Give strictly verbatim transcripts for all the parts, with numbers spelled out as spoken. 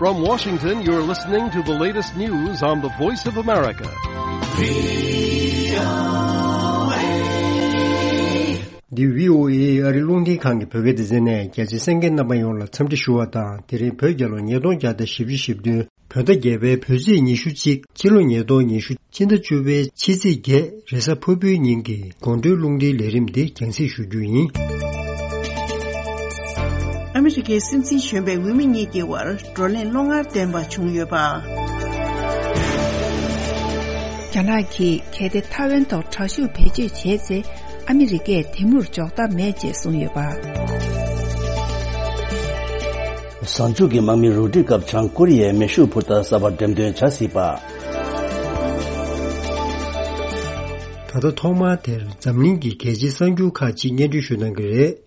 From Washington, you're listening to the latest news on the Voice of America. འདི་བྷི་ཨོ་ཨེ་ཨ་རི་རླུང་འཕྲིན་ཁང་གི་བོད་སྐད་སྡེ་ཚན་ནས། རྒྱ་ཆེའི་གསན་མཁན་རྣམ་པ་ཡོངས་ལ་འཚམས་འདྲི་ཞུ་བ་དང་། དེ་རིང་བོད་རྒྱལ་ལོ་ཉིས་སྟོང་བརྒྱ་དང་བཞི་བཅུ་ཞེ་བདུན། བོད་ཟླ་བརྒྱད་པའི་བོད་ཚེས་ཉི་ཤུ་གཅིག་སྤྱི་ལོ་ཉིས་སྟོང་ཉི་ཤུ། ཕྱི་ཟླ་བཅུ་པའི་ཕྱི་ཚེས་བརྒྱད། རེས་གཟའ་ཕུར་བུའི་ཉིན་གྱི་དགོང་དྲོའི་རླུང་འཕྲིན་ལས་རིམ་འདི་རྒྱང་སྲིང་ཞུ་རྒྱུ་ཡིན། ཨ་མི་རི་ཀའི་སྲིད་འཛིན་གཞོན་པའི་འོས་མི་གཉིས་ཀྱི་བར་བགྲོ་གླེང་བློ་ངར་ལྡན་པ་བྱུང་ཡོད་པ། རྒྱ་ནག་གིས་གལ་ཏེ་ཐའེ་ཝན་ཐོག་དྲག་ཤུགས་བེད་སྤྱོད་བྱས་ཚེ། ཨ་མི་རི་ཀས་དེ་མུར་འཇོག་ཐབས་མེད་ཅེས་གསུངས་ཡོད་པ། གཟའ་མཇུག་གི་དམག་མི་རུ་སྒྲིག་སྐབས་བྱང་ཀོ་རི་ཡས་མེ་ཤུགས་འཕུར་མདའ་གསར་པ་འགྲེམས་སྟོན་བྱ་སྲིད་པ། ད་ལྟ་ཐོག་མར་དེར་འཛམ་གླིང་གི་གལ་ཆེའི་གསར་འགྱུར་ཁག་ཅིག་སྙན་སྒྲོན་ཞུ་གནང་གི་རེད།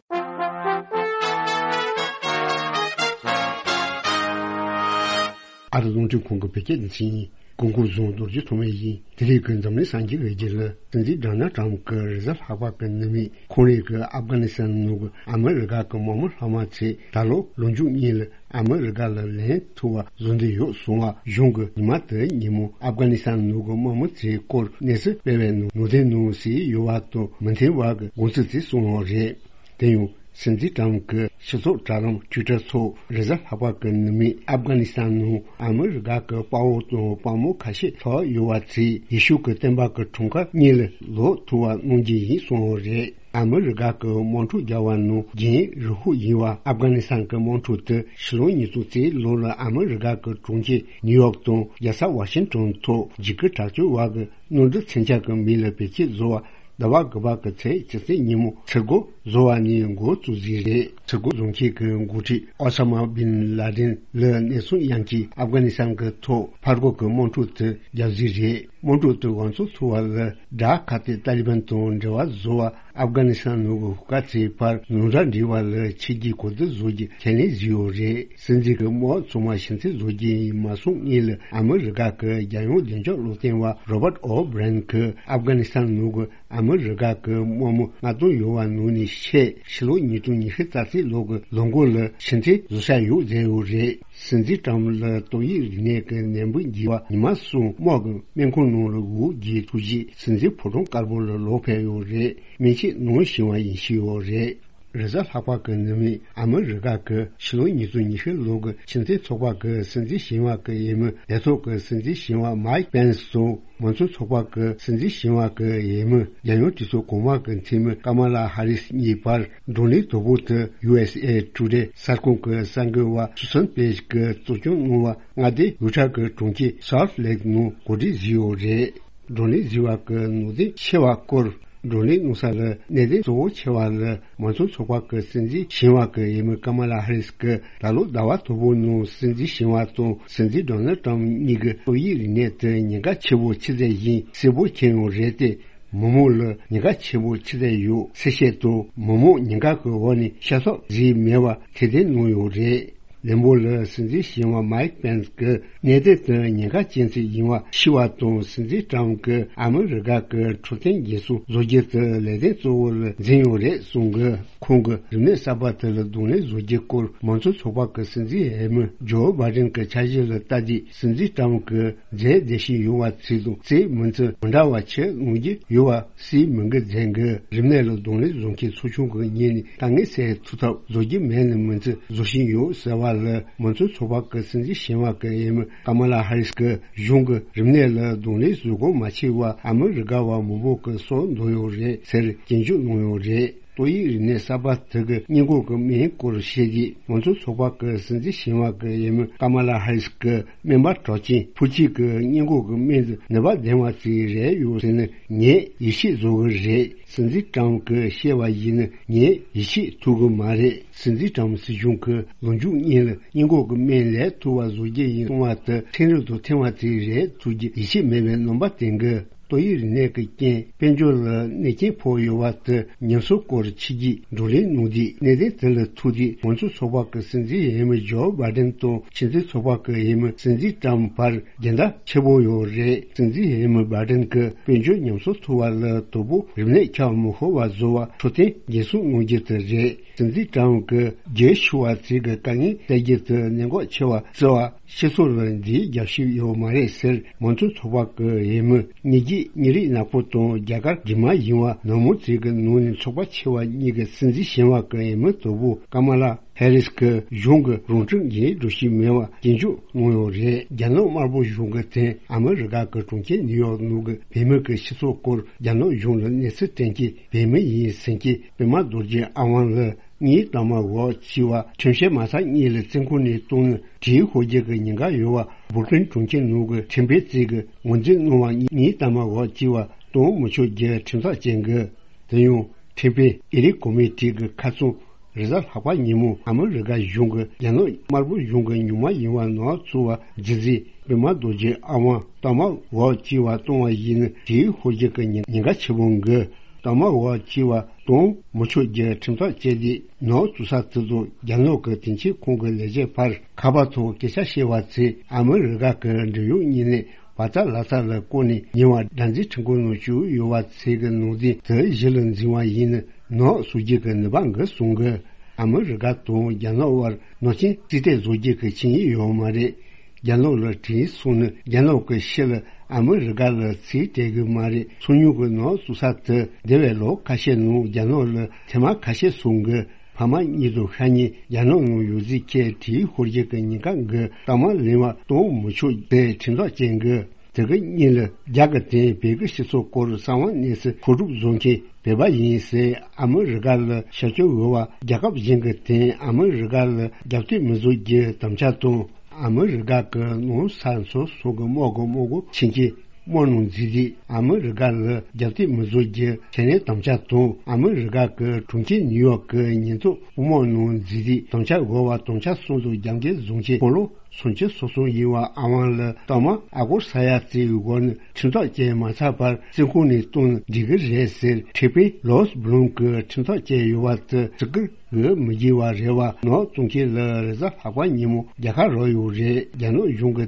ཨ་རི་རླུང་འཕྲིན་ཁང་གི་བོད་སྐད་སྡེ་ཚན་ཡིན། སྐུ་ངོ་གོང་ས་རྡོ་རྗེ་ཐོགས་མེད་ཡིན། དེ་རིང་གི་འཛམ་གླིང་གསར་འགྱུར་འོས་བསྡུ་ལ། སྲིད་འཛིན་ཌོ་ནལ་ཊམ་གྱི་རེས་གཟའ་ལྷག་པ་གི་ནུབ་མོ་ཁོང་རང་གི་ཨབ་གྷ་ནི་སི་ཐན་ནང་གི་ཨ་མི་རི་ཀ་གི་དམག་མི་ལྷག་མ་ཚོས་ད་ལོ་ལོ་མཇུག་གཉིས་ལ་ཨ་མི་རི་ཀ་ལ་ལན་ཐུབ་པ་བཟོ་འདོད་ཡོད་གསུངས་པ་གཞུང་གིས་ཉི་མ་དེའི་ཉིན་མོ་ཨབ་གྷ་ནི་སི་ཐན་ནང་གི་དམག་མི་ཚོའི་སྐོར་གནས་ཚུལ་སྤེལ་བའི་ནང་ནོར་འཁྲུལ་ནང་ཞིག་ཡོད་པ་དང་མི་མཐུན་པ་གི་དགོངས་ཚུལ་དེ་གསུངས་ཡོད་རེད། དེ་ཡང་སྲིད་འཛིན་ཊམ་གྱི་སྤྱི་ཚོགས་དྲ་ལམ་ཊུའི་ཊར་ཐོག་རེས་གཟའ་ལྷག་པ་གི་ནུབ་མོ་ཨབ་གྷ་ནི་སི་ཐན་ནང་ཨ་མི་རི་ཀ་གི་དཔའ་བོ་དང་དཔའ་མོ་ཁ་ཤས་ལྷག་ཡོད་པ་ཚོས་ཡེ་ཤུ་གི་བསྟན་པ་གི་གྲངས་ཀ་གཉིས་ལ་ལོག་ཐུབ་པ་གནང་རྒྱུ་ཡིན་གསུངས་ཡོད་རེད། ཨ་མི་རི་ཀ་གི་དམག་འཁྲུག་བརྒྱབ་པ་ནང་རྒྱུན་རིང་ཤོས་ཡིན་པ་ཨབ་གྷ་ནི་སི་ཐན་གྱི་དམག་འཁྲུག་དེ་ཕྱི་ལོ་ཉིས་སྟོང་གཅིག་ལོ་ལ་ཨ་མི་རི་ཀ་གི་གྲོང་ཁྱེར་ནིའུ་ཡོག་དང་རྒྱལ་ས་ཝ་ཤིང་ཊོན་ཐོག་འཇིགས་སྐུལ་དྲག་སྤྱོད་པ་གི་གནམ་གྲུ་མཚོན་ཆ་གི་མིང་ལ་བེད་སྤྱོད་བཟོ་བ། ཟླ་བ་དགུ་པ་གི་ཚེས་བཅུ་གཅིག་ཉིན་མོ་ཚུར་རྒོལ་བཟོ་བ་ནས་འགོ་བཙུགས་ཟིན་རེད། ཚུར་རྒོལ་བཟོ་མཁན་གྱི་འགོ་ཁྲིད་ཨོ་ས་མ་བིན་ལ་དན་ལ་གནས་ཚུལ་ཡང་གིས་ཨབ་གྷ་ནི་སི་ཐན་གྱི་ཐོག་ཕར་རྒོལ་གྱི་དམག་འཁྲུག་དེ་བརྒྱབ་ཟིན་རེད། དམག་འཁྲུག་དེ་འགོ་ཚུགས་ཐུབ་པ་ལ་དགྲ་ཁ་གཏད་ཏཱ་ལི་བན་དང་འབྲེལ་བ་བཟོ་བ། ཨབ་གྷ་ནི་སི་ཐན་ནང་གི་ཧུ་ཀ་ཚོའི་བར་ནང་འདྲ་འབྲེལ་བ་ལ་ཕྱི་རྒྱལ་གོ་བསྡུར་བཟོ་རྒྱུ་ཁས་ལེན་བཟོས་ཡོད་རེད། སྲིད་འཛིན་གྱི་དམག་ཚང་མ་ཕྱིར་འཐེན་བཟོ་རྒྱུ་ཡིན་མ་གསུངས་སྔོན་ལ་ཨ་མི་རི་ཀ་གི་རྒྱལ་ཡོངས་བདེ་འཇགས་བློ་བསྟན་པ་རོ་བརྟ་ཨོ་བྷི་རན་གྱིས་ཨབ་གྷ་ནི་སི་ཐན་ནང་གི་ཨ་མི་རི་ཀ་གི་དམག་མི་ལྔ་སྟོང་ཡོད་པ་ནང་ནས་ཕྱིར་ཕྱི་ལོ་ཉིས་སྟོང་ཉི་ཤུ་རྩ་གཅིག་ལོ་གི་ལོ་འགོ་ལ་ཕྱིར་འཐེན་བཟོ་འཆར་ཡོད་ཟེར་ཡོད་རེད། སྲིད་འཛིན་ཊམ་ལ་ཏོག་དབྱིབས་རིམས་ནད་ཀྱི་ནད་འབུ་འགོས་པ་ཉི་མ་གསུམ་དམག་གི་སྨན་ཁང་ནང་ལ་འགོག་རྒྱུའི་ཐུགས་རྗེས་སྲིད་འཛིན་ཕོ་བྲང་དཀར་པོ་ལ་ལོག་ཕེབས་ཡོད་རེད། སྨན་ཆས་ནང་བཞིན་པ་ཡིན་ཞུས་ཡོད་རེད། རེས་གཟའ་ལྷག་པ་གི་ནུབ་མོ་ཨ་མི་རི་ཀ་གི་ཕྱི་ལོ་ཉིས་སྟོང་ཉི་ཤུ་ལོ་གི་ཕྱི་འཐེན་ཚོགས་པ་གི་སྲིད་འཛིན་གཞོན་པ་གི་འོས་མི་ལས་ཐོག་གི་སྲིད་འཛིན་གཞོན་པ་མའིག་པེན་སི་དང་། མང་གཙོ་ཚོགས་པ་གི་སྲིད་འཛིན་གཞོན་པ་གི་འོས་མི་རྒྱལ་ཡོངས་གྲོས་ཚོགས་གོང་མ་གི་འཐུས་མི་ཀ་མ་ལ་ཧ་རིས་གཉིས་བར་བགྲོ་གླེང་དོད་པོ་དེ་ཡུ་ཨེས་ཨེ་ཊུ་ཌེ་གསར་ཁང་གི་གསར་འགོད་པ་སུ་སན་པེཇ་གིས་གཙོ་སྐྱོང་གནང་བ་མངའ་སྡེ་ཡུ་ཊ་གི་གྲོང་ཁྱེར་སོལ་ལེག་ནང་གོ་སྒྲིག་བཟོས་ཡོད་རེད། བགྲོ་གླེང་བཟོས་པ་གི་ནང་དོན་ཆེ་བ་སྐོར། བགྲོ་གླེང་གནང་ས་ལ་གནད་དོན་གཙོ་བོ་ཆེ་བ་ལ་མང་གཙོ་ཚོགས་པ་གི་སྲིད་འཛིན་གཞོན་པ་གི་འོས་མི་ཀ་མ་ལ་ཧ་རིས་ཀྱིས་ད་ལོ་ཟླ་བ་དང་པོའི་ནང་སྲིད་འཛིན་གཞོན་པ་དང་སྲིད་འཛིན་ཌོ་ནལ་ཊམ་གཉིས་ཀྱི་ཏོག་དབྱིབས་རིམས་ནད་དེ་ཉེན་ཁ་ཆེ་བོ་ཆི་ཟིག་ཡིན་གསལ་པོ་མཁྱེན་ཡོད་རེད་དེ། མི་མང་ལ་ཉེན་ཁ་ཆེ་བོ་ཆི་ཟིག་ཡོད་གསལ་བཤད་དང་མི་མང་ཉེན་ཁ་གི་འོག་ནས་ཤ་ཚ་ཟིག་མེད་པ་ཁས་ལེན་གནང་ཡོད་རེད། ལན་པོ་ལ་སྲིད་འཛིན་གཞོན་པ་མའིག་པེན་སི་གིས་གནད་དོན་དེ་ཉེན་ཁ་ཅན་ཞིག་ཡིན་པ་ཤེས་པ་དང་སྲིད་འཛིན་ཊམ་གིས་ཨ་མི་རི་ཀ་གི་འཕྲོད་བསྟེན་འགན་སྲུང་བཟོ་རྒྱུ་དེ་ལས་དོན་གཙོ་བོ་ལ་འཛིན་ཡོད་རེད་གསུངས་གི། ཁོང་གིས་རིམས་ནད་གསར་པ་དེ་ལ་གདོང་ལེན་བཟོ་རྒྱུའི་སྐོར་མང་གཙོ་ཚོགས་པ་གི་སྲིད་འཛིན་འོས་མི་ཇོ་བྷའི་ཌེན་གྱི་འཆར་གཞི་ལ་ལྟ་དུས་སྲིད་འཛིན་ཊམ་གྱིས་རྫས་བདེ་ཞིང་ཡོང་བ་ཚོས་དང་རྫས་མི་ཚེ་མི་འདྲ་བ་ཆེ་ངོས་ཀྱི་ཡོད་པ་སྲིད་མི་འགུལ་མཛད་འགུལ་རིམས་ནད་ལ་གདོང་ལེན་བཟོ་མཁན་ཚོགས་ཆུང་གི་ངོས་ནས་དཀའ་ངལ་སེལ་ཐུབ་ཐབས་བཟོ་རྒྱུ་མེད་ནི་མི་ཚེ་བཟོ་བཞིན་ཡོད་ཟེར་བ་ལ་མང་གཙོ་ཚོགས་པ་གི་སྲིད་འཛིན་གཞོན་པ་གི་འོས་མི་ཀ་མ་ལ་ཧ་རིས་ཀྱིས་གཞུང་གི་རིམས་ནད་ལ་གདོང་ལེན་བཟོ་དགོས་མ་ཆེ་བ་ཨ་མི་རི་ཀ་བ་མང་པོ་གི་སྲོག་འདོར་ཡོད་རེད་ཟེར་སྐྱོན་བརྗོད་གནང་ཡོད་རེད། ཏོག་དབྱིབས་རིམས་ནད་གསར་པ་དེ་གི་སྔོན་འགོག་གི་སྨན་སྐོར་བཤད་དུས་མང་གཙོ་ཚོགས་པ་གི་སྲིད་འཛིན་གཞོན་པ་གི་འོས་མི་ཀ་མ་ལ་ཧ་རིས་ཀྱིས་སྨན་པ་གྲགས་ཅན་ཕུ་ཅི་གི་སྔོན་འགོག་གི་སྨན་དེ་ནུས་པ་ལྡན་པ་ཞིག་རེད་ཡོད་ཟེར་ནས་ངས་ཡིད་ཆེས་བཟོ་གི་རེད། སྲིད་འཛིན་ཊམ་གྱིས་བཤད་པ་ཡིན་ན་ངས་ཡིད་ཆེས་ཐུབ་གི་མ་རེད། སྲིད་འཛིན་ཊམ་སྲིད་གཞུང་གིས་ལོ་མཇུག་གཉིས་ལ་སྔོན་འགོག་གི་སྨན་ལས་ཐུབ་པ་བཟོ་རྒྱུ་ཡིན་གསུང་བ་དེ་ཕྲན་རབ་ཏུ་ཐོན་པ་དེ་རེད་ཐུགས་ཀྱི་ཡིད་ཆེས་མེད་པའི་རྣམ་པ་བསྟན་གི། ཏོག་དབྱིབས་རིམས་ནད་ཀྱི་རྐྱེན་དཔལ་འབྱོར་ལ་གནོད་སྐྱོན་ཕོག་ཡོད་པ་དེ་ཉམས་གསོ་སྐོར་ཕྱི་རྒྱལ་བགྲོ་གླེང་གནང་དུས་གནད་དོན་དེ་ལ་ཐུག་དུས་མང་གཙོ་ཚོགས་པ་གི་སྲིད་འཛིན་འོས་མི་ཇོ་བྷའི་ཌེན་དང་ཕྱི་འཐེན་ཚོགས་པ་གི་འོས་མི་སྲིད་འཛིན་ཊམ་བར་འགལ་ཟླ་ཆེ་པོ་ཡོད་རེད། སྲིད་འཛིན་འོས་མི་བྷའི་ཌེན་གྱིས་དཔལ་འབྱོར་ཉམས་གསོ་ཐུབ་པ་ལ་དོ་པོ་རིམས་ནད་ཁྱབ་མི་ཤོར་བ་བཟོ་བ་འཕྲོད་བསྟེན་འགན་སྲུང་གནང་རྒྱུ་དེ་རེད། སྲིད་འཛིན་ཊམ་གྱིས་རྒྱལ་ཤུགས་པ་ཚོས་ཀྱི་དཀའ་ངལ་སེལ་རྒྱུ་དེ་གནད་འགག་ཆེ་བ་བརྩི་བ། སྤྱི་ཚོགས་ལ་འདིའི་རྒྱབ་ཤིག་ཡོད་མ་རེད་ཟེར། མང་གཙོ་ཚོགས་པ་གི་འོས་མི་གཉིས་ཀྱིས་མི་རིགས་ནག་པོ་དང་རྒྱ་གར་དྲི་མ་ཡིན་པ་ནག་མོ་ཚོའི་གི་ནང་ནས་ཚོགས་པ་ཆེ་བ་གཉིས་ཀྱི་སྲིད་འཛིན་གཞོན་པ་གི་འོས་མི་དོ་པོ་ཀ་མ་ལ་ཧེ་རིས་ཀྱི་གཞུང་གི་རང་སྐྱོང་འགན་འགྲོ་ཤེས་མེད་པ་སྐྱོན་བརྗོད་གནང་ཡོད་རེད། རྒྱ་ནག་དམར་པོ་གཞུང་གི་དེ་ཨ་མི་རི་ཀ་གི་གྲོང་ཁྱེར་ནིའུ་ཡོག་ནང་གི་བོད་མི་གི་སྤྱི་ཚོགས་སྐོར་རྒྱ་ནག་གཞུང་ལ་གནས་ཚུལ་སྟོན་མཁན་བོད་མི་ཡིན་ཟེར་མཁན་པད་མ་རྡོ་རྗེ་ཨ་དབང་ལགས། ངའི་ལྟག་མ་འོག་གཅིག་པ་ཁྲིམས་བཤེར་མ་ཚར་གཉིས་ལ་བཙོན་ཁང་ནས་བཏང་ནས་དྲིལ་ཤོར་རྒྱུ་གི་ཉེན་ཁ་ཡོད་པ་སྦུག་ལིན་གྲོང་ཁྱེར་ནང་གི་ཁྲིམས་དཔོན་གཅིག་གིས་ངོས་འཛིན་གནང་བ་ངའི་ལྟག་མ་འོག་གཅིག་པ་གཏོང་མི་ཆོག་རྒྱུ་ཁྲིམས་ཐག་བཅད་དགོས། དེ་ཡང་ཁྲིམས་དཔོན་ཨེ་རིག་ཀོ་མི་ཊི་གི་ཁ་སང་རེས་གཟའ་ལྷག་པ་ཉིན་མོ་ཨ་མི་རི་ཀ་གཞུང་གི་རྒྱ་ནག་དམར་པོ་གཞུང་གི་ཉུང་མ་ཡིན་པ་ནག་ཚོ་བ་ཇི་ཟིག་པད་མ་རྡོ་རྗེ་ཨ་དབང་ལྟག་མ་འོག་གཅིག་པ་གཏོང་བ་ཡིན་ན་དྲིལ་ཤོར་རྒྱུ་གི་ཉེན་ཉེན་ཁ་ཆེ་བོ་འགི། ལྟག་མ་འོག་གཅིག་པ་གཏོང་མི་ཆོག་རྒྱུ་ཁྲིམས་ཐག་བཅད་དེ་ནག་བཙུགས་ས་དེ་ཚོ་རྒྱ་ནག་གི་དེང་ཕྱིན་ཁོང་གི་ལས་བྱེད་ཕར་ཁ་པར་ཐོག་སྐད་ཆ་བཤད་པ་ཚོས་ཨ་མི་རི་ཀ་གི་འབྲེལ་ཡོད་གཉིས་ནས་བར་ཐག་ལག་ཐག་ལ་བཀོད་ནས་ཉེ་བར་སྒྲ་འཛིན་ཁྲིམས་ཁང་ནང་བཅུག་ཡོད་པ་ཚོས་གི་ནང་དོན་དེ་གཞི་ལ་འཛིན་པ་ཡིན་ན་ནག་བཟོ་རྒྱུ་གི་ནུས་པ་འགི་གསུང་གི། ཨ་མི་རི་ཀ་དང་རྒྱ་ནག་དབར་ནག་ཆེན་རྩིས་སྤྲོད་བཟོ་རྒྱུ་གི་ཆིངས་ཡིག་ཡོད་མ་རེད། རྒྱ་ནག་ལ་དྲིན་སོང་ནས་རྒྱ་ནག་གི་ཕྱི་ལ་ཨ་མི་རི་ཀ་ལ་ཚིག་སྤྲད་གི་མ་རེད། སང་ཉིན་གི་ནག་བཙུགས་ས་དེ་འདས་པའི་ལོ་ཁ་ཤས་ནང་རྒྱ་ནག་ལ་ཐེངས་མ་ཁ་ཤས་སོང་གི། ཕ་མ་གཉིས་དང་ཤ་ཉེ་རྒྱ་ནག་ནང་ཡོད་ཚུལ་ཁྱེད་དྲིལ་ཤོར་རྒྱུ་གི་ཉེན་ཁ་འགི་རྟགས་མ་ལེན་པ་གཏོང་མི་ཆོག་པའི་ཁྲིམས་ཐག་བཅད་འགི། དེ་གི་གཉིས་ལ་རྒྱ་གི་དེ་བོད་ཀྱི་སྤྱི་ཚོགས་སྐོར་གསང་བ་གནས་ཚུལ་མཁོ་སྒྲུབ་བཟོ་མཁན་བོད་པ་ཡིན་ཟེར་ཨ་མི་རི་ཀ་ལ་ཤར་སྐྱོད་འོས་པ་རྒྱལ་ཁབ་གཞན་གྱི་དེ་ཨ་མི་རི་ཀ་ལ་རྒྱབ་གཏོད་མི་བཟོ་རྒྱུ་དམ་བཅའ་དང་ཨ་མི་རི་ཀ་གི་ནང་ས་མཚོ་སོགས་ཀྱི་དམག་གི་དམག་སྒོ་ཆེན་གྱི་དམག་ནང་འཛུལ་རྗེས་ཨ་མི་རི་ཀ་ལ་རྒྱབ་གཏད་མི་བཟོ་རྒྱུ་ཁས་ལེན་དམ་བཅའ་དང་ཨ་མི་རི་ཀ་གི་གྲོང་ཁྱེར་ནིའུ་ཡོག་གི་ཉེན་རྟོག་དམག་ནང་འཛུལ་རྗེས་དམ་བཅའ་འོས་པ་དམ་བཅའ་གསུམ་དང་རྒྱབ་འགལ་བཟུང་ཆེད་སྤོ་ལོ། སུམ་ཅུ་སོ་གསུམ་ཡིན་པ་ཨ་དབང་ལ་ལྟག་མ་ཨ་སྒོར་ས་ཡ་རྩིས་འོག་ནས་ཁྲིམས་ཐག་བཅད་མ་ཚར་བར་བཙོན་ཁང་ནས་བཏང་ན་འགྲིག་གི་རེད་ཟེར། ཁྲིམས་དཔོན་ལོས་བྷི་ལུན་གྱིས་ཁྲིམས་ཐག་བཅད་ཡོད་པ་དེ་བརྩི་བཀུར་འོས་མི་བགྱི་བ་རེད་བ། ནག་བཙོང་མཁན་ལ་རེས་གཟའ་ལྷག་པ་ཉིན་མོ་རྒྱལ་ཁ་རག་ཡོད་རེད། རྒྱ་ནག་གཞུང་གི་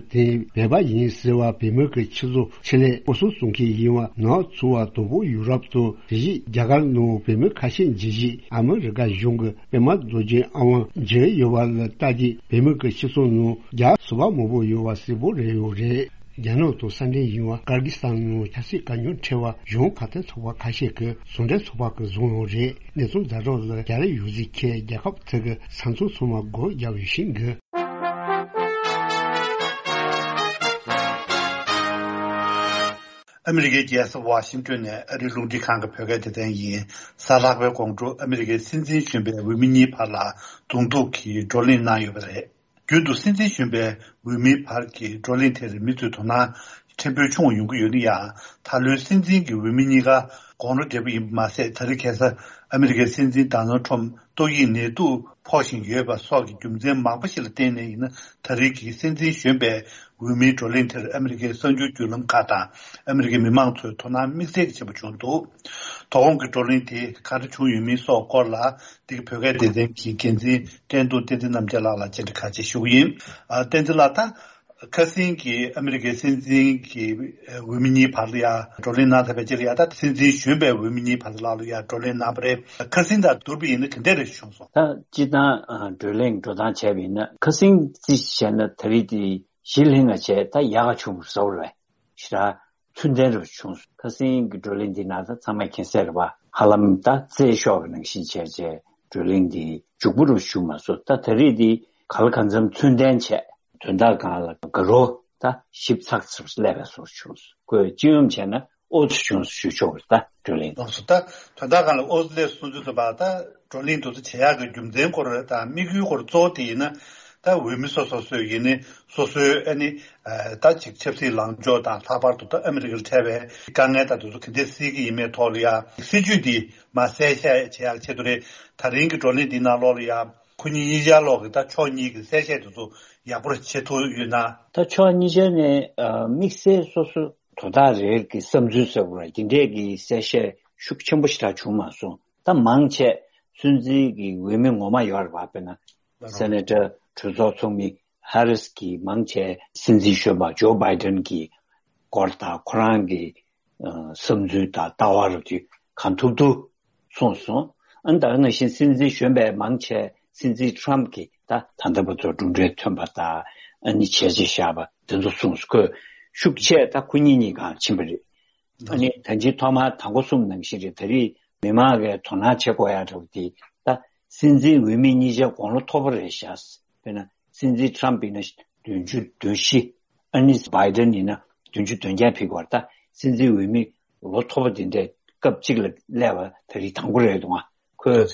དེ་བོད་པ་ཡིན་ཟེར་བ་བོད་མི་གི་ཁྱི་ཚོ་ཆེད་ལས་སྐོར་སྲུང་བཙོང་མཁན་ཡིན་བ། ནག་ཚོ་བ་དོ་པོ་ཡུ་རོབ་ཏུ་དེ་བཞིན་རྒྱ་གར་ནང་བོད་མི་ཁ་ཤས་འཇུ་བཞིན་ཨ་མི་རི་ཀ་གཞུང་གི་པད་མ་རྡོ་རྗེ་ཨ་དབང་འཇུ་ཡོད་པ་ལ་ལྟ་རྒྱུ་བོད་མི་གི་སྤྱི་ཚོགས་ནང་རྒྱ་སུ་བ་མང་པོ་ཡོད་པ་གསལ་པོ་རེད་ཡོད་རེད། རྒྱ་ནག་དང་ས་འབྲེལ་ཡིན་པ་ཀར་གི་སི་ཐན་ནང་ཆབ་སྲིད་དཀའ་རྙོག་འཕྲད་པ་གཞུང་ཁ་གཏད་ཚོགས་པ་ཁ་ཤས་ཀྱིས་ཟུང་འབྲེལ་ཚོགས་པ་གི་བཟུང་ཡོད་རེད། གནས་ཚུལ་ཛ་དྲག་ལ་རྒྱ་རི་ཡུ་ཟི་ཁའི་རྒྱལ་ཁབ་ཚོ་གི་ས་མཚམས་ཚང་མ་སྒོ་བརྒྱབ་ཡོད་ཤིང་གི། ཨ་མི་རི་ཀའི་རྒྱལ་ས་ཝ་ཤིང་ཏོན་ནས་ཨ་རིའི་རླུང་འཕྲིན་ཁང་གི་བོད་སྐད་སྡེ་ཚན་ཡིན། གཟའ་ལྷག་པའི་དགོང་དྲོ་ཨ་མི་རི་ཀའི་སྲིད་འཛིན་གཞོན་པའི་འོས་མི་གཉིས་བར་ལ་གདོང་ཐུག་གིས་བགྲོ་གླེང་གནང་ཡོད་པ་རེད། རྒྱུན་དུ་སྲིད་འཛིན་གཞོན་པའི་འོས་མིའི་བར་གྱི་བགྲོ་གླེང་དེར་མི་ཚོའི་དོ་སྣང་ཕྲན་བུ་ཆུང་བ་ཡོང་གི་ཡོད་ན་ཡང་། ད་ལོའི་སྲིད་འཛིན་གྱི་འོས་མི་གཉིས་ཀ་དགུང་ལོ་བགྲེས་པོ་ཡིན་པ་མ་ཟད། ད་རེས་ཁ་སང་ཨ་མི་རི་ཀའི་སྲིད་འཛིན་ཌོ་ནལ་ཁྲམ་ཏོག་དབྱིབས་ནད་དུག་ཕོག་བཞིན་ཡོད་པ་སོགས་ཀྱི་རྒྱུ་མཚན་མང་པོ་ཞིག་ལ་བརྟེན་ནས་ཡིན་ན། ད་རེས་ཀྱི་སྲིད་འཛིན་གཞོན་པའི་འོས་མིའི་བགྲོ་གླེང་དེར་ཨ་མི་རི་ཀའི་གསར་འགྱུར་བརྒྱུད་ལམ་ཁག་དང་ཨ་མི་རི་ཀའི་མི་མང་ཚོའི་དོ་སྣང་དམིགས་བསལ་གྱི་ཆེན་པོ་བྱུང་འདུག། དོ་དགོང་གི་བགྲོ་གླེང་དེ་ག་འདྲ་བྱུང་ཡོད་མིན་སོགས་སྐོར་ལ། འདི་གི་བོད་སྐད་སྡེ་ཚན་གྱི་འགན་འཛིན་བསྟན་རྡོར་བསྟན་འཛིན་རྣམ་རྒྱལ་ལགས་ལ་བཅར་འདྲི་ཁག་ཅིག་ཞུ་གི་ཡིན། ཨ། བསྟན་འཛིན་ལགས། ད་ཁ་སང་གི་ཨ་མི་རི་ཀའི་སྲིད་འཛིན་གྱི་འོས་མི་གཉིས་བར་ལ་ཡ་བགྲོ་གླེང་གནང་ཚར་བའི་རྗེས་ལ་ཡ། ད་སྲིད་འཛིན་གཞོན་པའི་འོས་མི་གཉིས་བར་ལ་ལ་ཡ་བགྲོ་གླེང་གནང་བ་རེད། ཁ་སང་དང་བསྡུར་བ་ཡིན་ན་ག་འདྲ་རེ་བྱུང་སོང་། ད་སྤྱིར་བཏང་ཨ་བགྲོ་གླེང་འགྲོ་སྟངས་བྱས་པ་ཡིན་ན། ཁ་སང་རྩིས་བྱས་ན་ད་རེས་དེ་གཞི་ལྷིང་ང་བྱས། ད་ཡག་ག་བྱུང་བཟོ་བ་རེད། ཞེ་དྲག་ཚུལ་ལྡན་རུ་བྱུང་སོང་། ཁ་སང་གི་བགྲོ་གླེང་འདི་ནང་ད་ཚང་མས་མཁྱེན་གསལ་རེད་པ། ཧ་ལམ་ད་རྩེད་ཤོག་གི་ནང་བཞིན་བྱས་བྱས་བགྲོ་གླེང་འདི་མཇུག་པོ་རུ་ཞུགས་མ་སོང་། ད་ད་རེས་འདི་ག་ལ་གང་འཚམ་ཚུལ་ལྡན་བྱས། དོན་དག་སྒང་ལ་དགའ་རབ་ད་ཞིབ་ཚགས་ཚུལ་སླེབས་པའི་བཟོ་བྱུང་སོང་། ཁོས་སྤྱི་ཡོངས་བྱས་ན་ཨོ་ཚོད་བྱུང་སོང་ཞུ་ཆོག་གི་རེད། ད་བགྲོ་གླེང་ལགས་སོ། ད་དོན་དག་སྒང་ལ་ཨོ་ཚོད་སླེབས་སོང་ཚུལ་དུ་བ། ད་བགྲོ་གླེང་དེ་ཚོ་བྱེད་ཡག་གི་རྒྱུ་མཚན་སྐོར་དང་དམིགས་ཡུལ་སྐོར་གཙོ་བོ་དེ་ཡིན་ན། ད་འོས་མི་སོ་སོ་སོས་ཡིན་ནི་སོ་སོའི་ཨ་ནི་ད་ཅིག་ཆབ་སྲིད་ལངས་ཕྱོགས་དང་། ལྷག་པར་དུ་ད་ཨ་མི་རི་ཀར་འཕྲད་པའི་དཀའ་ངལ་དང་དེ་ཚོ་ག་འདྲས་སེལ་གྱི་ཡིན་མིན་ཐོག་ལ་ཡ་སྲིད་ཇུས་འདི་མར་གསལ་བཤད་བྱེད་ཡག་ཆེད་དུ་རེད། ད་རིང་གི་བགྲོ་གླེང་འདིའི་ནང་ལོགས་ལ་ཡ་ཁོ་གཉིས་གཉིས་ཆར་ལོགས་ཀྱི་ད་ཕྱོགས་གཉིས་ཀྱི་གསལ་བཤད་དེ་ཚོ་ཡག་པོ་བྱེད་ཐུབ་ཡོད་ན། ད་ཕྱོགས་གཉིས་ཆར་ནས་ཨ་དམིགས་བསལ་སོ་སོ་དོ་བདག་རེ་རེ་གི་བསམ་ཚུལ་ཟེར་དགོས་རེད། དེ་འདྲས་ཀྱི་གསལ་བཤད་ཤུགས་ཆེན་པོ་ཞེ་དྲག་བྱུང་མ་སོང་། ད་མང་ཆེ་སྲིད་འཛིན་གྱི་འོས་མི་ངོ་མ་ཡོད་རེད་པ། དཔེར་ན་ལགས་སོ། སེ་ནེ་ཊར་གྲོས་ཚོགས་ཚོགས་མི་ཧེ་རིས་ཀྱིས་མང་ཆེ་སྲིད་འཛིན་གཞོན་པ་ཇོ་བྷའི་ཌེན་གྱི་སྐོར་དང་། ཁོ་རང་གི་ཨ་བསམ་ཚུལ་དང་ལྟ་བ་རུ་དེ་གང་ཐུབ་ཐུབ་གསུངས་སོང་། ཨ་ནི་ད་ག་ནང་བཞིན་སྲིད་འཛིན་གཞོན་པས་མང་ཆེ་སྲིད་འཛིན་ཊརམ་གྱིས་ད་ད་ལྟ་བར་དུ་གྲུབ་འབྲས་ཐོན་པ་དང་ ཨ་ནི་བྱས་རྗེས་བཞག་པ་དེ་ཚོ་གསུངས་སོང་། ཁོས་ཤུགས་ཆེ་ད་ཁོ་གཉིས་གཉིས་གང་ཕྱིན་པ་རེད། ཨ་ནི་ད་ཅི་ཐོག་མར་དང་པོ་གསུངས་ནང་བཞིན་རེད། ད་རེས་མི་མང་གིས་དོ་སྣང་བྱེད་དགོས་ཡ་འདྲ་བོ་དེ་ད་སྲིད་འཛིན་འོས་མི་གཉིས་ཆ་དགུང་ལོ་མཐོ་པོ་རེད་ཤག་དཔེར་ན་སྲིད་འཛིན་ཊམ་ཡིན་ན་བདུན་ཅུ་དོན་བཞི། ཨ་ནི་བྷའི་ཌེན་ཡིན་ན་བདུན་ཅུ་དོན་བརྒྱད་ཕེབས་ཀྱི་ཡོད་རེད། ད་སྲིད་འཛིན་འོས་མི་ལོ་མཐོ་པོ་དེ་འདྲས་སྐབས་གཅིག་ལ་སླེབས་པ་ད་རེས་དང་པོ་རེད་འདུག་ག་ཁོས་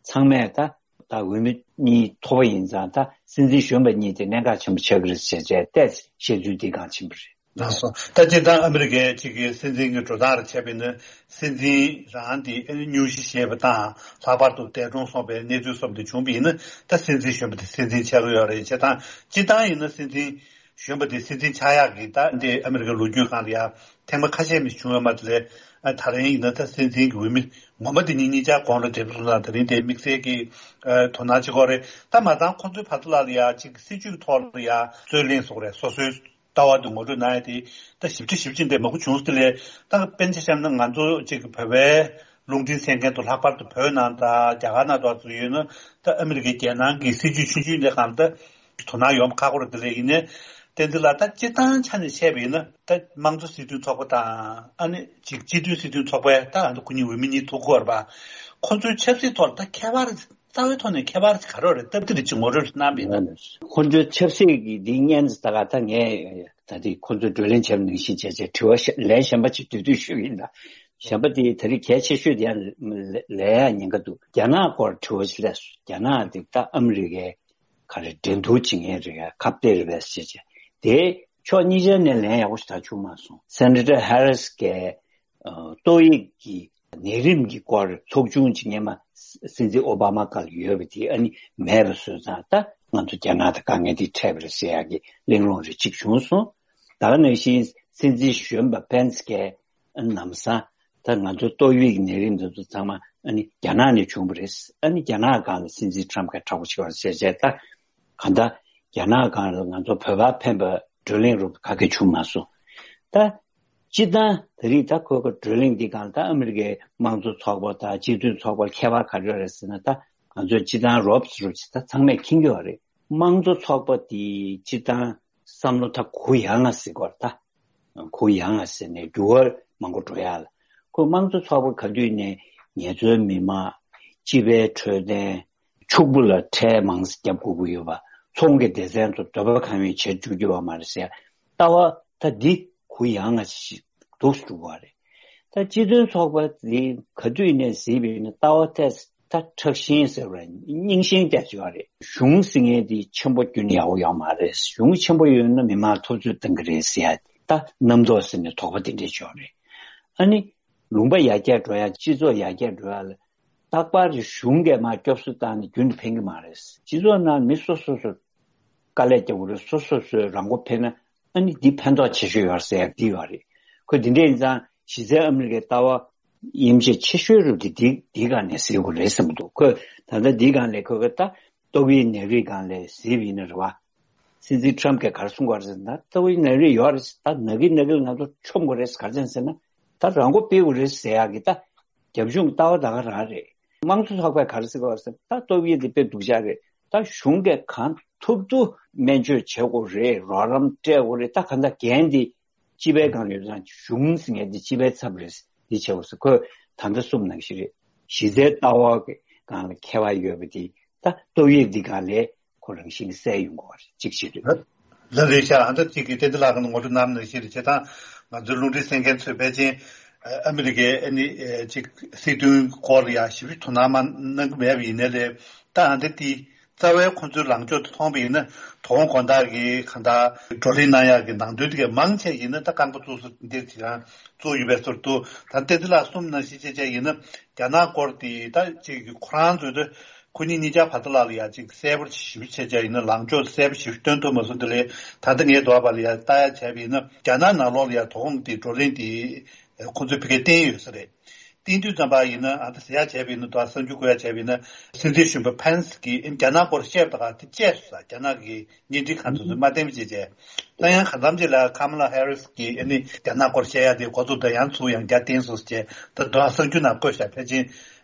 ཚང་མས་ད་ད་འོས་མི་གཉིས་མཐོ་པོ་ཡིན་ཙང་ད་སྲིད་འཛིན་གཞོན་པ་གཉིས་དེ་གནད་འགག་ཆེན་པོ་ཆགས་ཀྱི་རེད་ཟེར་བྱས་ཏེ་བཤད་ཚུལ་འདི་སྒང་ཕྱིན་པ་རེད། ལགས་སོ། ད་སྤྱིར་བཏང་ཨ་མི་རི་ཀའི་གཅིག་གི་སྲིད་འཛིན་གྱི་འགྲོ་སྟངས་རེ་བྱས་པ་ཡིན་ན་སྲིད་འཛིན་རང་དེ་ཨ་ནི་སྙུང་གཞི་བཞེས་པ་དང་ལྷག་པར་དུ་འདས་གྲོངས་སོང་པའི་གནས་ཚུལ་སོགས་དེ་བྱུང་པ་ཡིན་ན་ད་སྲིད་འཛིན་གཞོན་པ་དེ་སྲིད་འཛིན་ཆགས་ཀྱི་ཡོད་རེད། བྱས་ཙང་སྤྱིར་བཏང་ཡིན་ན་སྲིད་འཛིན་གཞོན་པ་དེ་སྲིད་འཛིན་ཆགས་ཡག་གི་ད་འདི་ཨ་མི་རི་ཀའི་ལོ་རྒྱུས་སྒང་ལ་ཡ་ཐེངས་མ་ཁ་ཤས་མི་བྱུང་ཡོད་མ་རེད། ད་རིང་ཡིན་ན་ད་སྲིད་འཛིན་གྱི་འོས་མི་ངོ་མ་དེ་ཉིད་གཉིས་ཆར་གོང་ལ་འདེབས་སོང་ཙང་ད་རིང་དེ་དམིགས་བསལ་གྱི་དོ་སྣང་བྱེད་དགོས་རེད། ད་མ་ཚང་ཁོ་ཚོའི་བར་དུ་ལ་ལ་ཡ་གཅིག་སྲིད་ཇུས་ཐོག་ལ་ཡ་རྩོད་གླེང་སོགས་རེད། སོ་སོའི་ལྟ་བ་དེ་ངོ་སྤྲོད་གནང་ཡ་དེ་ད་ཞིབ་ཕྲ་ཞིབ་ཕྲ་འདྲ་མང་པོ་བྱུང་སོང་། དེ་ལས་ད་དཔེར་ན་ཆ་བཞག་ན་ང་ཚོ་གཅིག་གི་བོད་པའི་རླུང་འཕྲིན་གསན་མཁན་དུ་ལྷག་པར་དུ་བོད་ནང་དང་རྒྱ་གར་ནང་དུ་ཚུད་ཡོད་ན་ད་ཨ་མི་རི་ཀའི་རྒྱལ་ནང་གི་སྲིད་ཇུས་ཆུང་ཆུང་འདི་སྒང་ད་དོ་སྣང་ཡོང་ཁག་པོ་རེད། དེ་ལས་ཡིན་ནའི་བསྟན་འཛིན་ལགས་ད་སྤྱིར་བཏང་ཆ་ནས་བཤད་པ་ཡིན་ན་ད་དམངས་གཙོ་སྲིད་དོན་ཚོགས་པ་དང་ཨ་ནི་གཅིག་སྤྱི་མཐུན་སྲིད་དོན་ཚོགས་པའི་ད་ཨ་ནི་ཁོ་གཉིས་འོས་མི་གཉིས་ཐུག་གི་ཡོད་རེད་པ། ཁོ་ཚོའི་ཆབ་སྲིད་ཐོག་ལ་ད་ཁྱད་པར་རྩ་བའི་ཐོག་ནས་ཁྱད་པར་ག་རེ་རེད་སྟབས་བདེ་རེད་ཅེས་ངོ་སྤྲོད་གནང་པ་ཡིན་ན། ཁོ་ཚོའི་ཆབ་སྲིད་ཀྱི་འདི་སྔོན་ད་ག་ད་ངས་ད་ལྟའི་ཁོ་ཚོ་བགྲོ་གླེང་བྱས་པ་ནང་བཞིན་བྱས་བྱས་དྲི་བ་ལན་གཞན་པ་ཅིག་འདོད་འདོད་ཞུ་གི་ཡིན། ད་གཞན་པ་དེ་ད་རེས་གལ་ཆེ་ཤོས་དེ་ཡང་ལས་ཡ་ཉེན་ཁ་འདུག་རྒྱ་ནག་སྐོར་དྲི་བ་ཞིག་སླེབས་སོང་། རྒྱ་ནག་དེ་ད་ཨ་མི་རི་ཀའི་ག་རེ་འགྲན་བསྡུར་བྱེད་མཁན་རེད། ཁ་གཏད་རེད་པས་ཟེར་བྱས་དེ་ཕྱོགས་གཉིས་ཆ་ནས་ལན་ཡག་པོ་ཞིག་ད་བྱུང་མ་སོང་། སེ་ནེ་ཊར་ཧེ་རིས་ཀྱིས་ཏོག་དབྱིབས་ཀྱི་ནད་རིམས་ཀྱི་སྐོར་ཚོགས་ཆུང་ཅིག་སྔོན་མ་སྲིད་འཛིན་ཨོ་བྷ་མ་སྐབས་ལ་ཡོད་པ་དེ་ཨ་ནི་མེད་པ་བཟོས་ཙང་ད་ང་ཚོ་རྒྱ་ནག་དང་དཀའ་ངལ་འདི་འཕྲད་པ་རེད་ཟེར་ཡག་གི་གླེང་སློང་རེ་གཅིག་བྱུང་སོང་། ད་ག་ནང་བཞིན་སྲིད་འཛིན་གཞོན་པ་ཕེན་སི་ཀྱིས་ལམ་སང་ད་ང་ཚོ་ཏོག་དབྱིབས་ཀྱི་ནད་རིམས་འདི་ཚོ་ཚང་མ་ཨ་ནི་རྒྱ་ནག་ནས་བྱུང་བ་རེད། ཨ་ནི་རྒྱ་ནག་སྒང་ལ་སྲིད་འཛིན་ཊམ་གྱིས་དྲག་པོ་བྱས་པ་རེད་ཟེར་བྱས་ད་གང་ལྟར་རྒྱ་ནག་སྒང་ལ་ང་ཚོ་བོད་པ་ཕན་པ་བགྲོ་གླེང་རུ་ག་གེ་བྱུང་མ་སོང་། ད་སྤྱིར་བཏང་ད་རེས་ད་ཁོ་གི་བགྲོ་གླེང་འདི་སྒང་ད་ཨ་མི་རི་ཀའི་དམངས་གཙོ་ཚོགས་པ་དང་སྤྱི་མཐུན་ཚོགས་པ་ཁྱད་པར་ག་རེ་རེད་ཟེར་ན། ད་ང་ཚོས་སྤྱིར་བཏང་རོབ་ཙམ་རོབ་ཙམ་ད་ཚང་མས་མཁྱེན་གྱི་ཡོད་རེད། དམངས་གཙོ་ཚོགས་པ་དེ་སྤྱིར་བཏང་བསམ་བློ་ད་གུ་ཡངས་ང་ཟེར་དགོས་རེད། ད་གུ་ཡངས་ང་ཟེར་ནས་འགྱུར་བ་མང་པོ་འགྲོ་ཡ་ལ། ཁོ་དམངས་གཙོ་ཚོགས་པ་ག་དུས་ནས་ངལ་རྩོལ་མི་མང་། སྤྱི་པའི་འཕྲོད་བསྟེན། ཕྱུག་པོ་ལ་ཁྲལ་མང་ཙམ་བརྒྱབ་དགོས་ཀྱི་ཡོད་པ། ཚོང་གི་སྡེ་ཚན་ཚོ་འདོད་པ་གང་ཡོད་བྱེད་བཅུག་རྒྱུ་ཡོད་མ་རེད་ཟེར། ལྟ་བ་ད་འདི་གུ་ཡངས་ང་ཞིག་འདུག་འདུག་པ་རེད། ད་སྤྱི་མཐུན་ཚོགས་པ་འདི་ག་དུས་ནས་གཟིགས་པ་ཡིན་ན་ལྟ་བ་ཏོག་ཙམ་ད་ཁྲག་ཤིང་ཟེར་བ་རྙིང་ཤིང་ཏོག་ཙམ་ཡོད་རེད། གཞུང་ཟེར་མཁན་འདི་ཆེན་པོ་རྒྱུན་ཡག་པོ་ཡོད་མ་རེད། གཞུང་ཆེན་པོ་ཡོད་ན་མི་མང་ཐོབ་ཚོད་གཏོང་གི་རེད་ཟེར་ཡ་ད་རྣམ་རྟོག་ཟེར་ནས་དོགས་པ་དེ་འདྲས་ཡོད་རེད། ཨ་ནི་ལུང་པ་ཡར་རྒྱས་འགྲོ་ཡ། སྤྱི་ཚོགས་ཡར་རྒྱས་འགྲོ་ཡ་ལ་རྟག་པར་གཞུང་གིས་མར་སྐྱོབ་གསོ་བཏང་ནས་རྒྱུན་དུ་ཕན་གྱི་མ་རེད། སྤྱི་ཚོགས་ནང་མི་སོ་སོ་སོ་དཀའ་ལས་རྒྱག་དགོས་རེད། སོ་སོ་སོས་རང་མགོ་ཕན་ན་ཨ་ནི་འདི་ཕན་ཐོགས་ཆེ་ཤོས་ཡོད་ཟེར་ཡ་འདི་ཡོད་རེད། ཁོས་འདི་འདྲ་ཡིན་ཙང་གཞི་རྩའི་ཨ་མི་རི་ཀའི་ལྟ་བ་དབྱེ་འབྱེད་ཆེ་ཤོས་རུ་འདི་འདི་འདི་སྒང་ནས་གཟིགས་དགོས་རེད་བསམ་གྱི་འདུག་ཁོས་ད་ལྟ་འདི་སྒང་ལས་ཁོས་ད་ཏོག་དབྱིབས་ནད་རིགས་སྒང་ལས་གཟིགས་པ་ཡིན་ན་རེད་བ། སྲིད་འཛིན་ཊམ་གྱིས་ག་རེ་གསུང་གི་ཡོད་རེད་ཟེར་ན། ཏོག་དབྱིབས་ནད་རིགས་ཡོད་རེད། ད་ནད་ཀྱི་ནད་ཀྱི་ང་ཚོ་མཆོང་དགོས་རེད། ག་རེ་བྱས་ཟེར་ན་ད་རང་མགོ་སྤེལ་དགོས་རེད་ཟེར་ཡག་གི་ད་རྒྱབ་ལྗོངས་ལྟ་བ་ད་ག་རང་རེད། དམངས་གཙོ་ཚོགས་པས་ག་རེ་ཟེར་གི་ཡོད་རེད་ཟེར་ན། ད་ཏོག་དབྱིབས་འདི་དཔེ་སྡུག་ཅག་རེད། ད་གཞུང་གིས་གང་ཐུབ་ཐུབ་སྨན་བཅོས་བྱེད་དགོས་རེད། རོགས་རམ་སྤྲད་དགོས་རེད། ད་གང་ལྟར་འགན་འདི་སྤྱི་པའི་སྒང་ཡོད་ཙང་གཞུང་ཟེར་མཁན་འདི་སྤྱི་པའི་ཚབ་རེད། འདི་བྱེད་དགོས་ཟེར། ཁོས་ད་ལྟ་གསུངས་ནང་བཞིན་རེད། གཞི་རྩའི་ལྟ་བ་གི་སྒང་ལ་ཁྱད་པར་ཡོད་པ་འདི་ད་ཏོག་དབྱིབས་འདི་སྒང་ལས་ཁོ་རང་བཞིན་གྱིས་གསལ་ཡོང་གི་ཡོད་རེད། གཅིག་བྱེད་དུས། ལ་ལས་ཤ་ཨ་འདྲ་གཅིག་གིས་བསྟན་འཛིན་ལགས་ཀྱིས་ངོ་སྤྲོད་གནང་ནང་བཞིན་རེད། བྱས་ཙང་ང་ཚོའི་རླུང་འཕྲིན་གསན་མཁན་ཚོས་ཕལ་ཆེར་ཨ་མི་རི་ཀའི་ཨ་ནི་གཅིག་སྲིད་དོན་སྐོར་ལ་ཡང་ཞིབ་ཞིབ་དོ་སྣང་མ་གནང་གི་མེད་པ་ཡིན་ནའི་ལས། ད་ཨ་འདྲ་དེ་རྩ་བའི་ཁོང་ཚོའི་ལངས་ཕྱོགས་དེ་མཐོང་བ་ཡིན་ན། དོ་དགོང་དག་གི་གང་ལྟར་བགྲོ་གླེང་གནང་ཡག་གི་ནང་དོན་དེ་གའི་མང་ཆེ་ཡིན་ན་ད་རྐང་པ་བཙུགས་སུ་འདིར་ཅིག་ཡང་བཙུགས་ཡོད་པའི་ཚོར་འདུག་ད་བསྟན་འཛིན་ལགས་གསུངས་ནང་བཞིན་བྱས་བྱས་ཡིན་ན་རྒྱ་ནག་སྐོར་དེ་ད་ཅིག་ཁོ་རང་ཚོས་ད་ཁོ་གཉིས་གཉིས་ཆར་བར་དུ་ལ་ལ་ཡ་ཅིག་གསལ་པོ་ཞིབ་བྱས་བྱས་ཡིན་ན་ལངས་ཕྱོགས་གསལ་པོ་ཞིབ་སྟོན་ཐུབ་མ་སོང་། དེ་ལས་ད་ལྟ་ངས་འདུག་པ་ལ་ཡ་ལྟ་ཡ་བྱས་པ་ཡིན་ན་རྒྱ་ནག་ནང་ལོགས་ལ་ཡ་དོ་དགོང་དེ་བགྲོ་གླེང་དེ་ཁོ་ཚོས་ཕ་གིར་བསྟན་ཡོད་ས་རེད། བསྟན་དུས་ཙམ་པ་ཡིན་ན་ཨ་ད་ཟེར་ཡ་བྱས་པ་ཡིན་ན། ད་གསར་འགྱུར་བཀོད་ཡ་བྱས་པ་ཡིན་ན། སྲིད་འཛིན་གཞོན་པ་ཕན་སི་གིས་རྒྱ་ནག་སྐོར་བཤད་པ་དང་དེ་བཅད་སོང་ས། རྒྱ་ནག་གི་བརྙན་འཕྲིན་ཁང་ཚོ་ཚོས་མ་བསྟན་པ་བྱས་བྱས། ད་ཡང་གང་འཚམ་ཅིག་ལ་ཀ་མ་ལ་ཧེ་རི་སི་གིས་ཨ་ནི་རྒྱ་ནག་སྐོར་བཤད་ཡ་དེ་འགོ་ཚུགས་ད་ཡང་ཚུགས་ཡང་རྒྱ་བསྟན་སོང་ཟེར་བྱས། ད་དོན་གསར་འགྱུར་ནང་བཀོད་ཤག་ཕལ་ཆེར་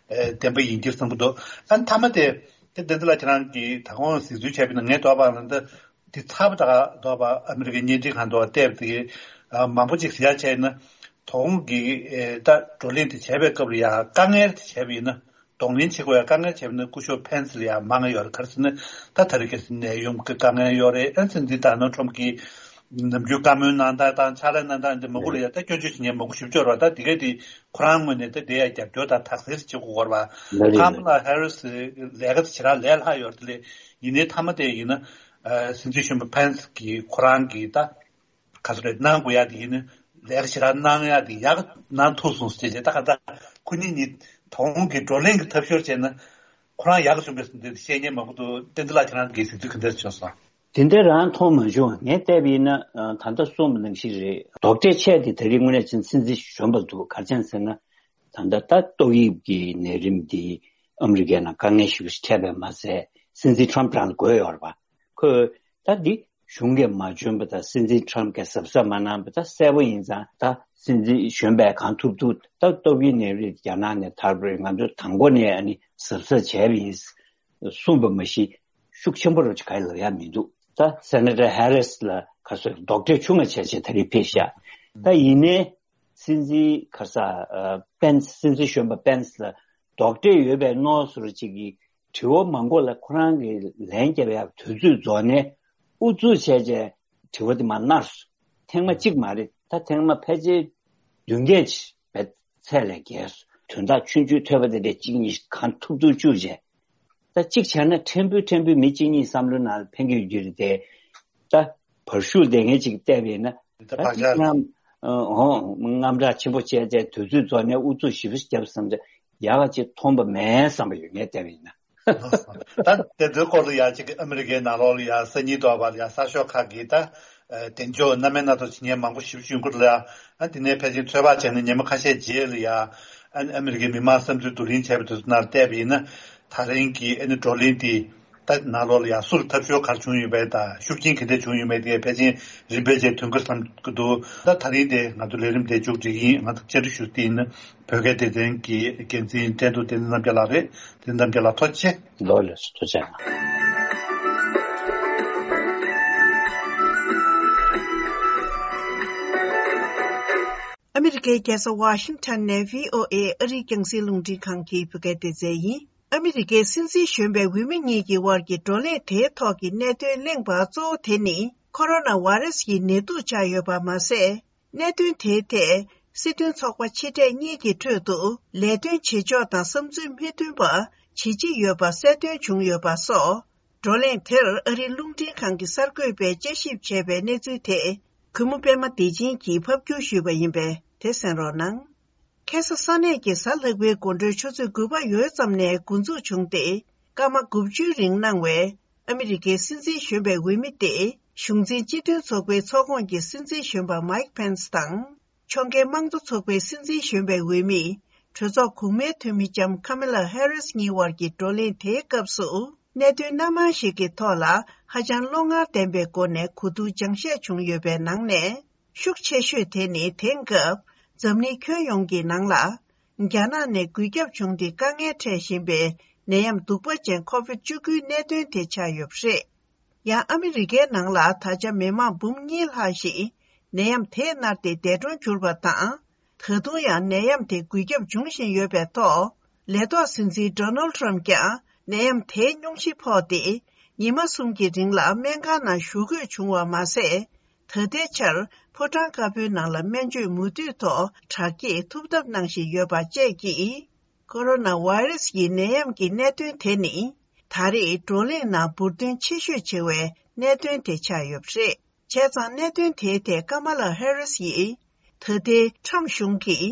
བདེན་པ་ཡིན་གྱི་བསམ་གྱི་འདུག་ཨ་ནི་མཐའ་མ་དེ་དེ་བསྟན་འཛིན་ལགས་ཁྱེད་རང་གིས་ད་གོང་གཟིགས་ཚུལ་བྱས་པ་ཡིན་ན། ངས་འདོད་པ་ལ་ད། དེ་ཚར་བ་དང་ལྡོག་པ་ཨ་མི་རི་ཀའི་བརྙན་འཕྲིན་ཁང་དུ་བལྟས་པ་དེ་མང་པོ་ཅིག་ཟེར་ཡ་བྱས་ན། དོ་དགོང་གི་ད་བགྲོ་གླེང་དེ་བྱས་པའི་སྐབས་ལ་ཡ་དཀའ་ངལ་དེ་བྱས་པ་ཡིན་ན། གདོང་ལེན་བྱེད་དགོས་ཡ་དཀའ་ངལ་བྱས་པ་ཡིན་ན་སྐུ་ཞབས་ཕེན་སི་ལ་ཡ་མང་ང་ཡོད་རེད། ག་རེ་ཟེར་ན་ད་ད་རེས་ཀྱི་ནད་ཡོང་གི་དཀའ་ངལ་ཡོད་རེད། ཨ་ནི་འདི་ད་ནོར་ཁྲོམ་གྱི་ནམ་རྒྱུན་བཀའ་མོལ་གནང་སྟངས་དང་ཕྱག་ལས་གནང་སྟངས་འདི་མང་པོ་ལ་ཡ་ད་སྐྱོན་བརྗོད་བྱེད་མཁན་མང་པོ་ཞེ་པོ་ཅིག་ཡོད་རེད་པ། ད་དེ་གས་དེ་ཁོ་རང་ངོས་ནས་ད་དེ་ཡ་རྒྱབ་སྐྱོར་དང་དག་སེལ་བྱེད་དགོས་ཀྱི་ཡོད་རེད་པ། ལགས་རེད། ཁ་མ་ལ་ཧེ་རི་སི་ལས་ཀ་དེ་ཞེ་དྲག་ལས་སླ་ཡོད་རེད། དེ་ལས་ཡིན་ནའི་མཐའ་མ་དེ་ཡིན་ན་ཨ་སྲིད་འཛིན་གཞོན་པ་ཕེན་སི་གིས་ཁོ་རང་གིས་ད་ག་ཚོད་རེད་གནང་དགོས་ཡ་དེ་ཡིན་ན་ལས་ཀ་ཞེ་དྲག་གནང་ཡ་དེ་ཡག་གནང་ཐུབ་སོང་ཟེར་བྱས། ད་ག་ད་ཁོ་གཉིས་གཉིས་དོ་དགོང་གི་བགྲོ་གླེང་གི་ཐབས་ཤོར་བྱས་ན་ཁོ་རང་ཡག་ག་བྱུང་གི་འདུག་བཤད་མཁན་མང་པོ་འདུག་བསྟན་འཛིན་ལགས་ཁྱེད་རང་གིས་གཟིགས་ཚུལ་ག་འདྲ་བྱུང་སོང་། དེ་འདྲ་རང་མཐོང་མ་བྱུང་། ངས་བལྟས་པ་ཡིན་ན་ཨ་ད་ལྟ་གསུངས་པ་ནང་བཞིན་རེད། རྡོག་ཁྲེས་ཆེ་དེ་ད་རེས་དངོས་གནས་ཅིག་སྲིད་འཛིན་གཞོན་པ་འདུག་ག་རེ་བྱས་ཟེར་ན། ད་ལྟ་ད་ཏོག་དབྱིབས་ཀྱི་ནད་རིམས་འདི་ཨ་མི་རི་ཀའི་ནང་དཀའ་ངལ་ཞེ་པོ་ཞིག་འཕྲད་པས་མ་ཟད་སྲིད་འཛིན་ཊམ་རང་ལ་འགོས་ཡོད་རེད་པ། ཁོས་ད་འདི་གཞུང་གིས་མ་འཇོན་པ་དང་སྲིད་འཛིན་ཊམ་གྱིས་གཟབ་གཟབ་མ་གནང་བ་ད་གསལ་པོ་ཡིན་ཙང་། ད་སྲིད་འཛིན་གཞོན་པས་གང་ཐུབ་ཐུབ་ད་ཏོག་དབྱིབས་ནད་རིམས་རྒྱ་ནག་ནས་དར་བ་རེད། ང་ཚོ་དང་པོ་ནས་ཨ་ནི་གཟབ་གཟབ་བྱས་པ་ཡིན་གསུངས་པ་མ་གཞི་ཤུགས་ཆེན་པོ་རུ་ག་ལབ་ཡ་མི་འདུག་ད་སེ་ནེ་ཊར་ཧེ་རི་སི་ལ་ག་ཚོད་རྡོག་ཁྲེས་ཆུང་ང་བྱས་བྱས་ད་རེས་ཕེབས་ཤག་ད་ཡིན་ནའི་སྲིད་འཛིན་ག་ས་ཨ་པེན་སི། སྲིད་འཛིན་གཞོན་པ་པེན་སི་ལ་རྡོག་ཁྲེས་ཡོད་པའི་མནོ་བསམ་ཅིག་གིས་དྲི་བ་མང་པོ་ལ་ཁོ་རང་གིས་ལན་རྒྱབ་ཡག་དུས་ཚོད་རྫོགས་ནས་ཨུ་ཚུགས་བྱས་བྱས་དྲི་བ་དེ་མར་ནར་སོང་། ཐེངས་མ་གཅིག་མ་རེད། ད་ཐེངས་མ་ཕལ་ཆེར་བདུན་བརྒྱད་ཅིག་བས་ཚད་ལས་བརྒལ་སོང་། དོན་དག་ཆུང་ཆུང་ཐོས་པ་དེ་འདྲས་གཅིག་གཉིས་གང་ཐུབ་ཐུབ་བཅུག་བྱས། ད་གཅིག་བྱས་ན་ཕྲན་བུ་ཕྲན་བུ་མི་གཅིག་གཉིས་བསམ་བློའི་ནང་ལ་ཕན་གྱི་ཡོད་རྒྱུ་རེད་དེ། ད་བར་ཤུགས་ལྡན་མཁན་ཅིག་བལྟས་པས་ན། ད་ད་བག་ཆགས་ཅིག་ནམ་ཧོང་དངངས་སྐྲག་ཆེན་པོ་བྱས་བྱས་དུས་ཚོད་རྫོགས་ནས་ཨུ་ཚུགས་ཞེ་པོ་བརྒྱབ་བསམ་ཚེ་ཡག་ག་ཅིག་མཐོང་པ་མེད་བསམ་པ་ཡོད། ངས་བལྟས་པ་ཡིན་ན། ད་དེ་ཚོའི་སྐོར་ལ་ཡ་གཅིག་ཨ་མི་རི་ཀའི་ནང་ལོགས་ལ་ཡ་སང་ཉིན་དོག་པ་ལ་ཡ་གསར་ཤོག་ཁག་གིས་ད་ཨ་གདེང་འཇོག་སྣ་མིན་སྣ་ཚོགས་བྱེད་མཁན་མང་པོ་ཞེ་པོ་ཅིག་ཡོང་གི་འདུག་ལ། ཨ་དེ་ནས་ཕལ་ཆེར་ཚོད་དཔག་བྱས་ན་ཉི་མ་ཁ་ཤས་རྗེས་ལ་ཡ་ཨ་ཨ་མི་རི་ཀའི་མི་མང་བསམ་ཚུལ་བསྡུ་ལེན་བྱས་པ་དེ་ཚོ་ནང་བལྟས་པ་ཡིན་ན། ད་རིང་གི་ཨ་ནི་བགྲོ་གླེང་དེ་ད་ནང་ལོགས་ལ་ཡ་སུ་ལ་ཐབས་སྐྱོ་ག་རེ་བྱུང་ཡོད་མེད་དང་ཤུགས་རྐྱེན་ག་འདྲ་བྱུང་ཡོད་མེད་དེ་ཕལ་ཆེར་རིམ་པས་བྱས་ཐོན་གི་བསམ་གི་འདུག་ད་ད་རིང་དེ་ང་ཚོ་ལས་རིམ་དེ་མཇུག་སྒྲིལ་ཡིན། ང་ཚོ་བཅར་འདྲི་ཞུ་དེ་ཡིན་ན་བོད་སྐད་སྡེ་ཚན་གྱི་འགན་འཛིན་འགྲན་བསྡུར་བསྟན་འཛིན་རྣམ་རྒྱལ་ལགས་རེད། བསྟན་འཛིན་རྣམ་རྒྱལ་ལགས་ཐུགས་རྗེ་ཆེ། ལགས་ལགས་སོ། ཐུགས་རྗེ་གནང་། ཨ་མི་རི་ཀའི་རྒྱལ་ས་ཝ་ཤིང་ཊོན་ནས་བྷི་ཨོ་ཨེ་ཨ་རིའི་རྒྱང་སྲིང་རླུང་འཕྲིན་ཁང་གི་བོད་སྐད་སྡེ་ཚན་ཡིན། ཨ་མི་རི་ཀའི་སྲིད་འཛིན་གཞོན་པའི་འོས་མི་གཉིས་ཀྱི་དབར་གྱི་བགྲོ་གླེང་དེའི་ཐོག་གི་གནད་དོན་གླེང་བ་གཙོ་བོ་དེ་ནི་ཁོ་རོ་ན་ཝེ་རེ་སི་ཡི་ནད་དུག་ཆགས་ཡོད་པ་མ་ཟད། གནད་དོན་དེའི་ཐད་སྲིད་དོན་ཚོགས་པ་ཕྱི་འབྲེལ་གཉིས་ཀྱི་ཁྲོད་དུ་ལས་དོན་བྱེད་ཕྱོགས་དང་བསམ་ཚུལ་མི་མཐུན་པ་ཇེ་ཆེ་ཡོད་པ་གསལ་སྟོན་བྱུང་ཡོད་པ་སོགས། བགྲོ་གླེང་དེར་ཨ་རིའི་རླུང་འཕྲིན་ཁང་གི་གསར་འགོད་པས་དཔྱད་ཞིབ་བྱས་པའི་གནས་ཚུལ་དེ་གུས་མོ་པད་མ་བདེ་ཆེན་གྱིས་ཕབ་བསྒྱུར་ཞུས་པ་ཡིན་པས་དེ་གསན་རོགས་གནང་། ཁ་སང་ས་གནས་ཀྱི་གཟའ་ལྷག་པའི་དགོང་དྲོའི་ཆུ་ཚོད་དགུ་པ་ཡོལ་ཙམ་ནས་འགོ་འཛུགས་བྱུང་སྟེ། སྐར་མ་དགུ་བཅུའི་རིང་གནང་བའི་ཨ་མི་རི་ཀའི་སྲིད་འཛིན་གཞོན་པའི་འོས་མི་སྟེ། གཞུང་འཛིན་སྤྱི་མཐུན་ཚོགས་པའི་ཚོགས་ཁོངས་ཀྱི་སྲིད་འཛིན་གཞོན་པ་མའིག་ཕེན་སི་དང་། ཕྱོགས་འགལ་དམངས་གཙོ་ཚོགས་པའི་སྲིད་འཛིན་གཞོན་པའི་འོས་མི། གྲོས་ཚོགས་གོང་མའི་འཐུས་མི་ལྕམ་ཁ་མེ་ལ་ཧེ་རིས་གཉིས་དབར་གྱི་བགྲོ་གླེང་དེའི་སྐབས་སུ། གནད་དོན་སྣ་མང་ཞིག་གི་ཐོག་ལ་ཧ་ཅང་བློ་ངར་ལྡན་པའི་སྒོ་ནས་གོ་བསྡུར་སྦྱང་བཤད་བྱུང་ཡོད་པའི་ནང་ནས། ཤུགས་ཆེ་ཤོས་དེ་ནི་དེང་སྐབས་འཛམ་གླིང་ཁྱོན་ཡོངས་ཀྱི་ནང་ལ། རྒྱ་ནག་ནས་འགོས་ཁྱབ་བྱུང་སྟེ་དཀའ་ངལ་འཕྲད་བཞིན་པའི་ནད་ཡམས་གདུག་པ་ཅན་ཁོ་བིད་བཅུ་དགུའི་གནད་དོན་དེ་ཆགས་ཡོད་པ་རེད། ཡང་ཨ་མི་རི་ཀའི་ནང་ལ་ད་ཆ་མི་མང་འབུམ་གཉིས་ལྷག་ཞིག་ནད་ཡམས་དེས་མནར་ཏེ་འདས་གྲོངས་གྱུར་པ་དང་། ད་དུང་ཡང་ནད་ཡམས་དེ་འགོས་ཁྱབ་འབྱུང་བཞིན་ཡོད་པའི་ཐོག་ལས་ཐོག་སྲིད་འཛིན་ཌོ་ནལ་ཊམ་ཀྱང་ནད་ཡམས་དེའི་སྙུང་གཞི་ཕོག་སྟེ། ཉི་མ་གསུམ་གྱི་རིང་ལ་སྨན་ཁང་ནང་བཞུགས་དགོས་བྱུང་བ་མ་ཟད། ད་ལྟའི་ཆར་ཕོ་བྲང་དཀར་པོའི་ནང་ལ་སྨན་བཅོས་མུ་མཐུད་ཐོག་དྲག་སྐྱེད་ཐུབ་ཐབས་གནང་བཞིན་ཡོད་པ་བཅས་ཀྱིས། ཁོ་རོ་ན་ཝེ་རེ་སི་ཡི་ནད་ཡམས་ཀྱི་གནད་དོན་དེ་ནི། ད་རེས་བགྲོ་གླེང་ནང་འབུར་དོན་ཆེ་ཤོས་ཆེ་བའི་གནད་དོན་དེ་ཆགས་ཡོད་པ་རེད། བྱས་ཙང་གནད་དོན་དེའི་ཐད་ཀ་མ་ལ་ཧེ་རིས་ཡིས། ད་ལྟའི་ཁྲམ་གཞུང་གིས་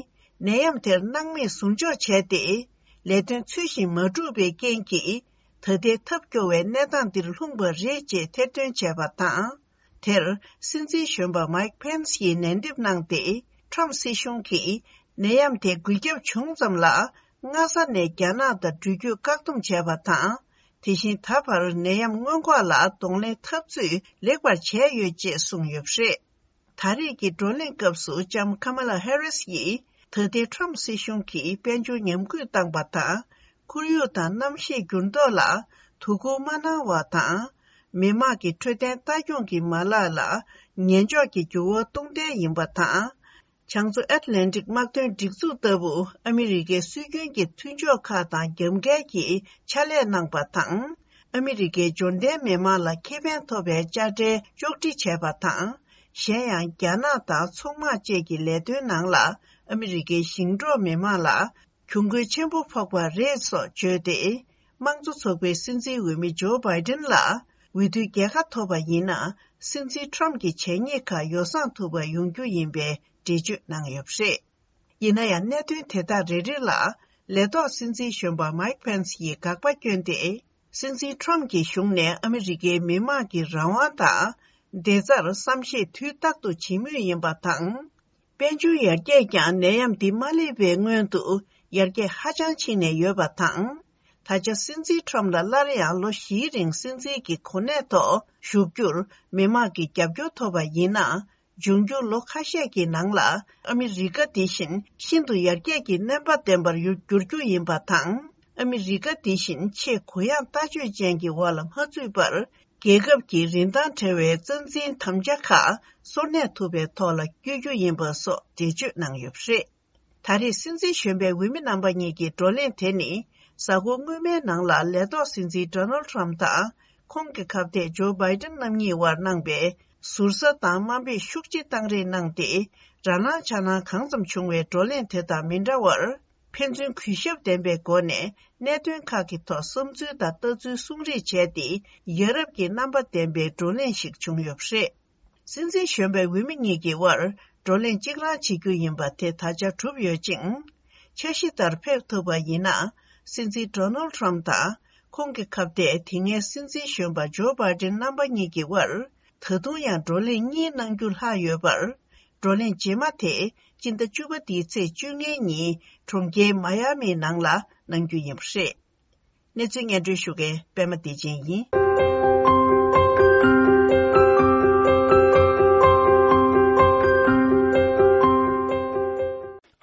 ནད་ཡམས་དེར་སྣང་མེད་ཟུར་འཇོག་བྱས་ཏེ། ལས་དོན་ཚུལ་བཞིན་མ་བསྒྲུབས་པའི་རྐྱེན་གྱིས། ད་ལྟའི་ཐབས་སྐྱོ་བའི་གནས་སྟངས་འདིར་ལྷུང་བ་རེད་ཅེས་ཐེར་འདོན་བྱས་པ་དང་། དེར་སྲིད་འཛིན་གཞོན་པ་མའིག་ཕེན་སི་ཡིས་ནན་འདེབས་གནང་སྟེ། ཁྲམ་སྲིད་གཞུང་གིས་ནད་ཡམས་དེ་འགོས་ཁྱབ་བྱུང་ཙམ་ལ། སྔ་ས་ནས་རྒྱ་ནག་དང་འགྲུལ་སྐྱོད་བཀག་སྡོམ་བྱས་པ་དང་། དེ་བཞིན་ད་བར་ནད་ཡམས་སྔོན་འགོག་ལ་གདོང་ལེན་འཐབ་རྩོད་ལེགས་པར་བྱས་ཡོད་ཅེས་གསུངས་ཡོད་པ་རེད། ད་རེས་ཀྱི་བགྲོ་གླེང་སྐབས་སུ་ལྕམ་ཁ་མ་ལ་ཧེ་རིས་ཡིས་ད་ལྟའི་ཁྲམ་སྲིད་གཞུང་གིས་དཔལ་འབྱོར་ཉམས་རྒུད་བཏང་པ་དང་། ཁོར་ཡུག་དང་གནམ་གཤིས་འགྱུར་ལྡོག་ལ་དོ་ཁུར་མ་གནང་བ་དང་། མི་དམངས་ཀྱི་འཕྲོད་བསྟེན་ལྟ་སྐྱོང་གི་མ་ལག་ལ་ཉེས་འཇོག་གི་འགྱུར་བ་གཏོང་གཏན་ཡིན་པ་དང་། བྱང་མཚོ་ཨེཊ་ལན་ཊིག་དམག་དོན་སྒྲིག་འཛུགས་ལྟ་བུ་ཨ་མི་རི་ཀའི་སྲོལ་རྒྱུན་གྱི་མཐུན་ཕྱོགས་ཁག་དང་རྒྱབ་འགལ་གྱིས་ཕྱག་ལས་གནང་པ་དང་། ཨ་མི་རི་ཀའི་འབྱོར་ལྡན་མི་དམངས་ལ་ཁེ་ཕན་ཐོབ་པའི་དཔྱ་ཁྲལ་གཅོག་འཕྲི་བྱས་པ་དང་། གཞན་ཡང་། རྒྱ་ནག་དང་ཚོང་དམག་བཅས་ཀྱི་ལས་དོན་ནང་ལ་ཨ་མི་རི་ཀའི་ཞིང་འབྲོག་མི་དམངས་ལ་གྱོང་གུན་ཆེན་པོ་ཕོག་པ་རེད་སོགས་བརྗོད་དེ། དམངས་གཙོ་ཚོགས་པའི་སྲིད་འཛིན་འོས་མི་ཇོ་བྷའི་ཏིན་ལ་འོས་བསྡུའི་རྒྱལ་ཁ་ཐོབ་པ་ཡིན་ན། སྲིད་འཛིན་ཁྲོམ་གྱི་བྱས་ཉེས་ཁག་ཡོ་བསྲང་ཐུབ་པ་ཡོང་རྒྱུ་ཡིན་པའི་འགྲེལ་བརྗོད་གནང་ཡོད་པ་རེད། ཡིན་ན་ཡང་། གནད་དོན་དེ་དག་རེ་རེ་ལ་ལས་ཐོག་སྲིད་འཛིན་གཞོན་པ་མའིག་ཕེན་སི་ཡིས་དགག་པ་བསྐྱོན་ཏེ། སྲིད་འཛིན་ཁྲོམ་གྱི་གཞུང་ནས་ཨ་མི་རི་ཀའི་མི་དམངས་ཀྱི་རང་དབང་དང་བདེ་རྩར་བསམ་ཤེས་དུས་རྟག་ཏུ་བྱེད་མུས་ཡིན་པ་དང་། དཔལ་འབྱོར་ཡར་རྒྱས་ཀྱང་ནད་ཡམས་འདི་མ་སླེབས་པའི་སྔོན་དུ་ཡར་རྒྱས་ཧ་ཅང་ཕྱིན་ནས་ཡོད་པ་དང་། ད་ཆ་སྲིད་འཛིན་ཁྲོམ་ལ་སླར་ཡང་ལོ་བཞིའི་རིང་སྲིད་འཛིན་གྱི་གོ་གནས་ཐོག་བཞུགས་རྒྱུར་མི་དམངས་ཀྱི་རྒྱབ་སྐྱོར་ཐོབ་པ་ཡིན་ན། འབྱུང་འགྱུར་ལོ་ཁ་ཤས་ཀྱི་ནང་ལ་ཨ་མི་རི་ཀ་འདི་བཞིན་ཤིན་ཏུ་ཡར་རྒྱས་ཀྱི་སྣོན་པ་ལྡན་པར་འགྱུར་རྒྱུ་ཡིན་པ་དང་། ཨ་མི་རི་ཀ་འདི་བཞིན་ཆེས་གུ་ཡངས་ལྟ་སྤྱོད་ཅན་གྱི་འོག་ལ་མ་ཚུད་པར། རྒྱལ་ཁབ་ཀྱི་རིན་ཐང་བྲལ་བའི་རྩ་འཛིན་དམ་བཅའ་ཁག་སོར་གནས་ཐུབ་པའི་ཐོག་ལ་བསྐྱོད་རྒྱུ་ཡིན་པ་སོགས་འགྲེལ་བརྗོད་གནང་ཡོད་པ་རེད། ད་རེས་སྲིད་འཛིན་གཞོན་པའི་འོས་མི་རྣམ་པ་གཉིས་ཀྱི་བགྲོ་གླེང་དེ་ནི། གཟའ་འཁོར་སྔོན་མའི་ནང་ལ་ལས་ཐོག་སྲིད་འཛིན་ཌོ་ནལ་ཊམ་དང་། ཁོང་གི་ཁ་གཏད་ཇོ་བྷའི་ཏིན་རྣམ་གཉིས་དབར་གནང་པའི་ཟུར་ཟ་དང་དམའ་འབེབས་ཤུགས་ཆེ་བཏང་རེས་གནང་སྟེ། ར་ལངས་ཆ་ལངས་གང་ཙམ་བྱུང་བའི་བགྲོ་གླེང་དེ་དང་མི་འདྲ་བར། ཕན་ཚུན་གུས་ཞབས་ལྡན་པའི་སྒོ་ནས་གནད་དོན་ཁག་གི་ཐོག་བསམ་ཚུལ་དང་ལྟ་ཚུལ་གསུང་རེས་བྱས་ཏེ། ཡ་རབས་ཀྱི་རྣམ་པ་ལྡན་པའི་བགྲོ་གླེང་ཞིག་བྱུང་ཡོད་པ་རེད། སྲིད་འཛིན་གཞོན་པའི་འོས་མི་གཉིས་ཀྱི་དབར་བགྲོ་གླེང་གཅིག་རང་བྱེད་རྒྱུ་ཡིན་པ་དེ་ད་ཆ་གྲུབ་ཡོད་ཅིང་། འཆར་གཞི་ལྟར་ཕེབས་ཐུབ་པ་ཡིན་ན། སྲིད་འཛིན་ཌོ་ནལ་ཊམ་དང་ཁོང་གི་ཁ་གཏད་དེ་སྔའི་སྲིད་འཛིན་གཞོན་པ་ཇོ་བྷའི་ཏིན་རྣམ་པ་གཉིས་ཀྱི་དབར་ད་དུང་ཡང་བགྲོ་གླེང་གཉིས་གནང་རྒྱུ་ལྷག་ཡོད་པར། བགྲོ་གླེང་རྗེས་མ་དེ་སྤྱི་ཟླ་བཅུ་པ་འདིའི་ཚེས་བཅོ་ལྔའི་ཉིན་གྲོང་ཁྱེར་མ་ཡ་མིའི་ནང་ལ་གནང་རྒྱུ་ཡིན་པ་རེད། གནས་ཚུལ་སྙན་སྒྲོན་ཞུ་མཁན་པད་མ་བདེ་ཆེན་ཡིན།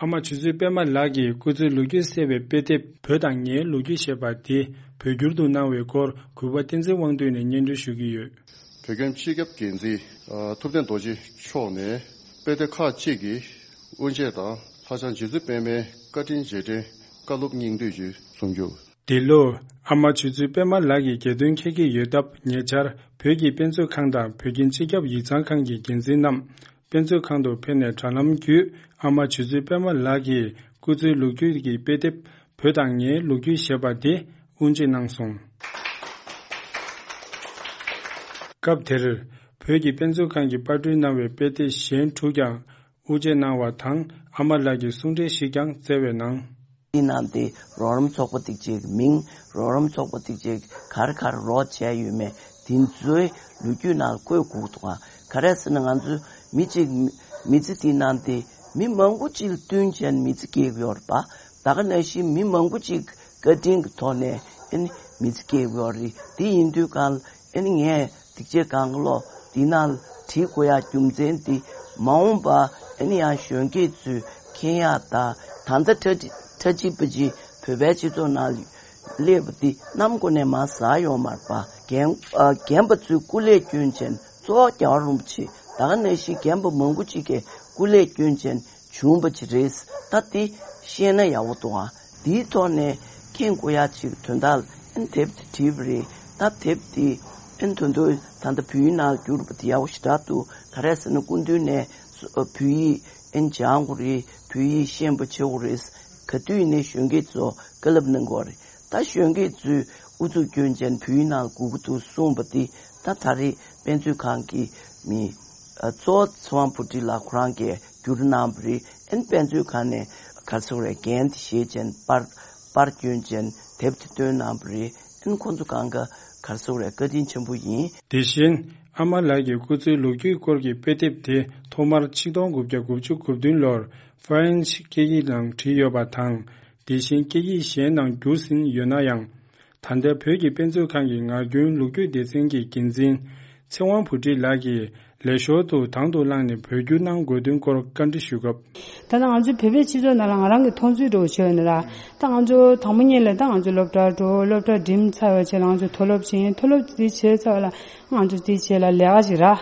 ཨ་མ་ཆོས་མཛད་པད་མ་ལགས་ཀྱི་སྐུ་ཚེའི་ལོ་རྒྱུས་གསལ་བའི་དཔེ་དེབ་བོད་དང་ངའི་ལོ་རྒྱུས་ཞེས་པ་དེ་བོད་བསྒྱུར་དུ་གནང་བའི་སྐོར་གུས་པ་བསྟན་འཛིན་དབང་འདུས་ནས་སྙན་སྒྲོན་ཞུ་གི་ཡོད། བོད་ཁྱིམ་སྤྱི་ཁྱབ་འགན་འཛིན་ཐུབ་བསྟན་རྡོ་རྗེ་མཆོག་ནས་དཔེ་དེབ་ཁག་ཅིག་གི་དབུ་འབྱེད་དང་། ལྷ་བྱང་རྗེ་བཙུན་པད་མའི་བཀའ་དྲིན་རྗེས་དྲན་བཀའ་སློབ་སྙིང་བསྡུས་ཀྱི་གསུང་བསྒྱུར། འདི་ལོ། ཨ་མ་ཆོས་མཛད་པད་མ་ལགས་ཀྱི་རྒྱལ་དོན་འཁེལ་གྱི་ཡོད་སྟབས། ཉེ་ཆར་བོད་ཀྱི་དཔེ་མཛོད་ཁང་དང་བོད་ཁྱིམ་སྤྱི་ཁྱབ་ཡིག་ཚང་ཁང་གི་འགན་འཛིན་རྣམས་དཔེ་མཛོད་ཁང་དུ་ཕེབས་ནས་དྲ་ལམ་བརྒྱུད་ཨ་མ་ཆོས་མཛད་པད་མ་ལགས་ཀྱི་སྐུ་ཚེའི་ལོ་རྒྱུས་ཀྱི་དཔེ་དེབ་བོད་དང་ངའི་ལོ་རྒྱུས་ཞེས་པ་དེ་དབུ་འབྱེད་གནང་སོང་། སྐབས་དེར། བོད་ཀྱི་དཔེ་མཛོད་ཁང་གིས་པར་སྐྲུན་གནང་བའི་དཔེ་དེབ་གཞན་དྲུག་ཀྱང་དབུ་འབྱེད་གནང་བ་དང་། ཨ་མ་ལགས་ཀྱི་གསུང་འགྲེལ་ཞིག་ཀྱང་བསྩལ་བའི་ནང་། དེ་ནང་དེ་རོགས་རམ་ཚོགས་པ་དེ་ཅིག་མིང་རོགས་རམ་ཚོགས་པ་དེ་ཅིག་གར་གར་རོགས་བྱས་ཡོད་མེད་དེ་ཚོའི་ལོ་རྒྱུས་ནང་བཀོད་དགོས་འདུག་ག་ག་རེ་ཟེར་ན། ང་ཚོ་མི་གཅིག་མི་ཚེ་དེ་ནང་དེ་མི་མང་པོ་ཅིག་ལ་བསྟུན་བྱས་ནས་མི་ཚེ་སྐྱེལ་གྱི་ཡོད་རེད་པ། ད་ག་ནང་བཞིན་མི་མང་པོ་ཅིག་བཀའ་དྲིན་གྱི་ཐོག་ནས་ཨ་ནི་མི་ཚེ་སྐྱེལ་གྱི་ཡོད་རེད། དེ་ཡིན་དུས་གང་ལ་ཨ་ནི་ངས་སྡིག་ཆེ་གང་ག་ལོ་འདི་ནང་ལ་བྲིས་དགོས་ཡག་རྒྱུ་མཚན་འདི་མ་འོངས་པ་ཨ་ནི་ཡང་གཞོན་སྐྱེས་ཚོས་མཁྱེན་ཡག་དང་། ད་ལྟ་ཁྲ་ཁྲ་ཅིག་པ་ཅིག་བོད་པའི་སྤྱི་ཚོགས་ནང་ལ་སླེབས་པ་འདི་གནམ་སྒོ་ནས་མར་ཟག་ཡོང་མ་རེད་པ། རྒན་ཨ་རྒན་པ་ཚོས་སྐུ་ལས་བསྐྱོན་བྱས་ནས། གཙོ་བོ་རྒྱལ་བ་རིན་པོ་ཆེ། ད་ག་ནང་བཞིན་རྒན་པ་མང་པོ་ཅིག་གིས་སྐུ་ལས་བསྐྱོན་བྱས་ནས་བྱུང་བ་ཅིག་རེད། ད་འདི་ཤེས་ན་ཡག་པོ་འདུག་ཨ། འདིའི་ཐོག་ནས་མཁྱེན་དགོས་ཡག་ཅིག་དོན་དག་ལ་ཨ་ནི་དེབ་དེ་བྲིས་པ་རེད། ད་དེབ་འདི་ཨ་ནི་ད་དུང་ད་ལྟ་བོད་ཡིག་ནང་བསྒྱུར་བ་དེ་ཡག་པོ་ཞེ་དྲག་འདུག་ག་རེ་ཟེར་ན་སྐུ་མདུན་ནས་བོད་ཡིག་ཨ་ནི་སྦྱང་དགོས་རེད། བོད་ཡིག་ཤེས་པ་བྱེད་དགོས་རེད། ག་དུས་ནས་གཞོན་སྐྱེས་ཚོ་བཀའ་སློབ་གནང་དགོས་རེད། ད་གཞོན་སྐྱེས་ཚོས་ཨུ་ཚུགས་སྐྱོན་ཅན་བོད་ཡིག་ནང་དགོས་ཀྱི་འདུག་གསུངས་པ་འདི་ད་ད་རེས་དཔེ་མཛོད་ཁང་གི་མི་ཨ་གཙོ་བོ་ཚེ་དབང་བུ་ཁྲིད་ལགས་ཁོ་རང་གིས་བསྒྱུར་གནང་བ་རེད། ཨ་ནི་དཔེ་མཛོད་ཁང་ནས་ག་རེ་ཟེར་དགོས་རེད། འགན་དེ་བཞེས་བྱས་པར་པར་སྐྱོན་ཅན་དེབ་དེ་བཏོན་གནང་བ་རེད། ཨ་ནི་ཁོང་ཚོ་གང་ག་ག་རེ་ཟེར་དགོས་རེད། བཀའ་དྲིན་ཆེན་པོ་ཡིན། དེ་བཞིན་ཨ་མ་ལགས་ཀྱི་སྐུ་ཚེའི་ལོ་རྒྱུས་སྐོར་གྱི་དཔེ་དེབ་དེ་ཐོག་མར་ཆིག་སྟོང་དགུ་བརྒྱ་དགུ་བཅུ་གོ་བདུན་ལོར་ཧྥ་རན་སི་སྐད་ཡིག་ནང་བྲིས་ཡོད་པ་དང་། དེ་བཞིན་སྐད་ཡིག་གཞན་ནང་བསྒྱུར་ཟིན་ཡོད་ན་ཡང་། ད་ལྟ་བོད་ཀྱི་དཔེ་མཛོད་ཁང་གི་ངག་རྒྱུན་ལོ་རྒྱུས་སྡེ་ཚན་གྱི་འགན་འཛིན་ཚེ་དབང་བུ་ཁྲིད་ལགས་ཀྱིས་ ལས་ཞོར་དུ་དང་དུ་བླངས་ནས་བོད་བསྒྱུར་གནང་དགོས་དོན་སྐོར་བཀའ་འདྲི་ཞུས་སྐབས། ད་ལྟ་ང་ཚོའི་བོད་པའི་སྤྱི་ཚོགས་ནང་ལ་ང་རང་གི་མཐོང་ཚུལ་འདྲ་བོ་བྱས་ཡོད་ན་ར། ད་ང་ཚོ་དང་པོ་ཉིད་ལ་ད་ང་ཚོ་སློབ་གྲྭར་འགྲོ། སློབ་གྲྭ་འགྲིམས་ཚར་བའི་རྗེས་ལ་ང་ཚོ་མཐོ་སློབ་ཕྱིན། མཐོ་སློབ་དེ་བྱས་ཚར་བ་ལ་ང་ཚོ་དེའི་རྗེས་ལ་ལས་ཀ་ཞིག་རག་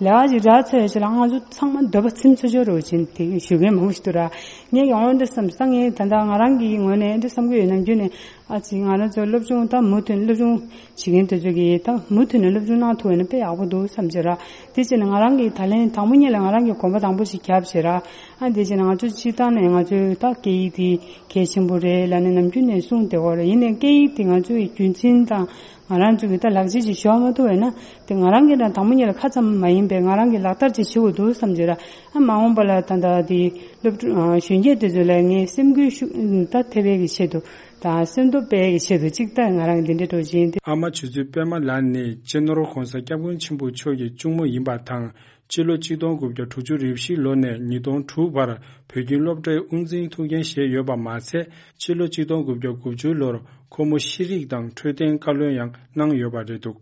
ལས་ཀ་ཞིག་རག་ཚར་བའི་རྗེས་ལ་ང་ཚོ་ཚང་མ་འདོད་པ་ཚིམ་ཚར་ཆོག་འདྲ་བོ་བྱས་ནས་དེ་ཞུ་མཁན་མང་པོ་ཞིག་འདུག་ར། ངས་ཀྱང་འོ་འདི་བསམ་ས། ངས་ད་ལྟ་ང་རང་གི་ངོས་ནས་འདི་བསམ་གྱི་ཡོད། ནམ་རྒྱུན་ནས་ཨ་ཙི་ང་རང་ཚོ་སློབ་སྦྱོང་ད་མུ་མཐུད་སློབ་སྦྱོང་བྱེད་མཁན་དེ་ཚོ་གིས་ད་མུ་མཐུད་ནས་སློབ་སྦྱོང་གནང་ཐུབ་པ་ཡིན་ན་དཔེ་ཡག་པོ་འདུག་བསམ་བྱས་ར། དེ་བྱས་ནས་ང་རང་གིས་ད་ལན་དང་པོ་ཉིད་ལ་ང་རང་གིས་གོམ་པ་དང་པོ་ཞིག་བརྒྱབ་བྱས་ར། ཨ་དེ་བྱས་ནས་ང་ཚོ་སྤྱིར་བཏང་ནས་ང་ཚོའི་ད་སྐད་ཡིག་དེ་གལ་ཆེན་པོ་རེད་ལབ་ནས་ནམ་རྒྱུན་ནས་གསུངས་བསྡད་ཡོད་རེད། ཡིན་ནའི་སྐད་ཡིག་དེ་ང་ཚོའི་རྒྱུན་འཛིན་དང་ང་རང་ཚོ་གི་ད་ལག་རྗེས་ཅིག་འཇོག་མ་ཐུབ་པ་ཡིན་ན། དེ་ང་རང་གི་ད་དང་པོ་ཉིད་ལ་ཁ་ཙམ་མ་ཡིན་པའི་ང་རང་གི་ལག་བསྟར་ཅིག་བྱེད་དགོས་འདུག་བསམ་བྱས་ར། ཨ་མ་འོངས་པ་ལ་ད་ལྟ་དེ་སློབ་ཕྲུག་ཨ་གཞོན་སྐྱེས་དེ་ཚོ་ལ་ངས་སེམས་འགུལ་ཤུགས་ད་ཐེབས་པའི་གི་ཆེད་དུ་དང་སེམས་སྟོབས་སྤེལ་གི་ཆེད་དུ་གཅིག་ད་ང་རང་གི་འདི་འདྲའི་སྤྲོ་བཞིན་དེ། ཨ་མ་ཆུ་ཚོད་པད་མ་ལགས་ནི་སྤྱི་ནོར་༧གོང་ས་༧སྐྱབས་མགོན་ཆེན་པོ་མཆོག་གི་གཅུང་མོ་ཡིན་པ་དང་། སྤྱི་ལོ་གཅིག་སྟོང་དགུ་བརྒྱ་དྲུག་ཅུ་རེ་བཞི་ལོ་ནས་ཉིས་སྟོང་དྲུག་བར་བོད་ཁྱིམ་སློབ་གྲྭའི་དབུ་འཛིན་ཐུགས་འགན་བཞེས་ཡོད་པ་མ་ཚད། སྤྱི་ལོ་གཅིག་སྟོང་དགུ་བརྒྱ་དགུ་བཅུ་ལོར་ཁོ་མོ་ཤེས་རིག་དང་འཕྲོད་བསྟེན་བཀའ་བློན་ཡང་གནང་ཡོད་པ་རེད་འདུག་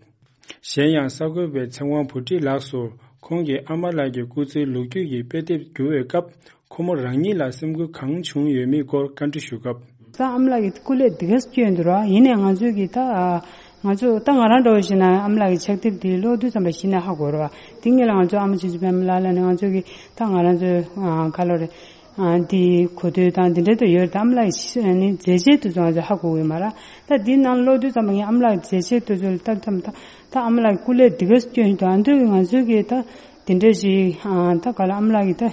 གཞན་ཡང་གསར་འགོད་པས་ཚེ་དབང་བུ་ཁྲིད་ལགས་སུ་ཁོང་གིས་ཨ་མ་ལགས་ཀྱི་སྐུ་ཚེའི་ལོ་རྒྱུས་ཀྱི་དཔེ་དེབ་བསྒྱུར་བའི་སྐབས། ཁོ་མོ་རང་ཉིད་ལ་སེམས་འགུལ་གང་བྱུང་ཡོད་མེད་སྐོར་བཀའ་འདྲི་ཞུ་སྐབས། ད་ཨ་མ་ལགས་ཀྱི་སྐུ་ལས་འདི་ག་སྐྱོན་འདུག་ར། ཡིན་ནའི་ང་ཚོས་ཀྱི་ད་ང་ཚོ་ད་ང་རང་འདྲ་བོ་ཞིག་ན་ཨ་མ་ལགས་ཀྱི་ཕྱག་དེབ་འདི་ཀློག་དུས་ཙམ་པ་གཞི་ནས་ཧ་གོ་ར་བ། དེ་སྔོན་ལ་ང་ཚོ་ཨ་མ་ཆུ་ཚོད་པད་མ་ལགས་ལ་ནི་ང་ཚོ་གི་ད་ང་རང་ཚོའི་ཁ་ལོ་རེད། འདི་གོ་ཐོས་དང་འདི་འདྲ་དུ་ཡོད་རེད། ད་ཨ་མ་ལགས་ཀྱི་ནི་མཛད་རྗེས་དེ་ཚོ་ང་ཚོ་ཧ་གོ་གི་ཡོད་མ་ར། ད་འདི་ནང་ཀློག་དུས་ཙམ་པ་ངས་ཨ་མ་ལགས་ཀྱི་མཛད་རྗེས་དེ་ཚོ་ལ་ལྟ་ཙམ་ད་ད་ཨ་མ་ལགས་ཀྱི་སྐུ་ལས་འདི་ག་སྐྱོན་ཞིག་འདུག་ཨ་འདོད་ཀྱི་ང་ཚོས་ཀྱི་ད་དེ་འདྲ་ཞིག་ད་ག་ལ་ཨ་མ་ལགས་ཀྱི་ད།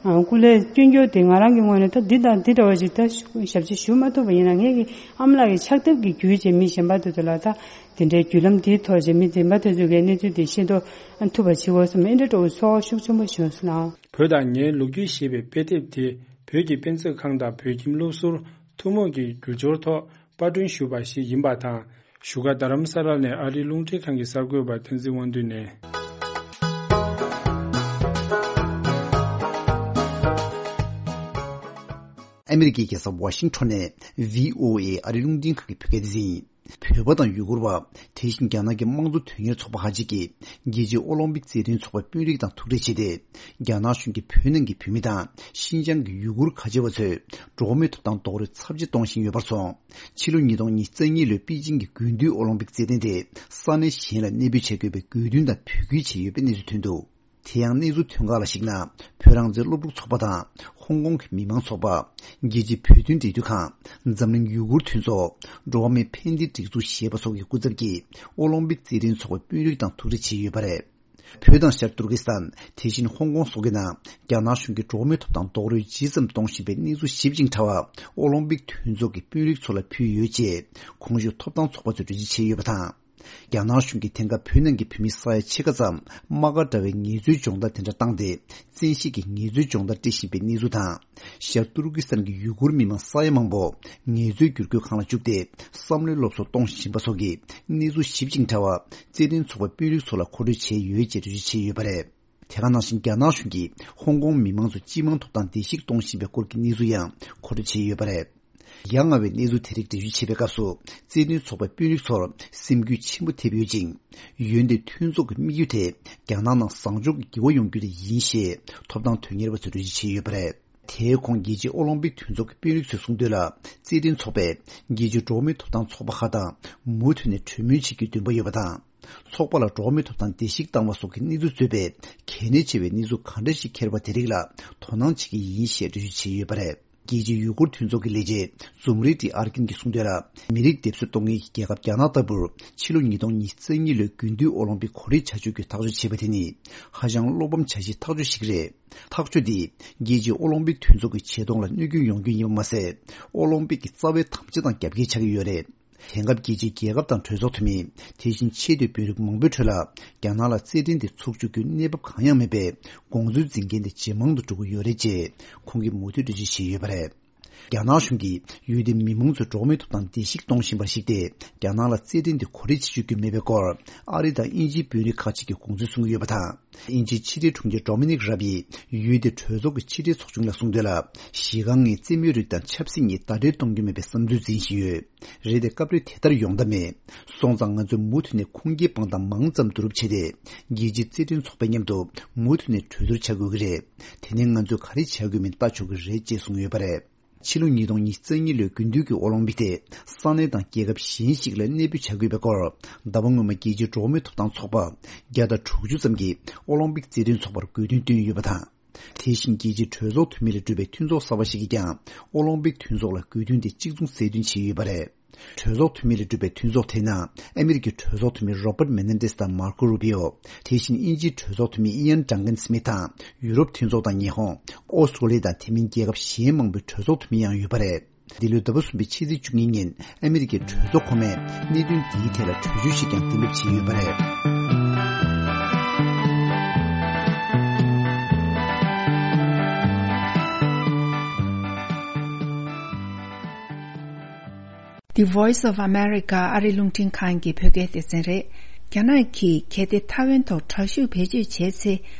སྐུ་ལས་སྐྱོན་རྒྱུ་དེ་ང་རང་གི་ངོས་ནས་ད་འདི་དང་འདི་འདྲ་བ་ཞིག་ད་ཞབས་ཕྱི་ཞུ་མ་ཐུབ་པ་ཡིན་ན། ངེད་ཀྱི་ཨ་མ་ལགས་ཀྱི་ཕྱག་དེབ་ཀྱི་བརྒྱུད་བྱས་མི་གཞན་པ་དེ་ཚོ་ལ་ད་དེ་འདྲའི་བརྒྱུད་ལམ་དེའི་ཐོག་བྱས་མི་གཞན་པ་དེ་ཚོ་གིས་གནས་ཚུལ་དེ་ཤེས་རྟོགས་ཐུབ་པ་བྱེད་དགོས་བསམ། ཨེ་འདྲ་འདྲ་བོ་ཚོར་བ་ཤུགས་ཆེན་པོ་བྱུང་སོང་ལགས། བོད་དང་ངའི་ལོ་རྒྱུས་ཞེས་པའི་དཔེ་དེབ་དེ་བོད་ཀྱི་དཔེ་མཛོད་ཁང་དང་བོད་ཁྱིམ་སློབ་ཟུར་ཐུན་མོང་གི་བསྒྱུར་སྦྱོར་ཐོག་པར་སྐྲུན་ཞུས་པ་ཞིག་ཡིན་པ་དང་། བཞུགས་སྒར་རྡ་རམ་ས་ལ་ནས་ཨ་རིའི་རླུང་འཕྲིན་ཁང་གི་གསར་འགོད་པ་བསྟན་འཛིན་དབང་འདུས་ནས། ཨ་མི་རི་ཀའི་རྒྱལ་ས་ཝ་ཤིང་ཊོན་ནས་བྷི་ཨོ་ཨེ་ཨ་རིའི་རླུང་འཕྲིན་ཁང་གི་བོད་སྐད་སྡེ་ཚན་ཡིན། བོད་པ་དང་ཡུ་གུར་བ། དེ་བཞིན་རྒྱ་ནག་གི་དམངས་གཙོ་དོན་གཉེར་ཚོགས་པ་ཁག་ཅིག་གིས་རྒྱལ་སྤྱིའི་ཨོ་ལིམ་པིག་རྩེད་འགྲན་ཚོགས་པར་དཔོན་རིགས་དང་ཐུག་འཕྲད་བྱས་ཏེ། རྒྱ་ནག་གཞུང་གིས་བོད་ནང་གི་བོད་མི་དང་ཤིན་ཅང་གི་ཡུ་གུར་ཁ་ཆེ་བ་ཚོས་འགྲོ་བ་མིའི་ཐོབ་ཐང་རྡོག་རོལ་ཚབས་ཆེ་གཏོང་བཞིན་ཡོད་པར་སོང་། ཕྱི་ལོ་ཉིས་སྟོང་ཉི་ཤུ་རྩ་གཉིས་ལོའི་པེ་ཅིང་གི་དགུན་དུས་ཨོ་ལིམ་པིག་རྩེད་འགྲན་དེ་ས་གནས་གཞན་ལ་གནས་སྤོས་བྱ་དགོས་པའི་དགོས་འདུན་དང་འབོད་སྐུལ་བྱས་ཡོད་པའི་གནས་ཚུལ་ཐོན་འདུག་དེ་ཡང་གནས་ཚུལ་ཐོན་ཁག་ལ་གཞིགས་ན། བོད་རང་བཙན་སློབ་ཕྲུག་ཚོགས་པ་དང་ཧོང་ཀོང་གི་མི་མང་ཚོགས་པ། རྒྱལ་སྤྱིའི་བོད་དོན་འབྲེལ་མཐུད་ཁང་། འཛམ་གླིང་ཡུ་གུར་མཐུན་ཚོགས། འགྲོ་བ་མིའི་ཕན་བདེའི་སྒྲིག་འཛུགས་ཞེས་པ་སོགས་ཀྱི་སྐུ་ཚབ་ཀྱིས་ཨོ་ལིམ་པིག་རྩེད་འགྲན་ཚོགས་པའི་དཔོན་རིགས་དང་ཐུག་འཕྲད་བྱས་ཡོད་པ་རེད། བོད་དང་ཤར་ཏུར་ཀི་སི་ཐན། དེ་བཞིན་ཧོང་ཀོང་སོགས་ཀྱི་ནང་རྒྱ་ནག་གཞུང་གིས་འགྲོ་བ་མིའི་ཐོབ་ཐང་རྡོག་རོལ་ཇི་ཙམ་གཏོང་བཞིན་པའི་གནས་ཚུལ་ཞིབ་ཅིང་ཕྲ་བ་ཨོ་ལིམ་པིག་མཐུན་ཚོགས་ཀྱི་དཔོན་རིགས་ཚོ་ལ་ཕུལ་ཡོད་ཅེས་གོང་ཞུས་ཐོབ་ཐང་ཚོགས་པ་ཚོས་འགྲེལ་བརྗོད་བྱས་ཡོད་པ་དང་། རྒྱ་ནག་གཞུང་གིས་དེང་སྐབས་བོད་ནང་གི་བོད་མི་ས་ཡ་ཕྱེད་ཀ་ཙམ་དམག་སྒར་འདྲ་བའི་ངལ་རྩོལ་སྦྱོང་བརྡར་དེ་འདྲ་བཏང་སྟེ། བཙན་ཤེད་ཀྱིས་ངལ་རྩོལ་སྦྱོང་བརྡར་སྤྲད་བཞིན་པའི་གནས་ཚུལ་དང་། ཤར་ཏུར་ཀི་སི་ཐན་གྱི་ཡུ་གུར་མི་མང་ས་ཡ་མང་པོ་ངལ་རྩོལ་བསྒྱུར་བཀོད་ཁང་ལ་བཅུག་སྟེ། བསམ་བློའི་སློབ་གསོ་གཏོང་བཞིན་པ་སོགས་ཀྱི་གནས་ཚུལ་ཞིབ་ཅིང་ཕྲ་བ་རྩེད་འགྲན་ཚོགས་པའི་དཔོན་རིགས་ཚོ་ལ་མཁོ་སྤྲོད་བྱས་ཡོད་ཅེས་འགྲེལ་བརྗོད་བྱས་ཡོད་པ་རེད། དེ་ག་ནང་བཞིན་རྒྱ་ནག་གཞུང་གིས་ཧོང་ཀོང་མི་མང་ཚོ་སྤྱི་དམངས་ཐོབ་ཐང་བརྡལ་བཤིག་གཏོང་བཞིན་པའི་སྐོར་གྱི་གནས་ཚུལ་ཡང་མཁོ་སྤྲོད་བྱས་ཡོད་པ་རེད། ཡ་ང་བའི་གནས་ཚུལ་དེ་རིགས་འགྲེལ་བརྗོད་བྱེད་པའི་སྐབས་སུ། རྩེད་འགྲན་ཚོགས་པའི་དཔོན་རིགས་ཚོར་སེམས་འགུལ་ཆེན་པོ་ཐེབས་ཡོད་ཅིང་། འོན་ཏེ་མཐུན་ཚོགས་ཀྱི་དམིགས་ཡུལ་དེ་རྒྱ་ནག་ནང་བཟང་ཕྱོགས་ཀྱི་འགྱུར་བ་ཡོང་རྒྱུ་དེ་ཡིན་ཞེས་ཐོབ་ཐང་དོན་གཉེར་བ་ཚོས་འགྲེལ་བརྗོད་བྱས་ཡོད་པ་རེད། དེའི་གོང་རྒྱལ་སྤྱིའི་ཨོ་ལིམ་པིག་མཐུན་ཚོགས་ཀྱི་དཔོན་རིགས་ཚོས་གསུངས་དོན་ལ། རྩེད་འགྲན་ཚོགས་པས་རྒྱལ་སྤྱིའི་འགྲོ་བ་མིའི་ཐོབ་ཐང་ཚོགས་པ་ཁག་དང་མུ་མཐུད་ནས་གྲོས་མོལ་བྱེད་རྒྱུའི་འདུན་པ་ཡོད་པ་དང་། ཚོགས་པ་ལ་འགྲོ་བ་མིའི་ཐོབ་ཐང་བརྡལ་བཤིག་བཏང་བ་སོགས་ཀྱི་གནས་ཚུལ་གཙོས་པའི་གལ་གནད་ཆེ་བའི་གནས་ཚུལ་གང་འདྲ་ཞིག་འཁྱེར་བ་དེ་རིགས་ལ་དོ་སྣང་བྱེད་ཀྱི་ཡིན་ཞེས་འགྲེལ་བརྗོད་བྱས་ཡོད་པ་རེད། རྒྱལ་སྤྱིའི་ཡུ་གུར་མཐུན་ཚོགས་ཀྱི་ལས་བྱེད་ཛུམ་རི་ཏི་ཨར་ཀིན་གྱིས་གསུངས་དོན་ལ། མི་རིགས་སྡེབ་གསོད་གཏོང་མཁན་གྱི་རྒྱལ་ཁབ་རྒྱ་ནག་ལྟ་བུར་ཕྱི་ལོ་ཉིས་སྟོང་ཉི་ཤུ་རྩ་གཉིས་ལོའི་དགུན་དུས་ཨོ་ལིམ་པིག་གོ་སྒྲིག་བྱ་སྤྱོད་ཀྱི་ཐག་གཅོད་བྱས་པ་དེ་ནི་ཧ་ཅང་བློ་ཕམ་བྱ་གཞིའི་ཐག་གཅོད་ཞིག་རེད། ཐག་གཅོད་འདིས་རྒྱལ་སྤྱིའི་ཨོ་ལིམ་པིག་མཐུན་ཚོགས་ཀྱི་ཆེ་མཐོང་ལ་གནོད་སྐྱོན་ཡོང་རྒྱུ་ཡིན་པ་མ་ཟད། ཨོ་ལིམ་པིག་གི་རྩ་བའི་དམ་བཅའ་དང་རྒྱབ་འགལ་ཆགས་ཀྱི་ཡོད་རེད། དེང་སྐབས་རྒྱལ་སྤྱིའི་རྒྱལ་ཁབ་དང་གྲོས་ཚོགས་འཐུས་མི། དེ་བཞིན་ཆེས་མཐོའི་དཔོན་རིགས་མང་པོའི་ཁྲོད་ལ་རྒྱ་ནག་ལ་རྩེད་འགྲན་དེ་ཚུགས་འཇུག་རྒྱུའི་གནས་བབ་གང་ཡང་མེད་པས། དགོངས་ཚུལ་འཛིན་མཁན་དེ་ཇེ་མང་དུ་འགྲོ་གི་ཡོད་རེད་ཅེས་ཁོང་གིས་མུ་མཐུད་འགྲེལ་བརྗོད་བྱས་ཡོད་པ་རེད། རྒྱ་ནག་གཞུང་གིས་ཡུལ་དེའི་མི་མང་ཚོའི་འགྲོ་བ་མིའི་ཐོབ་ཐང་བརྡལ་བཤིག་གཏོང་བཞིན་པར་གཞིགས་ཏེ། རྒྱ་ནག་ལ་རྩེད་འགྲན་དེ་གོ་སྒྲིག་བྱེད་བཅུག་རྒྱུ་མེད་པའི་སྐོར། ཨ་རི་དང་དབྱིན་ཇིའི་དཔོན་རིགས་ཁག་ཅིག་གིས་དགོངས་ཚུལ་གསུང་གི་ཡོད་པ་དང་། དབྱིན་ཇིའི་ཕྱི་དྲིལ་དྲུང་ཆེ་ཌོ་མི་ནིག་རབ་ཡིས་ཡུལ་དེའི་གྲོས་ཚོགས་ཀྱི་ཕྱི་དྲིལ་ཚོགས་ཆུང་ལ་གསུངས་དོན་ལ། གཞི་རྐང་ངོས་རྩེད་མོའི་རིགས་དང་ཆབ་སྲིད་གཉིས་ཟླ་སྒྲིལ་གཏོང་རྒྱུ་མེད་པའི་བསམ་ཚུལ་འཛིན་བཞིན་ཡོད། རེད་དེ། སྐབས་རེ་དེ་ལྟར་ཡོང་ཐབས་མེད། སོང་ཙང་ང་ཚོས་མུ་མཐུད་ནས་ཁུངས་སྐྱེལ་དཔང་རྟགས་མང་ཙམ་བསྡུ་རུབ་བྱས་ཏེ། རྒྱལ་སྤྱིའི་རྩེད་འགྲན་ཚོགས་པའི་མཉམ་དུ་མུ་མཐུད་ནས་གྲོས་བསྡུར་བྱ་དགོས་ཀྱི་རེད། དེ་ནས་ང་ཚོས་ག་རེ་བྱ་དགོས་མིན་ལྟ་ཆོག་གི་རེད་ཅེས་གསུངས་ཡོད་པ་རེད། ཕྱི་ལོ་ཉིས་སྟོང་ཉི་ཤུ་རྩ་གཉིས་ལོའི་དགུན་དུས་ཀྱི་ཨོ་ལིམ་པིག་དེ་ས་གནས་དང་རྒྱལ་ཁབ་གཞན་ཞིག་ལ་གནས་སྤོས་བྱ་དགོས་པའི་སྐོར། ཟླ་བ་སྔོན་མ་རྒྱལ་སྤྱིའི་འགྲོ་བ་མིའི་ཐོབ་ཐང་ཚོགས་པ་བརྒྱ་དང་དྲུག་ཅུ་ཙམ་གྱིས་ཨོ་ལིམ་པིག་རྩེད་འགྲན་ཚོགས་པར་དགོས་འདུན་བཏོན་ཡོད་པ་དང་། དེ་བཞིན་རྒྱལ་སྤྱིའི་གྲོས་ཚོགས་འཐུས་མི་ལས་གྲུབ་པའི་མཐུན་ཚོགས་གསར་པ་ཞིག་གིས་ཀྱང་ཨོ་ལིམ་པིག་མཐུན་ཚོགས་ལ་དགོས་འདུན་དེ་གཅིག་མཚུངས་གསལ་སྟོན་བྱས་ཡོད་པ་རེད། གྲོས་ཚོགས་འཐུས་མི་ལས་གྲུབ་པའི་མཐུན་ཚོགས་དེའི་ནང་ཨ་མི་རི་ཀའི་གྲོས་ཚོགས་འཐུས་མི་རོ་པར་མེ་ནེ་ཌེས་དང་མར་ཀོ་རུ་པི་ཨོ། དེ་བཞིན་དབྱིན་ཇིའི་གྲོས་ཚོགས་འཐུས་མི་ཨི་ཡན་ཌང་ཀན་སི་མིཐ་དང་། ཡུ་རོབ་མཐུན་ཚོགས་དང་ཉི་ཧོང་། ཨོ་སི་ཀྲོ་ལི་ཡ་དང་དེ་མིན་རྒྱལ་ཁབ་གཞན་མང་པོའི་གྲོས་ཚོགས་འཐུས་མི་ཡང་ཡོད་པ་རེད། འདི་ལོའི་ཟླ་བ་གསུམ་པའི་ཕྱི་ཚེས་བཅུ་གཉིས་ཉིན་ཨ་མི་རི་ཀའི་གྲོས་ཚོགས་ཁོངས་མིས་གནད་དོན་འདིའི་ཐད་ལ་གྲོས་ཆོད་ཞིག་ཀྱང་གཏན་འབེབས་བྱས་ཡོད་པ་རེད། The Voice of America ཨ་རི་རླུང་འཕྲིན་ཁང་གི་བོད་སྐད་སྡེ་ཚན་རེད། རྒྱ་ནག་གིས་གལ་ཏེ་ཐའེ་ཝན་ཐོག་དྲག་ཤུགས་བེད་སྤྱོད་བྱས་ཚེ།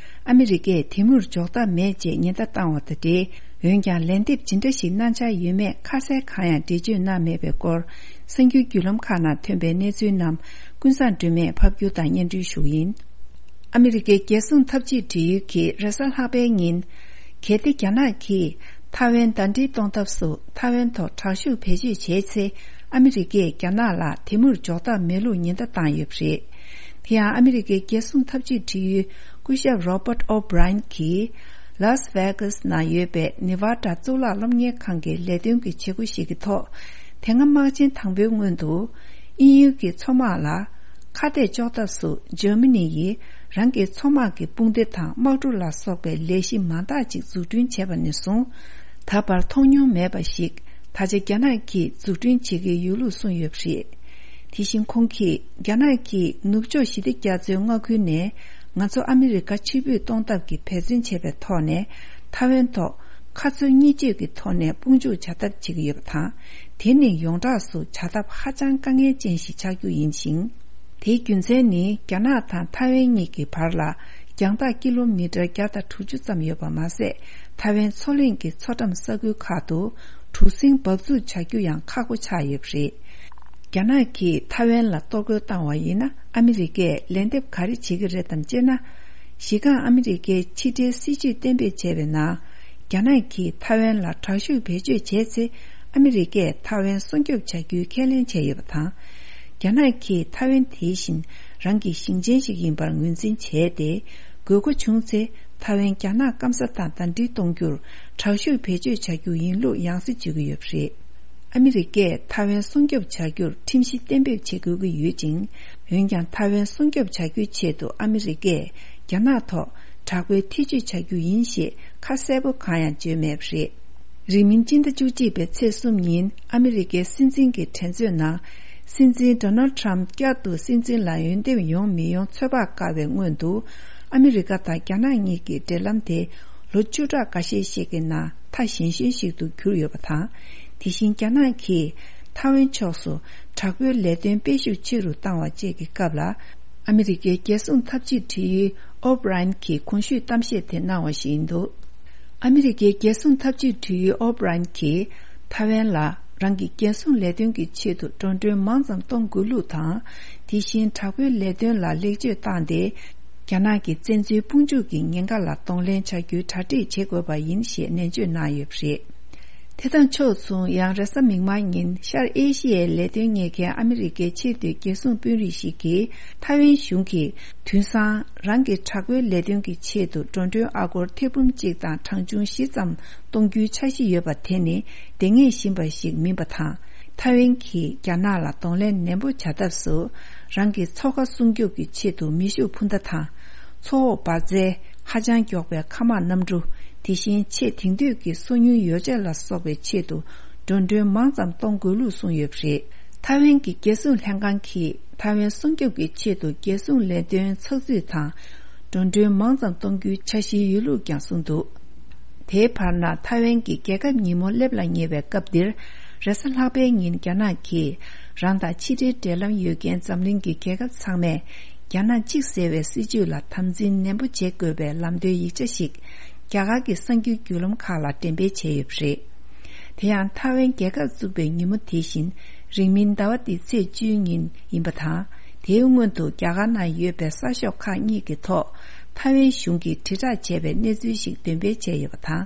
ཨ་མི་རི་ཀས་དེ་མུར་འཇོག་ཐབས་མེད་ཅེས་ཉེན་བརྡ་བཏང་བ་དང་འབྲེལ། འོན་ཀྱང་ལན་འདེབས་ཇི་འདྲ་ཞིག་གནང་འཆར་ཡོད་མེད་ཁ་གསལ་གང་ཡང་འགྲེལ་བརྗོད་གནང་མེད་པའི་སྐོར། གསར་འགྱུར་བརྒྱུད་ལམ་ཁག་ནང་ཐོན་པའི་གནས་ཚུལ་རྣམས་ཀུན་བཟང་སྒྲོལ་མས་ཕབ་སྒྱུར་དང་སྙན་སྒྲོན་ཞུ་གི་ཡིན། ཨ་མི་རི་ཀའི་རྒྱལ་སྲུང་འཐབ་ཇུས་འབྲེལ་ཡོད་ཀྱིས་རེས་གཟའ་ལྷག་པའི་ཉིན། གལ་ཏེ་རྒྱ་ནག་གིས་ཐའེ་ཝན་ཟླ་སྒྲིལ་གཏོང་ཐབས་སུ་ཐའེ་ཝན་ཐོག་དྲག་ཤུགས་བེད་སྤྱོད་བྱས་ཚེ། ཨ་མི་རི་ཀས་རྒྱ་ནག་ལ་དེ་མུར་འཇོག་ཐབས་མེད་ལུགས་ཉེན་བརྡ་བཏང་ཡོད་པ་རེད། དེ་ཡང་ཨ་མི་རི་ཀའི་རྒྱལ་སྲུང་འཐབ་ཇུས་འབྲེལ་ཡོད་སྐུ་ཞབས་Robert O'Brien གྱིས། ལཱས་ཝེ་གཱས་ནང་ཡོད་པའི་ནེ་ཝ་ཌ་གཙུག་ལག་སློབ་གཉེར་ཁང་གི་ལས་དོན་གྱི་བྱེད་སྒོ་ཞིག་གི་ཐོག་དེ་སྔ་དམག་ཆེན་དང་པོའི་སྔོན་དུ། དབྱིན་ཡུལ་གྱི་མཚོ་དམག་ལ་ཁ་གཏད་གཅོག་ཐབས་སུ་འཇར་མ་ནི་ཡིས་རང་གི་མཚོ་དམག་གི་དཔུང་སྡེ་དང་དམག་གྲུ་ལ་སོགས་པའི་ལས་གཞི་མང་དག་ཅིག་འཛུགས་སྐྲུན་བྱས་པ་ནས་བཟུང་། ད་བར་མཐོང་མྱོང་མེད་པ་ཞིག་ད་ཆ་རྒྱ་ནག་གིས་འཛུགས་སྐྲུན་བྱེད་ཀྱི་ཡོད་ལུགས་གསུངས་ཡོད་པ་རེད། དེ་བཞིན་ཁོང་གིས་རྒྱ་ནག་གིས་ནུབ་ཕྱོགས་ཞི་བདེ་རྒྱ་མཚོའི་མངའ་ཁུལ་ནས་ང་ཚོ་ཨ་མི་རི་ཀ་ཕྱིར་འབུད་གཏོང་ཐབས་ཀྱི་འབད་བརྩོན་བྱས་པའི་ཐོག་ནས་ཐའེ་ཝན་ཐོག་ཁ་འཚོལ་གཉིས་གཅོད་ཀྱི་ཐོག་ནས་དཔུང་འཇུག་བྱ་ཐབས་བྱེད་ཀྱི་ཡོད་པ་དང་། དེ་ནི་ཡོངས་གྲགས་སུ་བྱ་ཐབས་ཧ་ཅང་དཀའ་ངལ་ཅན་ཞིག་ཆགས་རྒྱུ་ཡིན་ཞིང་། དེའི་རྒྱུ་མཚན་ནི་རྒྱ་ནག་དང་ཐའེ་ཝན་གཉིས་ཀྱི་བར་ལ་རྒྱང་ཐག་ཀི་ལོ་མི་ཊར་བརྒྱ་དང་དྲུག་ཅུ་ཙམ་ཡོད་པ་མ་ཟད། ཐའེ་ཝན་མཚོ་གླིང་གི་མཚོ་འགྲམ་ས་ཁུལ་ཁག་ཏུ་གྲུ་གཟིངས་འབབ་ཚུགས་བྱ་རྒྱུ་ཡང་ཁག་པོ་ཆགས་ཡོད་པ་རེད། རྒྱ་ནག་གིས་ཐའེ་ཝན་ལ་གཏོར་རྒོལ་བཏང་བ་ཡིན་ན་ཨ་མི་རི་ཀས་ལན་འདེབས་ག་རེ་བྱེད་ཀྱི་རེད་དམ་ཅེ་ན། གཞི་རྐང་ཨ་མི་རི་ཀའི་ཕྱི་འབྲེལ་སྲིད་ཇུས་གཏན་འབེབས་བྱས་པའི་ནང་། རྒྱ་ནག་གིས་ཐའེ་ཝན་ལ་དྲག་ཤུགས་བེད་སྤྱོད་བྱས་ཚེ། ཨ་མི་རི་ཀས་ཐའེ་ཝན་སྲུང་སྐྱོབ་བྱ་རྒྱུའི་ཁས་ལེན་བྱས་ཡོད་པ་དང་། རྒྱ་ནག་གིས་ཐའེ་ཝན་དེ་བཞིན་རང་གི་ཞིང་ཆེན་ཞིག་ཡིན་པར་ངོས་འཛིན་བྱས་ཏེ། དགོས་མཁོ་བྱུང་ཚེ། ཐའེ་ཝན་རྒྱ་ནག་སྐམ་ས་དང་ཟླ་སྒྲིལ་གཏོང་རྒྱུར་དྲག་ཤུགས་བེད་སྤྱོད་བྱ་རྒྱུ་ཡིན་ལུགས་ཡང་སེ་བརྗོད་ཀྱི་ཡོད་པ་རེད། ཨ་མི་རི་ཀས་ཐའེ་ཝན་སྲུང་སྐྱོབ་བྱ་རྒྱུར་ཁྲིམས་གཞི་གཏན་འབེབས་བྱེད་དགོས་ཀྱི་ཡོད་ཅིང་། འོན་ཀྱང་ཐའེ་ཝན་སྲུང་སྐྱོབ་བྱ་རྒྱུའི་ཆེད་དུ་ཨ་མི་རི་ཀས་རྒྱ་ནག་ཐོག་དྲག་པོའི་ཐེ་བྱུས་བྱ་རྒྱུ་ཡིན་ཞེས་ཁ་གསལ་པོ་གང་ཡང་བརྗོད་མེད་པ་རེད། རིང་མིན་སྤྱི་ཟླ་བཅུ་གཅིག་པའི་ཚེས་གསུམ་ཉིན་ཨ་མི་རི་ཀའི་སྲིད་འཛིན་གྱི་དྲན་གསོའི་ནང་། སྲིད་འཛིན་Donald Trump་བསྐྱར་དུ་སྲིད་འཛིན་ལ་འོས་འདེམས་ཡོང་མི་ཡོང་ཚོད་དཔག་དཀའ་བའི་སྔོན་དུ། ཨ་མི་རི་ཀ་དང་རྒྱ་ནག་གཉིས་ཀྱི་འབྲེལ་ལམ་དེ་ལོ་བཅུ་ཕྲག་འགའ་ཤས་ཤིག་གི་ནང་མཐའ་ཞན་ཤོས་ཤིག་ཏུ་གྱུར་ཡོད་པ་དང་། དེ་བཞིན་རྒྱ་ནག་གིས་ཐའེ་ཝན་ཕྱོགས་སུ་དྲག་པོའི་ལས་དོན་སྤེལ་ཤུགས་ཆེ་རུ་བཏང་བ་བཅས་ཀྱི་སྐབས་ལ། ཨ་མི་རི་ཀའི་རྒྱལ་སྲུང་འཐབ་ཇུས་དྲི་ཡུལ་ཨོ་བྷི་རན་གྱིས་གོང་ཞུས་གཏམ་བཤད་དེ་གནང་བ་ཞིག་ཡིན་འདུག་ཨ་མི་རི་ཀའི་རྒྱལ་སྲུང་འཐབ་ཇུས་དྲི་ཡུལ་ཨོ་བྷི་རན་གྱིས་ཐའེ་ཝན་ལ་རང་གི་རྒྱལ་སྲུང་ལས་དོན་གྱི་ཆེད་དུ་འགྲོ་གྲོན་མང་ཙམ་གཏོང་དགོས་ལུགས་དང་། དེ་བཞིན་དྲག་པོའི་ལས་དོན་ལ་ལེགས་བཅོས་བཏང་སྟེ། རྒྱ་ནག་གི་བཙན་འཛུལ་དཔུང་འཇུག་གི་ཉེན་ཁ་ལ་གདོང་ལེན་བྱ་རྒྱུའི་གྲ་སྒྲིག་བྱེད་དགོས་པ་ཡིན་ཞེས་ནན་བརྗོད་གནང་ཡོད་པ་རེད། དེ་དང་ཕྱོགས་མཚུངས་ཡང་རེས་གཟའ་མིག་དམར་ཉིན་ཤར་ཨེ་ཤི་ཡའི་ལས་དོན་གཉེར་མཁན་ཨ་མི་རི་ཀའི་ཆེས་མཐོའི་རྒྱལ་སྲུང་དཔོན་རིགས་ཤིག་གིས་ཐའེ་ཝན་གཞུང་གིས་དུས་སང་རང་གི་དྲག་པོའི་ལས་དོན་གྱི་ཆེད་དུ་འགྲོ་གྲོན་ཨ་སྒོར་ཐེར་འབུམ་གཅིག་དང་གྲངས་ཆུང་བཞི་ཙམ་གཏོང་རྒྱུའི་འཆར་གཞི་ཡོད་པ་དེ་ནི་བདེན་ངེས་བཞིན་པ་ཞིག་མིན་པ་དང་། ཐའེ་ཝན་གྱིས་རྒྱ་ནག་ལ་གདོང་ལེན་ནན་པོ་བྱ་ཐབས་སུ། རང་གི་མཚོ་ཁ་སྲུང་སྐྱོབ་ཀྱི་ཆེད་དུ་མེ་ཤུགས་འཕུར་མདའ་དང་། མཚོ་འོག་འབར་རྫས་ཧ་ཅང་མགྱོགས་པའི་མཁའ་དམག་གནམ་གྲུ། དེ་བཞིན་ཆེས་དེང་དུས་ཀྱི་སོ་ཉུལ་ཡོ་བྱད་ལ་སོགས་པའི་ཆེད་དུ་འགྲོ་གྲོན་མང་ཙམ་གཏོང་དགོས་ལུགས་གསུངས་ཡོད་པ་རེད། ཐའེ་ཝན་གྱི་རྒྱལ་སྲུང་ལྷན་ཁང་གིས་ཐའེ་ཝན་སྲུང་སྐྱོབ་ཀྱི་ཆེད་དུ་རྒྱལ་སྲུང་ལས་དོན་ཚགས་ཚུད་དང་། འགྲོ་གྲོན་མང་ཙམ་གཏོང་རྒྱུའི་འཆར་གཞི་ཡོད་ལུགས་ཀྱང་གསུངས་འདུག་དེའི་བར་ན་ཐའེ་ཝན་གྱི་རྒྱལ་ཁབ་ཉིན་མོ་སླེབས་ལ་ཉེ་བའི་སྐབས་འདིར། རེས་གཟའ་ལྷག་པའི་ཉིན་རྒྱ་ནག་གིས་རང་དང་ཕྱི་འབྲེལ་འབྲེལ་ལམ་ཡོད་མཁན་འཛམ་གླིང་གི་རྒྱལ་ཁབ་ཚང་མས་རྒྱ་ནག་གཅིག་ཟེར་བའི་སྲིད་བྱུས་ལ་དམ་འཛིན་ནན་པོ་བྱེད་དགོས་པའི་ལམ་སྟོན་ཡིག་ཆ་ཞིག་རྒྱ་གར་གྱི་གསར་འགྱུར་བརྒྱུད་ལམ་ཁག་ལ་འགྲེམས་སྤེལ་བྱས་ཡོད་པ་རེད། དེ་ཡང་ཐའེ་ཝན་རྒྱལ་ཁབ་བཙུགས་པའི་ཉིན་མོ་དེ་བཞིན་རིང་མིན་ཟླ་བ་འདིའི་ཚེས་བཅུའི་ཉིན་ཡིན་པ་དང་། དེའི་སྔོན་དུ་རྒྱ་གར་ནང་ཡོད་པའི་གསར་ཤོག་ཁག་གཉིས་ཀྱི་ཐོག་ཐའེ་ཝན་གཞུང་གིས་དྲིལ་བསྒྲགས་བྱས་པའི་གནས་ཚུལ་ཞིག་འདོན་སྤེལ་བྱས་ཡོད་པ་དང་།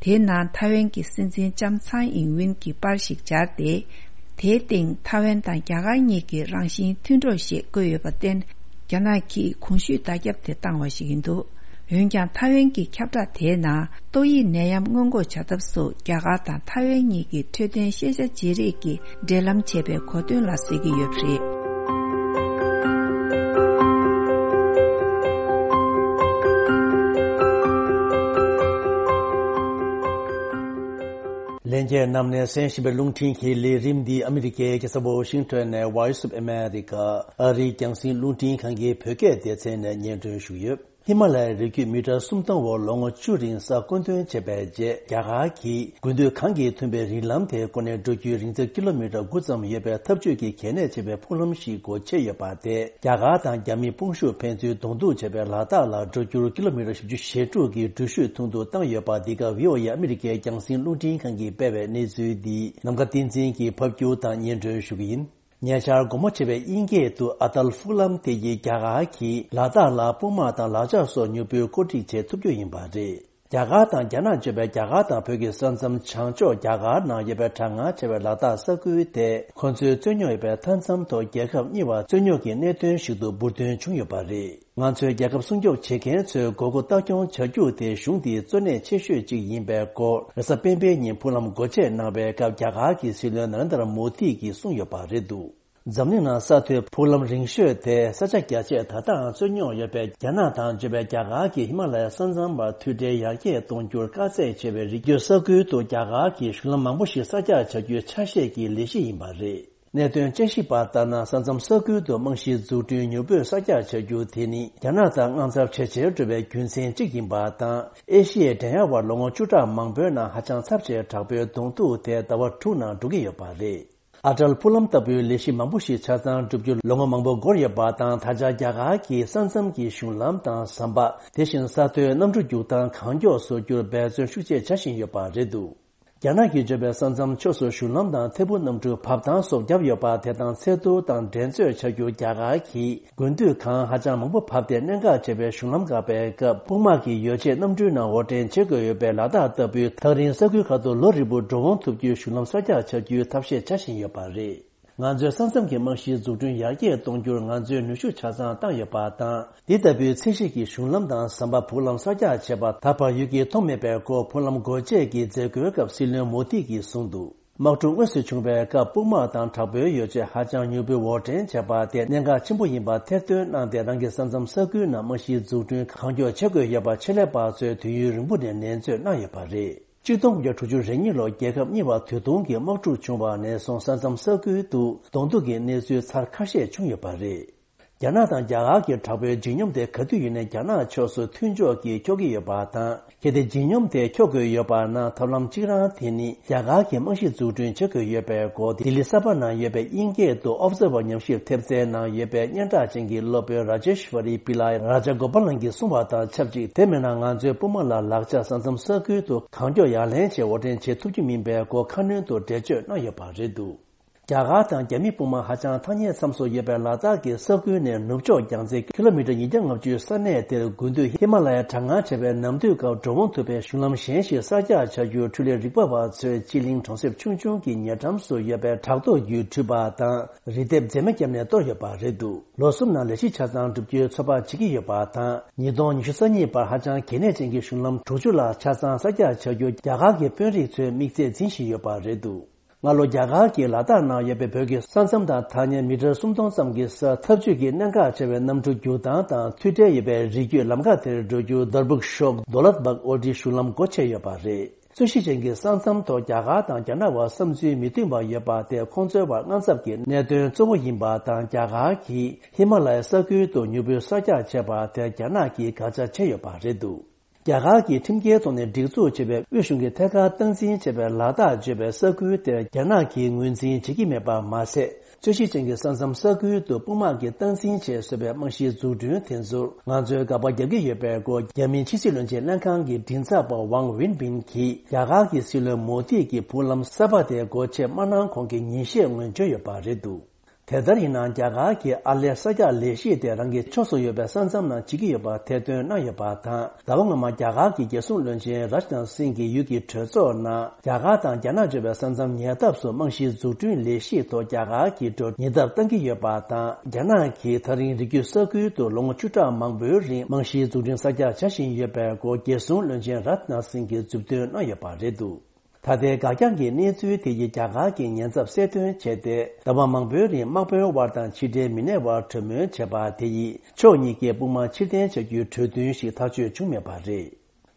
དེའི་ནང་ཐའེ་ཝན་གྱི་སྲིད་འཛིན་ལྕམ་ཚའེ་ཨིང་ཝིན་གྱི་པར་ཞིག་སྦྱར་ཏེ། དེའི་སྟེང་ཐའེ་ཝན་དང་རྒྱ་གར་གཉིས་ཀྱི་རང་བཞིན་མཐུན་གྲོགས་ཞེས་བཀོད་ཡོད་པར་བརྟེན། རྒྱ་ནག་གིས་གོང་ཞུས་བརྡ་ཁྱབ་དེ་བཏང་བ་ཞིག་ཡིན་འདུག་འོན་ཀྱང་ཐའེ་ཝན་གྱི་ཁྱབ་བསྒྲགས་དེའི་ནང་ཏོག་དབྱིབས་ནད་ཡམས་སྔོན་འགོག་བྱ་ཐབས་སུ་རྒྱ་གར་དང་ཐའེ་ཝན་གཉིས་ཀྱི་འཕྲོད་བསྟེན་ཤེས་བྱ་བརྗེ་རེས་ཀྱི་འབྲེལ་ལམ་བྱས་པའི་གོ་དོན་ལ་ཟེར་གྱི་ཡོད་པ་རེད། ལྷན་རྒྱས་རྣམས་ནས་གསན་བཞིན་པའི་རླུང་འཕྲིན་གྱི་ལས་རིམ་འདི་ཨ་མི་རི་ཀའི་རྒྱལ་ས་ཝོ་ཤིང་ཊོན་ནས་Voice of America ཨ་རིའི་རྒྱང་སྲིང་རླུང་འཕྲིན་ཁང་གི་བོད་སྐད་སྡེ་ཚན་ནས་སྙན་སྒྲོན་ཞུ་ཡོད། ཧི་མ་ལ་ཡའི་རི་རྒྱུད་མི་ཊར་སུམ་སྟོང་འོག་ལོ་ངོ་བཅུ་རིང་ས་བསྐོ་འདོན་བྱས་པའི་རྗེས། རྒྱ་གར་གྱིས་དགུན་དུས་གངས་ཀྱིས་ཐུམ་པའི་རི་ལམ་དེ་བསྐོར་ནས་འགྲོ་རྒྱུའི་རིང་ཚད་ཀི་ལོ་མི་ཊར་དགུ་ཙམ་ཡོད་པའི་འཐབ་ཇུས་ཀྱི་གལ་གནད་ཆེ་བའི་ཕུག་ལམ་ཞིག་སྒོ་ཕྱེ་ཡོད་པ་དེས། རྒྱ་གར་དང་རྒྱ་མིའི་དཔུང་ཤུགས་ཕན་ཚུན་གདོང་ཐུག་བྱས་པའི་ལ་དྭགས་ལ་འགྲོ་རྒྱུར་ཀི་ལོ་མི་ཊར་བཞི་བཅུ་ཞེ་དྲུག་གི་འགྲུལ་བཞུད་ཐུང་དུ་བཏང་ཡོད་པ། འདི་ག་བྷི་ཨོ་ཨེ་ཨ་མི་རི་ཀའི་རྒྱང་སྲིང་རླུང་འཕྲིན་ཁང་གིས་སྤེལ་བའི་གནས་ཚུལ་འདི་ནམ་མཁའ་བསྟན་འཛིན་གྱིས་ཕབ་སྒྱུར་དང་སྙན་སྒྲོན་ཞུ་གི་ཡིན། ཉེ་ཆར་དགོང་མོ་ཆེ་བའི་དབྱིན་སྐད་དུ་ཨ་ཏལ་ཕུག་ལམ་དེ་ཡིས་རྒྱ་གར་གྱིས་ལ་དྭགས་ལ་སྤུངས་དམག་དང་ལག་ཆ་སོགས་མྱུར་པོའི་བཀོད་སྒྲིག་བྱེད་ཐུབ་རྒྱུ་ཡིན་པ་རེད། རྒྱ་གར་དང་རྒྱ་ནག་བརྗོད་པའི་རྒྱ་གར་དང་བོད་ཀྱི་ས་མཚམས་བྱང་ཕྱོགས་རྒྱ་གར་ནང་ཡོད་པའི་གྲང་ངར་ཆེ་བའི་ལ་དྭགས་ས་ཁུལ་དེ། ཁོ་ཚོའི་རྩོད་རྙོག་ཡོད་པའི་མཐའ་མཚམས་ཐོག་རྒྱལ་ཁབ་གཉིས་བར་རྩོད་རྙོག་གི་གནད་དོན་ཞིག་ཏུ་འབུར་འདོན་བྱུང་ཡོད་པ་རེད། ང་ཚོའི་རྒྱལ་ཁབ་སྲུང་སྐྱོབ་བྱེད་མཁན་ཚོས་དགོས་མཁོ་ལྟ་སྐྱོང་བྱ་རྒྱུ་དེ་གཞུང་འདིའི་གཙོ་གནད་ཆེ་ཤོས་གཅིག་ཡིན་པའི་སྐོར། རེས་གཟའ་སྤེན་པའི་ཉིན་ཕུག་ལམ་སྒོ་ཕྱེ་གནང་བའི་སྐབས། རྒྱ་གར་གྱི་སྲིད་བློན་ན་རེན་དར་མོ་དི་གིས་གསུངས་ཡོད་པ་རེད་འདུག་འཛམ་གླིང་ནང་ས་མཐོའི་ཕུག་ལམ་རིང་ཤོས་དེ། ས་ཆ་རྒྱ་ཆེ་ད་ལྟའང་རྩོད་རྙོག་ཡོད་པའི་རྒྱ་ནག་དང་བརྗོད་པའི་རྒྱ་གར་གྱི་ཧི་མ་ལ་ཡའི་ས་མཚམས་བར་མཐུད་སྦྲེལ་ཡར་རྒྱས་གཏོང་རྒྱུར་དཀའ་ཚེགས་ཆེ་བའི་རི་རྒྱུད་ས་ཁུལ་དུ་རྒྱ་གར་གྱིས་གཞུང་ལམ་མང་པོ་ཞིག་གསར་རྒྱག་བྱ་རྒྱུའི་ཆ་ཤས་ཀྱི་ལས་གཞི་ཡིན་པ་རེད། གནད་དོན་དཔྱད་ཞིབ་པ་ལྟར་ན། ས་མཚམས་ས་ཁུལ་དུ་རྨང་གཞིའི་འཛུགས་སྐྲུན་མྱུར་པོས་གསར་རྒྱག་བྱ་རྒྱུ་དེ་ནི། རྒྱ་ནག་དང་དངངས་འཚབ་ཇེ་ཆེར་འགྲོ་བའི་རྒྱུ་མཚན་གཅིག་ཡིན་པ་དང་། ཨེ་ཤི་ཡའི་འགྲན་ཡ་བར་ལོ་ངོ་བཅུ་ཕྲག་མང་པོའི་ནང་ཧ་ཅང་ཚབས་ཆེའི་དྲག་པོའི་གདོང་ཐུག་དེ་ཟླ་བ་དྲུག་ནང་འགྲོ་གི་ཡོད་པ་རེད། ཨ་ཏལ་ཕུག་ལམ་ལྟ་བུའི་ལས་གཞི་མང་པོ་ཞིག་ཆ་ཚང་འགྲུབ་རྒྱུར་ལོ་ངོ་མང་པོ་འགོར་ཡོད་པ་དང་། ད་ཆ་རྒྱ་གར་གྱིས་ས་མཚམས་ཀྱི་གཞུང་ལམ་དང་ཟམ་པ། དེ་བཞིན་ས་མཐོའི་གནམ་གྲུ་རྒྱུག་སྟངས་གང་མགྱོགས་བཟོ་རྒྱུར་འབད་བརྩོན་ཤུགས་ཆེ་བྱ་བཞིན་ཡོད་པ་རེད་འདུག་རྒྱ་ནག་གིས་བརྗོད་པའི་ས་མཚམས་ཕྱོགས་སུ་གཞུང་ལམ་དང་ཐད་འཕུར་གནམ་གྲུ་བབས་ཐང་སོགས་བརྒྱབ་ཡོད་པ། དེ་དང་ཚད་བསྡུར་དང་འགྲན་རྩོད་བྱ་རྒྱུར་རྒྱ་གར་གྱིས་དགུན་དུས་གངས་ཧ་ཅང་མང་པོ་བབས་ཏེ། གནད་འགག་ཆེ་བའི་གཞུང་ལམ་འགག་པའི་སྐབས། དཔུང་དམག་གི་ཡོ་བྱད་གནམ་གྲུའི་ནང་དབོར་འདྲེན་བྱེད་དགོས་ཡོད་པའི་ལ་དྭགས་ལྟ་བུའི་ཐག་རིང་ས་ཁུལ་ཁག་ཏུ་ལོ་རིལ་པོར་འགྲོ་འོང་ཐུབ་རྒྱུའི་གཞུང་ལམ་གསར་རྒྱག་བྱ་རྒྱུའི་ཐབས་ཤེས་བྱ་བཞིན་ཡོད་པ་རེད། ང་ཚོའི་ས་མཚམས་ཀྱི་རྨང་གཞིའི་འཛུགས་སྐྲུན་ཡར་རྒྱས་གཏོང་རྒྱུར་ང་ཚོས་ནུས་ཤུགས་ཆ་ཚང་བཏང་ཡོད་པ་དང་། འདི་ལྟ་བུའི་ཚད་གཞི་གི་གཞུང་ལམ་དང་ཟམ་པ། ཕུག་ལམ་གསར་རྒྱག་བྱས་པ་ད་བར་ཡུལ་གྱིས་མཐོང་མེད་པའི་སྐོར། ཕུག་ལམ་སྒོ་འབྱེད་ཀྱི་མཛད་སྒོའི་སྐབས་སྲིད་བློན་མོ་དི་གིས་གསུངས་འདུག་དམག་འཁྲུག་དངོས་སུ་བྱུང་བའི་སྐབས། དཔུང་དམག་དང་དྲག་པོའི་ཡོ་བྱད་ཧ་ཅང་མྱུར་པོས་དབོར་འདྲེན་བྱས་པ་དེ་གནད་འགག་ཆེན་པོ་ཡིན་པ་ཐེར་འདོན་གནང་སྟེ། རང་གི་ས་མཚམས་ས་ཁུལ་ནང་རྨང་གཞིའི་འཛུགས་སྐྲུན་གང་མགྱོགས་བྱེད་དགོས་ཡོད་པ་ཆེད་ལས་པ་ཚོས་དུས་ཡུན་རིང་པོ་ནས་ནན་བརྗོད་གནང་ཡོད་པ་རེད། ཆིག་སྟོང་དགུ་བརྒྱ་དྲུག་ཅུ་རེ་གཉིས་ལོར་རྒྱལ་ཁབ་གཉིས་བར་དུས་ཐུང་གི་དམག་འཁྲུག་བྱུང་བ་ནས་བཟུང་། ས་མཚམས་ས་ཁུལ་དུ་གདོང་ཐུག་གི་གནས་ཚུལ་ཚར་ཁ་ཤས་བྱུང་ཡོད་པ་རེད། རྒྱ་ནག་དང་རྒྱ་གར་གྱི་དྲག་པོའི་ལྗིད་སྙོམས་དེ་ག་དུས་ཡིན་ནའི་རྒྱ་ནག་ཕྱོགས་སུ་མཐུན་ཕྱོགས་ཀྱིས་འཁྱོག་གི་ཡོད་པ་དང་། གལ་ཏེ་ལྗིད་སྙོམས་དེ་འཁྱོག་དགོས་ཡོད་པ་ན། ཐབས་ལམ་གཅིག་རང་དེ་ནི་རྒྱ་གར་གྱིས་རྨང་གཞི་འཛུགས་སྐྲུན་བྱེད་དགོས་ཡོད་པའི་སྐོར། ལྡི་ལི་གསར་པ་ནང་ཡོད་པའི་དབྱིན་སྐད་དུ་Observer ཉམས་ཞིབ་ཐེབས་རྩའི་ནང་ཡོད་པའི་སྙན་གྲགས་ཅན་གྱི་སློབ་དཔོན་Rajeshwari Pillai Rajagopalan གྱིས་གསུངས་པ་དང་ཆབས་ཅིག་དེ་མིན་ན་ང་ཚོའི་དཔུང་དམག་ལ་ལག་ཆ་ས་མཚམས་ས་ཁུལ་དུ་གང་མགྱོགས་ཡར་ལེན་བྱས་དབོར་འདྲེན་བྱེད་ཐུབ་རྒྱུ་མིན་པའི་སྐོར་ཁ་སྣོན་དུ་འགྲེལ་བརྗོད་གནང་ཡོད་པ་རེད་འདུག་རྒྱ་གར་དང་རྒྱ་མིའི་དཔུང་དམག་ཧ་ཅང་ཐག་ཉེའི་མཚམས་སུ་ཡོད་པའི་ལ་དྭགས་ཀྱི་ས་ཁུལ་ནས་ནུབ་ཕྱོགས་རྒྱང་ཚད་ཀི་ལོ་མི་ཊར་ཉིས་བརྒྱ་ལྔ་བཅུའི་ས་གནས་དེར། དགུན་དུས་ཧི་མ་ལ་ཡའི་གྲང་ངར་ཆེ་བའི་ནམ་དུས་སྐབས་འགྲོ་འོང་ཐུབ་པའི་གཞུང་ལམ་གཞན་ཞིག་གསར་རྒྱག་བྱ་རྒྱུར་འཕྲུལ་ལས་རིག་པ་བ་ཚོས་སྤྱི་གླིང་གྲོང་གསེབ་ཆུང་ཆུང་གི་ཉེ་འགྲམ་སུ་ཡོད་པའི་བྲག་རྡོ་བརྒྱུད་འཕྲུལ་པ་དང་རི་ལྡེབས་འཛེག་མ་བརྒྱབ་ནས་གཏོར་ཡོད་པ་རེད་འདུག་ལོ་གསུམ་ནང་ལས་གཞི་ཆ་ཚང་འགྲུབ་རྒྱུའི་ཚོད་དཔག་བྱེད་ཀྱི་ཡོད་པ་དང་། ཉིས་སྟོང་ཉི་ཤུ་རྩ་གཉིས་བར་ཧ་ཅང་གལ་གནད་ཅན་གྱི་གཞུང་ལམ་དྲུག་ཅུ་ལྷག་ཆ་ཚང་གསར་རྒྱག་བྱ་རྒྱུར་རྒྱ་གར་གྱི་དཔོན་རིགས་ཚོས་དམིགས་ཚད་འཛིན་བཞིན་ཡོད་པ་རེད་འདུག་སྔ་ལོ་རྒྱ་གར་གྱིས་ལ་དྭགས་ནང་ཡོད་པའི་བོད་ཀྱི་ས་མཚམས་དང་ཐག་ཉེ་མི་ཊར་སུམ་སྟོང་ཙམ་གྱི་ས་འཐབ་ཇུས་ཀྱི་གནད་འགག་ཆེ་བའི་གནམ་གྲུ་རྒྱུག་སྟངས་དང་མཐུད་འབྲེལ་ཡོད་པའི་རི་རྒྱུད་ལམ་ཁ་དེར་འགྲོ་རྒྱུར་དར་བུག་ཤོག་དོ་ལད་བག་ཨོ་ཏི་གཞུང་ལམ་སྒོ་ཕྱེ་ཡོད་པ་རེད། རྩོད་གཞི་ཅན་གྱི་ས་མཚམས་ཐོག་རྒྱ་གར་དང་རྒྱ་ནག་བར་བསམ་ཚུལ་མི་མཐུན་པ་ཡོད་པ་དེ་ཁོང་ཚོའི་བར་དངངས་འཚབ་ཀྱི་གནད་དོན་གཙོ་བོ་ཡིན་པ་དང་། རྒྱ་གར་གྱིས་ཧི་མ་ལ་ཡའི་ས་ཁུལ་དུ་མྱུར་པོའི་གསར་རྒྱག་བྱས་པ་དེར་རྒྱ་ནག་གིས་དགག་བྱ་བྱས་ཡོད་པ་རེད་འདུག་རྒྱ་གར་གྱིས་ཁྲིམས་འགལ་ཐོག་ནས་སྒྲིག་འཛུགས་བྱས་པའི་དབུས་གཞུང་གིས་ཐད་ཀར་སྟངས་འཛིན་བྱས་པའི་ལ་དྭགས་བརྗོད་པའི་ས་ཁུལ་དེར་རྒྱ་ནག་གིས་ངོས་འཛིན་བྱེད་ཀྱི་མེད་པ་མ་ཟད། རྩོད་གཞི་ཅན་གྱི་ས་མཚམས་ས་ཁུལ་དུ་དཔུང་དམག་གིས་སྟངས་འཛིན་བྱས་བཟོས་པའི་རྨང་གཞིའི་འཛུགས་སྐྲུན་དེ་ཚོར་ང་ཚོས་དགག་པ་རྒྱག་གི་ཡོད་པའི་སྐོར། རྒྱ་མིའི་ཕྱི་སྲིད་བློན་ཆེན་ལྷན་ཁང་གི་མགྲིན་ཚབ་པ་ཝང་ཝིན་པིན་གྱིས་རྒྱ་གར་གྱི་སྲིད་བློན་མོ་དྷི་གི་དཔུང་ལམ་གསར་པ་དེ་སྒོ་ཕྱེ་མ་གནང་གོང་གི་ཉིན་ཤས་སྔོན་བརྗོད་ཡོད་པ་རེད་འདུག་དེ་ལྟར་ཡིན་ནའང་རྒྱ་གར་གྱིས་ཨར་ལས་གསར་རྒྱག་ལས་གཞི་དེ་རང་གི་ཕྱོགས་སུ་ཡོད་པའི་ས་མཚམས་ནང་བྱེད་ཀྱི་ཡོད་པ་ཐེར་འདོན་གནང་ཡོད་པ་དང་། ཟླ་བ་སྔོན་མ་རྒྱ་གར་གྱི་རྒྱལ་སྲུང་བློན་ཆེན་རཱཇ་ནཱཐ་སིང་གི་ཡུལ་གྱི་གྲོས་ཚོགས་ནང་རྒྱ་གར་དང་རྒྱ་ནག་བརྗོད་པའི་ས་མཚམས་ཉེ་འདབས་སུ་རྨང་གཞིའི་འཛུགས་སྐྲུན་ལས་གཞི་ཐོག་རྒྱ་གར་གྱིས་འགྲོ་ཉེ་འདབས་བཏང་གི་ཡོད་པ་དང་། རྒྱ་ནག་གིས་ད་རིང་རི་རྒྱུད་ས་ཁུལ་དུ་ལོ་ངོ་བཅུ་ཕྲག་མང་པོའི་རིང་རྨང་གཞིའི་འཛུགས་སྐྲུན་གསར་རྒྱག་བྱ་བཞིན་ཡོད་པའི་སྐོར་རྒྱལ་སྲུང་བློན་ཆེན་རཱཇ་ནཱཐ་སིང་གིས་མཛུབ་སྟོན་གནང་ཡོད་པ་རེད་འདུག་ད་ལྟའི་འགག་རྐྱང་གི་གནས་ཚུལ་དེ་ཡིས་རྒྱ་གར་གྱི་ཉེན་ཚབས་གསལ་སྟོན་བྱས་ཏེ། ཟླ་བ་མང་པོའི་རིང་དམག་དཔོན་དབར་དང་ཕྱི་འབྲེལ་མི་སྣའི་དབར་གྲོས་མོལ་བྱས་པ་དེ་ཡིས་ཕྱོགས་གཉིས་ཀས་དཔུང་དམག་ཕྱིར་འཐེན་བྱ་རྒྱུའི་གྲོས་མཐུན་ཞིག་ཐག་གཅོད་བྱུང་མེད་པ་རེད།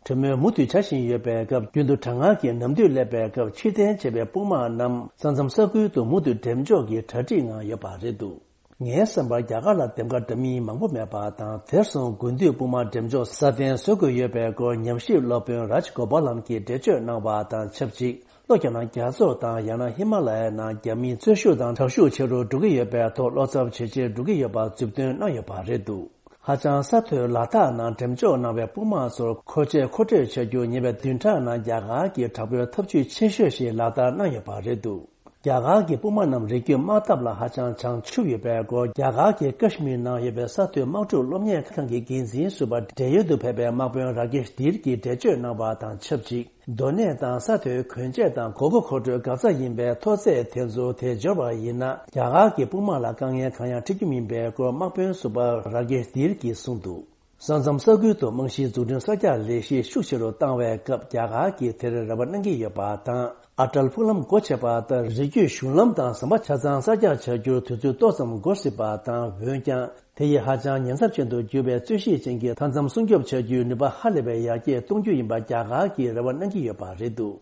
གྲོས་མོལ་མུ་མཐུད་བྱ་བཞིན་ཡོད་པའི་སྐབས། རྒྱུན་དུ་གྲང་ངར་གྱི་ནམ་དུས་སླེབས་པའི་སྐབས། ཕྱིར་འཐེན་བྱས་པའི་དཔུང་དམག་རྣམས་ས་མཚམས་ས་ཁུལ་དུ་མུ་མཐུད་འགྲེམས་འཇོག་གི་གྲ་སྒྲིག་ངང་ཡོད་པ་རེད་འདུག་ངའི་བསམ་པར་རྒྱ་གར་ལ་འདེམས་ཀ་འདྲ་མིན་མང་པོ་མེད་པ་དང་། དེར་སོང་དགུན་དུས་དཔུང་དམག་འགྲེམས་འཇོག་སྲ་བརྟན་བཟོ་དགོས་ཡོད་པའི་སྐོར་ཉམས་ཞིབ་སློབ་དཔོན་རཱཇ་གོ་པཱ་ལམ་གྱིས་འགྲེལ་བརྗོད་གནང་བ་དང་ཆབས་ཅིག་ལྷོ་རྒྱ་ནག་རྒྱ་མཚོ་དང་ཡང་ན་ཧི་མ་ལ་ཡའི་ནང་རྒྱ་མིའི་རྩོད་ཤུགས་དང་དྲག་ཤུགས་ཆེ་རུ་འགྲོ་གི་ཡོད་པའི་ཐོག་བློ་འཚབ་ཇེ་ཆེར་འགྲོ་གི་ཡོད་པ་མཛུབ་སྟོན་གནང་ཡོད་པ་རེད་འདུག་ཧ་ཅང་ས་མཐོའི་ལ་དྭགས་ནང་འགྲེམས་འཇོག་གནང་བའི་དཔུང་དམག་ཚོར་མཁོ་ཆས་མཁོ་སྤྲོད་བྱ་རྒྱུར་ཉེ་བའི་བདུན་ཕྲག་ནང་རྒྱ་གར་གྱིས་དྲག་པོའི་འཐབ་ཇུས་ཆེ་ཤོས་ཤིག་ལག་བསྟར་གནང་ཡོད་པ་རེད་འདུག་རྒྱ་གར་གྱི་དཔུང་དམག་རྣམས་རི་རྒྱུད་དམག་འཐབ་ལ་ཧ་ཅང་བྱང་ཆུབ་ཡོད་པའི་སྐོར། རྒྱ་གར་གྱི་ཀ་ཤི་མིར་ནང་ཡོད་པའི་ས་མཐོའི་དམག་འཁྲུག་སློབ་གཉེར་ཁང་གི་འགན་འཛིན་ཟུར་པ་འབྲེལ་ཡོད་དུ་ཕེབས་པའི་དམག་དཔོན་ར་ཀེཤ་དིར་གྱིས་འགྲེལ་བརྗོད་གནང་བ་དང་ཆབས་ཅིག་སྡོད་གནས་དང་ས་མཐོའི་གོན་ཆས་དང་གོ་སྐབས་མཁོ་སྤྲོད་ག་ཚད་ཡིན་པའི་མཐོ་ཚད་དེ་ཚོ་དེ་འབྱོར་བ་ཡིན་ན། རྒྱ་གར་གྱི་དཔུང་དམག་ལ་དཀའ་ངལ་གང་ཡང་འཕྲད་རྒྱུ་མིན་པའི་སྐོར་དམག་དཔོན་ཟུར་པ་ར་ཀེཤ་དིར་གྱིས་གསུངས་འདུག་ས་མཚམས་ས་ཁུལ་དུ་རྨང་གཞིའི་འཛུགས་སྐྲུན་གསར་རྒྱག་ལས་གཞི་ཤུགས་ཆེ་རུ་བཏང་བའི་སྐབས། རྒྱ་གར་གྱིས་དེར་རེ་བ་གནང་གི་ཡོད་པ་དང་། ཨ་ཏལ་ཕུག་ལམ་སྒོ་ཕྱེ་བ་ལྟར་རི་རྒྱུད་གཞུང་ལམ་དང་ཟམ་པ་ཆ་ཚང་གསར་རྒྱག་བྱ་རྒྱུར་དུས་ཚོད་ཏོག་ཙམ་འགོར་སྲིད་པ་དང་། འོན་ཀྱང་། དེ་ཡིས་ཧ་ཅང་ཉེན་ཚབས་ཅན་དུ་གྱུར་བའི་རྩོད་གཞི་ཅན་གྱི་མཐའ་མཚམས་སྲུང་སྐྱོབ་བྱ་རྒྱུའི་ནུས་པ་ཧ་ལས་པའི་ཡར་རྒྱས་གཏོང་རྒྱུ་ཡིན་པ་རྒྱ་གར་གྱིས་རེ་བ་གནང་གི་ཡོད་པ་རེད་འདུག་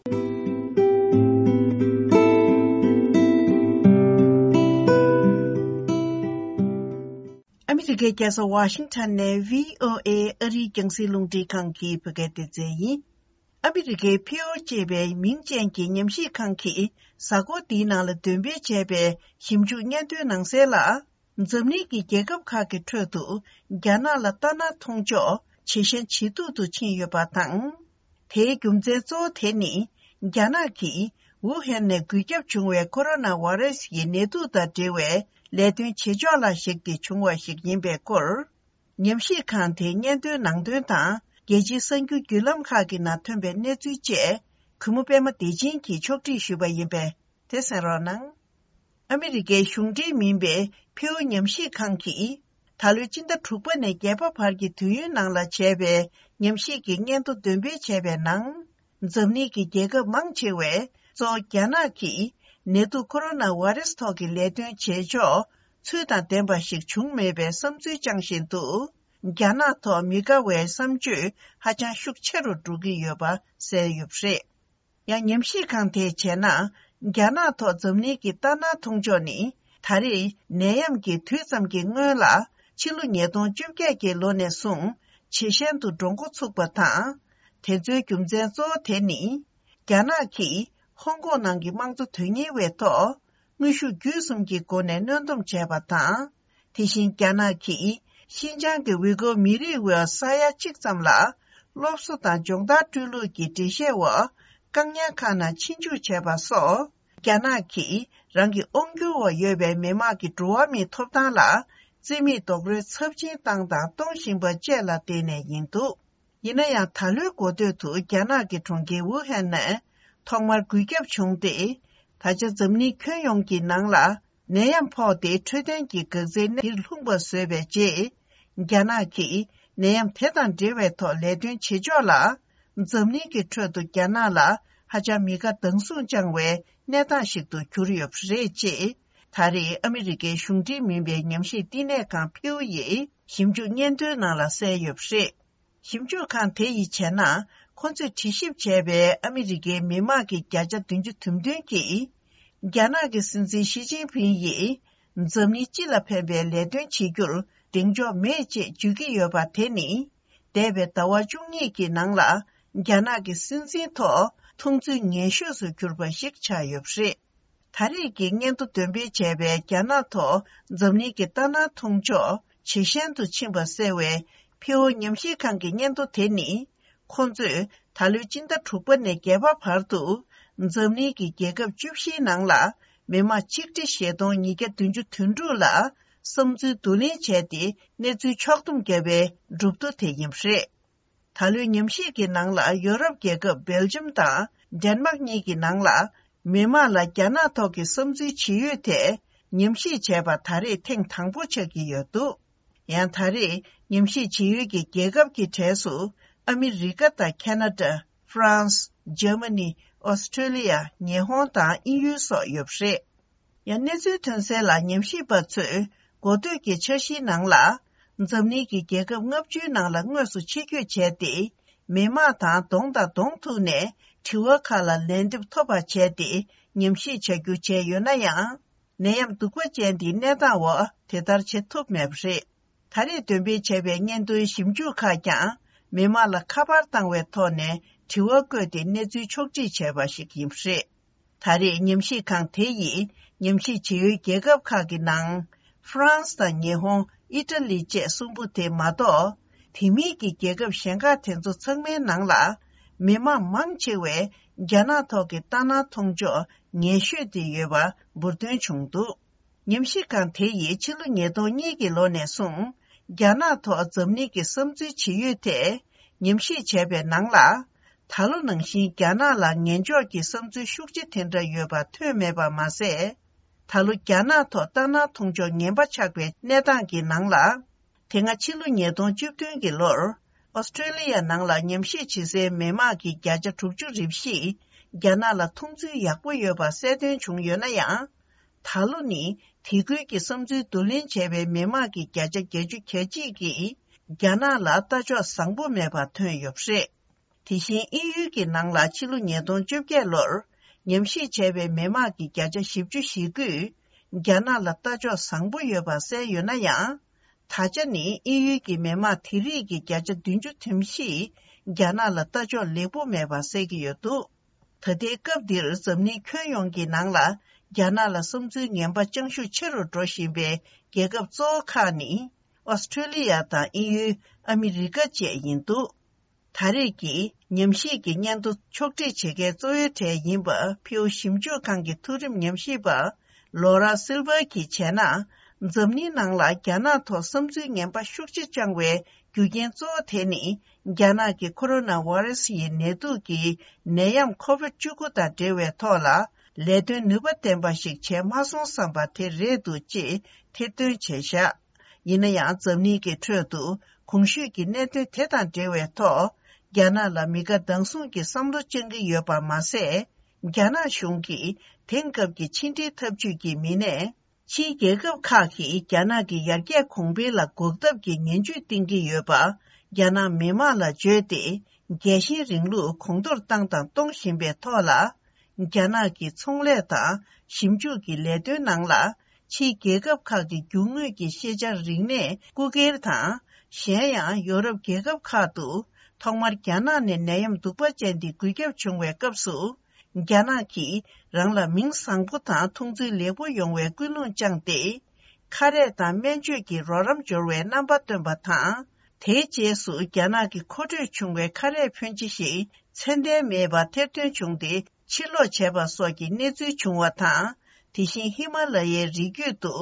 ཨ་མི་རི་ཀའི་རྒྱལ་ས་ཝ་ཤིང་ཊོན་ནས་བྷི་ཨོ་ཨེ་ཨ་རིའི་རྒྱང་སྲིང་རླུང་འཕྲིན་ཁང་གི་བོད་སྐད་སྡེ་ཚན་ཡིན། ཨ་མི་རི་ཀའི་ཕིའོ་ཅེས་པའི་མིང་ཅན་གྱི་ཉམས་ཞིབ་ཁང་གིས་གཟའ་འཁོར་འདིའི་ནང་ལ་འདོན་སྤེལ་བྱས་པའི་ཞིབ་འཇུག་སྙན་ཐོའི་ནང་གསལ་ལ། འཛམ་གླིང་གི་རྒྱལ་ཁབ་ཁག་གི་ཁྲོད་དུ་རྒྱ་ནག་ལ་ལྟ་ན་མཐོང་ཕྱོགས་ཇེ་ཞན་ཇེ་སྡུག་ཏུ་ཕྱིན་ཡོད་པ་དང་། དེའི་རྒྱུ་མཚན་གཙོ་བོ་དེ་ནི། རྒྱ་ནག་གིས་ཝུ་ཧན་ནས་འགོས་ཁྱབ་བྱུང་བའི་ཁོ་རོ་ན་བྷ་རེ་སི་ཡི་ནད་དུག་དང་འབྲེལ་བའི་ལས་དོན་བྱེད་ཕྱོགས་ལ་གཞིགས་ཏེ་བྱུང་བ་ཞིག་ཡིན་པའི་སྐོར། ཉམས་ཞིབ་ཁང་དེའི་སྙན་ཐོའི་ནང་དོན་དང་། རྒྱལ་སྤྱིའི་གསར་འགྱུར་བརྒྱུད་ལམ་ཁག་གི་ནང་ཐོན་པའི་གནས་ཚུལ་བཅས། གུས་མོ་པད་མ་བདེ་ཆེན་གྱིས་ཕྱོགས་སྒྲིག་ཞུས་པ་ཡིན་པས། དེ་གསན་རོགས་གནང་། ཨ་མི་རི་ཀའི་གཞུང་འབྲེལ་མིན་པའི་ཕིའུ་ཉམས་ཞིབ་ཁང་གིས། ད་ལོའི་སྤྱི་ཟླ་དྲུག་པ་ནས་བརྒྱད་པ་བར་གྱི་དུས་ཡུན་ནང་ལ་བྱས་པའི་ཉམས་ཞིབ་ཀྱི་སྙན་ཐོ་འདོན་སྤེལ་བྱས་པའི་ནང་། འཛམ་གླིང་གི་རྒྱལ་ཁབ་མང་ཆེ་བས་གཙོ་བོ་རྒྱ་ནག་གིས་ནད་དུག་ཁོ་རོ་ན་བྷ་རེ་སི་ཐོག་གི་ལས་དོན་བྱེད་ཕྱོགས་ཚུལ་དང་ལྡན་པ་ཞིག་བྱུང་མེད་པའི་བསམ་ཚུལ་བཅངས་བཞིན་དུ། རྒྱ་ནག་ཐོག་མི་དགའ་བའི་བསམ་སྤྱོད་ཧ་ཅང་ཤུགས་ཆེ་རུ་འགྲོ་གི་ཡོད་པ་གསལ་ཡོད་པ་རེད། ཡང་ཉམས་ཞིབ་ཁང་དེས་བྱས་ན། རྒྱ་ནག་ཐོག་འཛམ་གླིང་གི་ལྟ་ན་མཐོང་ཕྱོགས་ནི། ད་རེས་ནད་ཡམས་ཀྱི་དུས་ཙམ་གྱི་སྔོན་ལ། ཕྱི་ལོ་ཉིས་སྟོང་བཅོ་བརྒྱད་ཀྱི་ལོ་ནས་བཟུང་ཇེ་ཞན་དུ་འགྲོ་འགོ་ཚུགས་པ་དང་། དེ་ཚོའི་རྒྱུ་མཚན་གཙོ་བོ་དེ་ནི། རྒྱ་ནག་གིས་ཧོང་ཀོང་ནང་གི་དམངས་གཙོ་དོན་གཉེར་བའི་ཐོག་དངོས་ཤུགས་བརྒྱུད་གསུམ་གྱི་སྒོ་ནས་གནོན་སྡོམ་བྱས་པ་དང་། དེ་བཞིན་རྒྱ་ནག་གིས་ཤིན་ཅང་གི་ཝི་གོ་མི་རིགས་འོག་ས་ཡ་གཅིག་ཙམ་ལ་སློབ་གསོ་དང་སྦྱོང་བརྡར་སྤྲོད་ལུགས་ཀྱི་འགྲེལ་བཤད་འོག་བཀག་ཉར་ཁང་ནང་ཕྱིར་འཇུག་བྱས་པ་སོགས། རྒྱ་ནག་གིས་རང་གི་དབང་སྒྱུར་འོག་ཡོད་པའི་མི་དམངས་ཀྱི་འགྲོ་བ་མིའི་ཐོབ་ཐང་ལ་རྩིས་མེད་རྡོག་རོལ་ཚབས་ཆེན་བཏང་དང་གཏོང་བཞིན་པ་བཅས་ལ་བརྟེན་ནས་ཡིན་འདུག་ཡིན་ན་ཡང་། ད་ལོའི་འགོ་སྟོད་དུ་རྒྱ་ནག་གི་གྲོང་ཁྱེར་ཝུ་ཧན་ནས་ཐོག་མར་འགོས་ཁྱབ་བྱུང་སྟེ། ད་ཆ་འཛམ་གླིང་ཁྱོན་ཡོངས་ཀྱི་ནང་ལ་ནད་ཡམས་ཕོག་སྟེ། འཕྲོད་བསྟེན་གྱི་འགག་རྩའི་གནས་འདིར་ལྷུང་པ་བཟོས་པའི་རྗེས། རྒྱ་ནག་གིས་ནད་ཡམས་དེ་དང་འབྲེལ་བའི་ཐོག་ལས་དོན་བྱེད་ཕྱོགས་ལ། འཛམ་གླིང་གི་ཁྲོད་དུ་རྒྱ་ནག་ལ་ཧ་ཅང་མི་དགའ་སྡང་ཟུག་བཅངས་བའི་གནས་སྟངས་ཤིག་ཏུ་གྱུར་ཡོད་པ་རེད་ཅེས། ད་རེས་ཨ་མི་རི་ཀའི་གཞུང་འབྲེལ་མིན་པའི་ཉམས་ཞིབ་བསྟི་གནས་ཁང་ཕིའུ་ཡིས་ཞིབ་འཇུག་སྙན་ཐོའི་ནང་ལ་གསལ་ཡོད་པ་རེད། ཞིབ་འཇུག་ཁང་དེ་ཡིས་བྱས་ན། ཁོ་ཚོས་དྲི་ཞིབ་བྱས་པའི་ཨ་མི་རི་ཀའི་མི་དམངས་ཀྱི་བརྒྱ་ཆ་བདུན་ཅུ་དོན་བདུན་གྱིས། རྒྱ་ནག་གི་སྲིད་འཛིན་ཞི་ཅིན་ཕིང་ཡིས་འཛམ་གླིང་སྤྱི་ལ་ཕན་པའི་ལས་དོན་བྱེད་རྒྱུར་གདེང་འཇོག་མེད་ཅེས་བརྗོད་ཀྱི་ཡོད་པ་དེ་ནི། འདས་པའི་ཟླ་བ་བཅུ་གཉིས་ཀྱི་ནང་ལ་རྒྱ་ནག་གི་སྲིད་འཛིན་ཐོག་མཐོང་ཚུལ་ངན་ཤོས་སུ་གྱུར་པ་ཞིག་ཆགས་ཡོད་པ་རེད། ད་རེས་ཀྱི་སྙན་ཐོ་འདོན་སྤེལ་བྱས་པའི་རྒྱ་ནག་ཐོག་འཛམ་གླིང་གི་ལྟ་སྣང་མཐོང་ཕྱོགས་ཇེ་ཞན་དུ་ཕྱིན་པ་གསལ་བའི་ཕིའོ་ཉམས་ཞིབ་ཁང་གི་སྙན་ཐོ་དེ་ནི། ཁོང་ཚོས་ད་ལོའི་སྤྱི་ཟླ་དྲུག་པ་ནས་བརྒྱད་པ་བར་དུ་འཛམ་གླིང་གི་རྒྱལ་ཁབ་བཅུ་བཞིའི་ནང་ལ་མི་དམངས་ཆིག་ཁྲི་བཞི་སྟོང་ཉིས་བརྒྱ་བདུན་ཅུ་དོན་དྲུག་ལ་བསམ་ཚུལ་བསྡུ་ལེན་བྱས་ཏེ་གནས་ཚུལ་ཕྱོགས་བསྡོམས་བརྒྱབ་པའི་གྲུབ་ཐོ་དེ་ཡིན་པ་རེད། ད་ལོའི་ཉམས་ཞིབ་ཀྱི་ནང་ལ་ཡོ་རོབ་རྒྱལ་ཁབ་སྦེལ་ཇམ་དང་ཌེན་མག་གཉིས་ཀྱི་ནང་ལ་མི་དམངས་ལ་རྒྱ་ནག་ཐོག་གི་བསམ་ཚུལ་ཇི་ཡོད་ཐད་ཉམས་ཞིབ་བྱས་པ་ད་རེས་ཐེངས་དང་པོ་ཆགས་ཀྱི་ཡོད་འདུག་ཡང་ད་རེས་ཉམས་ཞིབ་བྱེད་ཡུལ་གྱི་རྒྱལ་ཁབ་ཀྱི་གྲས་སུ་ཨ་མི་རི་ཀ་དང་ཁེ་ན་ཌ། ཧྥ་རན་སི། འཇར་མ་ནི། ཨོ་སི་ཁྲེ་ལི་ཡ། ཉི་ཧོང་དང་དབྱིན་ཡུལ་སོགས་ཡོད་པ་རེད། ཡང་གནས་ཚུལ་ཐོན་གསལ་ལ་ཉམས་ཞིབ་པ་ཚོས་འགོ་སྟོད་ཀྱི་འཆར་གཞིའི་ནང་ལ། འཛམ་གླིང་གི་རྒྱལ་ཁབ་ལྔ་བཅུའི་ནང་ལ་དངོས་སུ་ཆེད་བསྐྱོད་བྱས་ཏེ། མི་དམངས་དང་གདོང་དང་གདོང་ཐུག་ནས་དྲི་བ་ཁག་ལ་ལན་འདེབས་ཐོབ་པ་བྱས་ཏེ་ཉམས་ཞིབ་བྱ་རྒྱུ་བྱས་ཡོད་ན་ཡང་། ནད་ཡམས་གདུག་པ་ཅན་འདིའི་གནས་སྟངས་འོག་དེ་ལྟར་བྱེད་ཐུབ་མེད་པ་རེད། ད་རེས་འདོན་སྤེལ་བྱས་པའི་སྙན་ཐོའི་ཞིབ་འཇུག་ཁག་ཀྱང་མི་དམངས་ལ་ཁ་པར་བཏང་བའི་ཐོག་ནས་དྲི་བ་བཀོད་དེ་གནས་ཚུལ་ཕྱོགས་སྒྲིག་བྱས་པ་ཞིག་ཡིན་པ་རེད། ད་རེས་ཉམས་ཞིབ་ཁང་དེ་ཡིས་ཉམས་ཞིབ་བྱེད་ཡུལ་རྒྱལ་ཁབ་ཁག་གི་ནང་། ཧྥ་རན་སི་དང་ཉི་ཧོང་། ཨི་ཊ་ལི་བཅས་གསུམ་པོ་དེ་མ་གཏོགས། དེ་མིན་གྱི་རྒྱལ་ཁབ་གཞན་ཁག་དེ་ཚོ་ཚང་མའི་ནང་ལ། མི་དམངས་མང་ཆེ་བས་རྒྱ་ནག་ཐོག་གི་ལྟ་སྣང་མཐོང་ཕྱོགས་ངན་ཤོས་དེ་ཡོད་པ་འབུར་ཐོན་བྱུང་འདུག་ཉམས་ཞིབ་ཁང་དེ་ཡིས་ཕྱི་ལོ་ཉིས་སྟོང་གཉིས་ཀྱི་ལོ་ནས་བཟུང་རྒྱ་ནག་ཐོག་འཛམ་གླིང་གི་བསམ་ཚུལ་ཇི་ཡོད་ཐད་ཉམས་ཞིབ་བྱས་པའི་ནང་ལ། ད་ལོ་ནང་བཞིན་རྒྱ་ནག་ལ་ངན་ཕྱོགས་ཀྱི་བསམ་ཚུལ་ཤུགས་ཆེ་དེ་འདྲ་ཡོད་པ་ཐོན་མེད་པ་མ་ཟད། ད་ལོ་རྒྱ་ནག་ཐོག་ལྟ་སྣང་མཐོང་ཕྱོགས་ངན་པ་ཆགས་པའི་གནས་སྟངས་ཀྱི་ནང་ལ། དེ་སྔ་ཕྱི་ལོ་ཉིས་སྟོང་བཅུ་བདུན་གྱི་ལོར། ཨོ་སི་ཁྲེ་ལི་ཡ་ནང་ལ་ཉམས་ཞིབ་བྱེད་སའི་མི་དམངས་ཀྱི་བརྒྱ་ཆ་དྲུག་ཅུ་རེ་བཞིས་རྒྱ་ནག་ལ་མཐོང་ཚུལ་ཡག་པོ་ཡོད་པ་གསལ་སྟོན་བྱུང་ཡོད་ན་ཡང་། ད་ལོ་ནི་དེ་ཁུལ་གྱི་བསམ་ཚུལ་བསྡུ་ལེན་བྱས་པའི་མི་དམངས་ཀྱི་བརྒྱ་ཆ་བརྒྱད་ཅུ་གྱ་གཅིག་གིས་རྒྱ་ནག་ལ་ལྟ་ཕྱོགས་བཟང་པོ་མེད་པ་ཐོན་ཡོད་པ་རེད། དེ་བཞིན་དབྱིན་ཡུལ་གྱི་ནང་ལ་ཕྱི་ལོ་ཉིས་སྟོང་བཅོ་བརྒྱད་ལོར་ཉམས་ཞིབ་བྱས་པའི་མི་དམངས་ཀྱི་བརྒྱ་ཆ་བཞི་བཅུ་ཞེ་དགུས་རྒྱ་ནག་ལ་ལྟ་ཕྱོགས་བཟང་པོ་ཡོད་པ་གསལ་ཡོད་ན་ཡང་། ད་ཆ་ནི་དབྱིན་ཡུལ་གྱི་མི་དམངས་དེ་རིགས་ཀྱི་བརྒྱ་ཆ་བདུན་ཅུ་དོན་བཞིས་རྒྱ་ནག་ལ་ལྟ་ཕྱོགས་ལེགས་པོ་མེད་པ་གསལ་གྱི་ཡོད་འདུག་ད་ལྟའི་སྐབས་འདིར་འཛམ་གླིང་ཁྱོན་ཡོངས་ཀྱི་ནང་ལ་རྒྱ་ནག་ལ་བསམ་ཚུལ་ངན་པ་བཅང་ཤུགས་ཆེ་རུ་འགྲོ་བཞིན་པའི་རྒྱལ་ཁབ་གཙོ་བོ་ཁག་ནི་ཨོ་སི་ཁྲེ་ལི་ཡ་དང་དབྱིན་ཡུལ། ཨ་མི་རི་ཀ་བཅས་ཡིན་འདུག་ད་རེས་ཀྱི་ཉམས་ཞིབ་ཀྱི་སྙན་ཐོ་ཕྱོགས་སྒྲིག་བྱེད་མཁན་གཙོ་བོའི་གྲས་ཡིན་པ་ཕིའུ་ཞིབ་འཇུག་ཁང་གི་མཐོ་རིམ་ཉམས་ཞིབ་པ་ལོ་ར་སིལ་ཝར་གྱིས་བྱས་ན། འཛམ་གླིང་ནང་ལ་རྒྱ་ནག་ཐོག་བསམ་ཚུལ་ངན་པ་ཤུགས་ཆེ་བཅངས་པའི་རྒྱུ་རྐྱེན་གཙོ་བོ་དེ་ནི་རྒྱ་ནག་གི་ཁོ་རོ་ན་ཝེ་རུ་སི་ཡི་ནད་དུག་གི་ནད་ཡམས་ཁོ་བིད་བཅུ་དགུ་དང་འབྲེལ་བའི་ཐོག་ལ་ལས་དོན་ནུས་པ་ལྡན་པ་ཞིག་བྱས་མ་སོང་བསམ་པ་དེ་རེད་འདུག་ཅེས་ཐེར་འདོན་བྱས་བཞག་ཡིན་ན་ཡང་འཛམ་གླིང་གི་ཁྲོད་དུ་གོང་ཞུས་ཀྱི་གནད་དོན་དེ་དང་འབྲེལ་བའི་ཐོག་རྒྱ་ནག་ལ་མི་དགའ་སྡང་ཟུག་གི་བསམ་བློ་བཅངས་ཀྱི་ཡོད་པ་མ་ཟད། རྒྱ་ནག་གཞུང་གིས་དེང་སྐབས་ཀྱི་ཕྱི་འབྲེལ་འཐབ་ཇུས་ཀྱི་མི་སྣས་ཕྱིའི་རྒྱལ་ཁབ་ཁག་གིས་རྒྱ་ནག་གི་ཡར་རྒྱས་གོང་འཕེལ་ལ་འགོག་ཐབས་ཀྱི་ངན་ཇུས་བཏིང་གི་ཡོད་པ། རྒྱ་ནག་མི་དམངས་ལ་བརྗོད་དེ་རྒྱལ་ཞེན་རིང་ལུགས་གོང་མཐོར་བཏང་དང་གཏོང་བཞིན་པའི་ཐོག་ལ། རྒྱ་ནག་གི་ཚོང་ལས་དང་ཞིབ་འཇུག་གི་ལས་དོན་ནང་ལ་ཕྱིའི་རྒྱལ་ཁབ་ཁག་གི་རྒྱུ་དངོས་ཀྱི་ཤེས་བྱ་རིག་གནས་རྐུ་འཁྱེར་དང་། གཞན་ཡང་ཡོ་རོབ་རྒྱལ་ཁབ་ཁག་ཏུ་ཐོག་མར་རྒྱ་ནག་ནས་ནད་ཡམས་གདུག་པ་ཅན་འདི་འགོས་ཁྱབ་བྱུང་བའི་སྐབས་སུ། རྒྱ་ནག་གིས་རང་ལ་མིང་བཟང་པོ་དང་མཐོང་ཚུལ་ལེགས་པོ་ཡོང་བའི་ཀུན་སློང་བཅངས་ཏེ། ཁ་རས་དང་སྨན་བཅོས་ཀྱི་རོགས་རམ་འབྱོར་བའི་རྣམ་པ་སྟོན་པ་དང་། དེའི་རྗེས་སུ་རྒྱ་ནག་གི་མཁོ་སྤྲོད་བྱུང་བའི་ཁ་རས་ཕོན་ཆེ་ཞིག་ཚད་ལྡན་མེད་པ་ཐེར་འདོན་བྱུང་སྟེ་ཕྱིར་སློག་བྱས་པ་སོགས་ཀྱི་གནས་ཚུལ་བྱུང་བ་དང་། དེ་བཞིན་ཧི་མ་ལ་ཡའི་རི་རྒྱུད་དུ་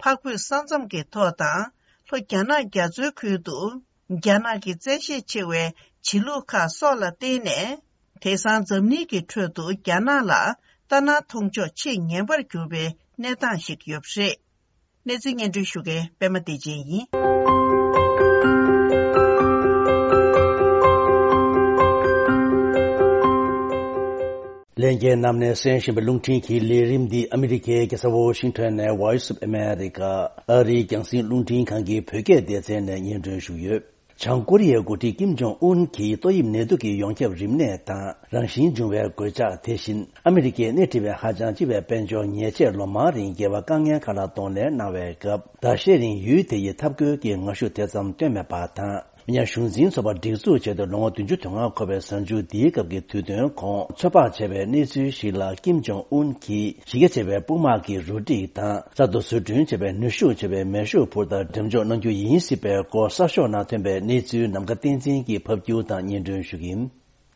འཕགས་བོད་ས་མཚམས་ཀྱི་ཐོག་དང་། ལྷོ་རྒྱ་ནག་རྒྱ་མཚོའི་ཁུལ་དུ་རྒྱ་ནག་གི་བཙན་ཤེད་ཆེ་བའི་བྱེད་ལུགས་ཁག་སོགས་ལ་བརྟེན་ནས། དེང་སང་འཛམ་གླིང་གི་ཁྲོད་དུ་རྒྱ་ནག་ལ་ལྟ་ན་མཐོང་ཕྱོགས་ཆེས་ངན་པར་གྱུར་པའི་གནས་སྟངས་ཤིག་ཡོད་པ་རེད། གནས་ཚུལ་སྙན་སྒྲོན་ཞུ་མཁན་པད་མ་བདེ་ཆེན་ཡིན། ལྷན་རྒྱས་རྣམས་ནས་གསན་བཞིན་པའི་རླུང་འཕྲིན་གྱི་ལས་རིམ་འདི་ཨ་མི་རི་ཀའི་རྒྱལ་ས་ཝོ་ཤིང་ཊོན་ནས་Voice of America ཨ་རིའི་རྒྱང་སྲིང་རླུང་འཕྲིན་ཁང་གི་བོད་སྐད་སྡེ་ཚན་ནས་སྙན་སྒྲོན་ཞུས་ཡོད། བྱང་ཀོ་རི་ཡའི་འགོ་ཁྲིད་ཀིམ་ཇོང་ཨུན་གྱིས་ཏོག་དབྱིབས་ནད་དུག་གི་ཡོངས་ཁྱབ་རིམས་ནད་དང་རང་བཞིན་འབྱུང་བའི་འགོས་ཆགས། དེ་བཞིན་ཨ་མི་རི་ཀའི་སྣེ་ཁྲིད་པའི་ཧ་ཅང་ལྕི་བའི་དཔལ་འབྱོར་ཉེས་ཆད་ལོ་མང་རིང་འགལ་བ་དཀའ་ངལ་ཁག་ལ་གདོང་ལེན་གནང་བའི་སྐབས། ཟླ་ཤས་རིང་ཡུལ་དེ་ཡི་འཐབ་རྒོལ་གྱི་ངར་ཤུགས་དེ་ཙམ་བཏོན་མེད་པ་དང་ ཉག་གཞུང་འཛིན་ཚོགས་པ་སྒྲིག་འཛུགས་བྱས་ཏེ་ལོ་ངོ་བདུན་ཅུ་དོན་ལྔ་འཁོར་བའི་གཟའ་མཇུག་འདིའི་སྐབས་ཀྱི་དུས་སྟོན་གོང་ཚོད་དཔག་བྱས་པའི་གནས་ཚུལ་ཞིག་ལ། ཀིམ་ཇོང་ཨུན་གྱིས་གཞི་རྒྱ་ཆེ་བའི་དཔུང་དམག་གི་རུ་སྒྲིག་དང་གསར་དུ་བཟོ་སྐྲུན་བྱས་པའི་ནུས་ཤུགས་ཆེ་བའི་མེ་ཤུགས་འཕུར་མདའ་འགྲེམས་འཇོག་གནང་རྒྱུ་ཡིན་སྲིད་པའི་སྐོར་གསར་ཤོག་ནང་ཐོན་པའི་གནས་ཚུལ་ནམ་མཁའ་བསྟན་འཛིན་གྱིས་ཕབ་སྒྱུར་དང་སྙན་སྒྲོན་ཞུ་གི་ཡིན།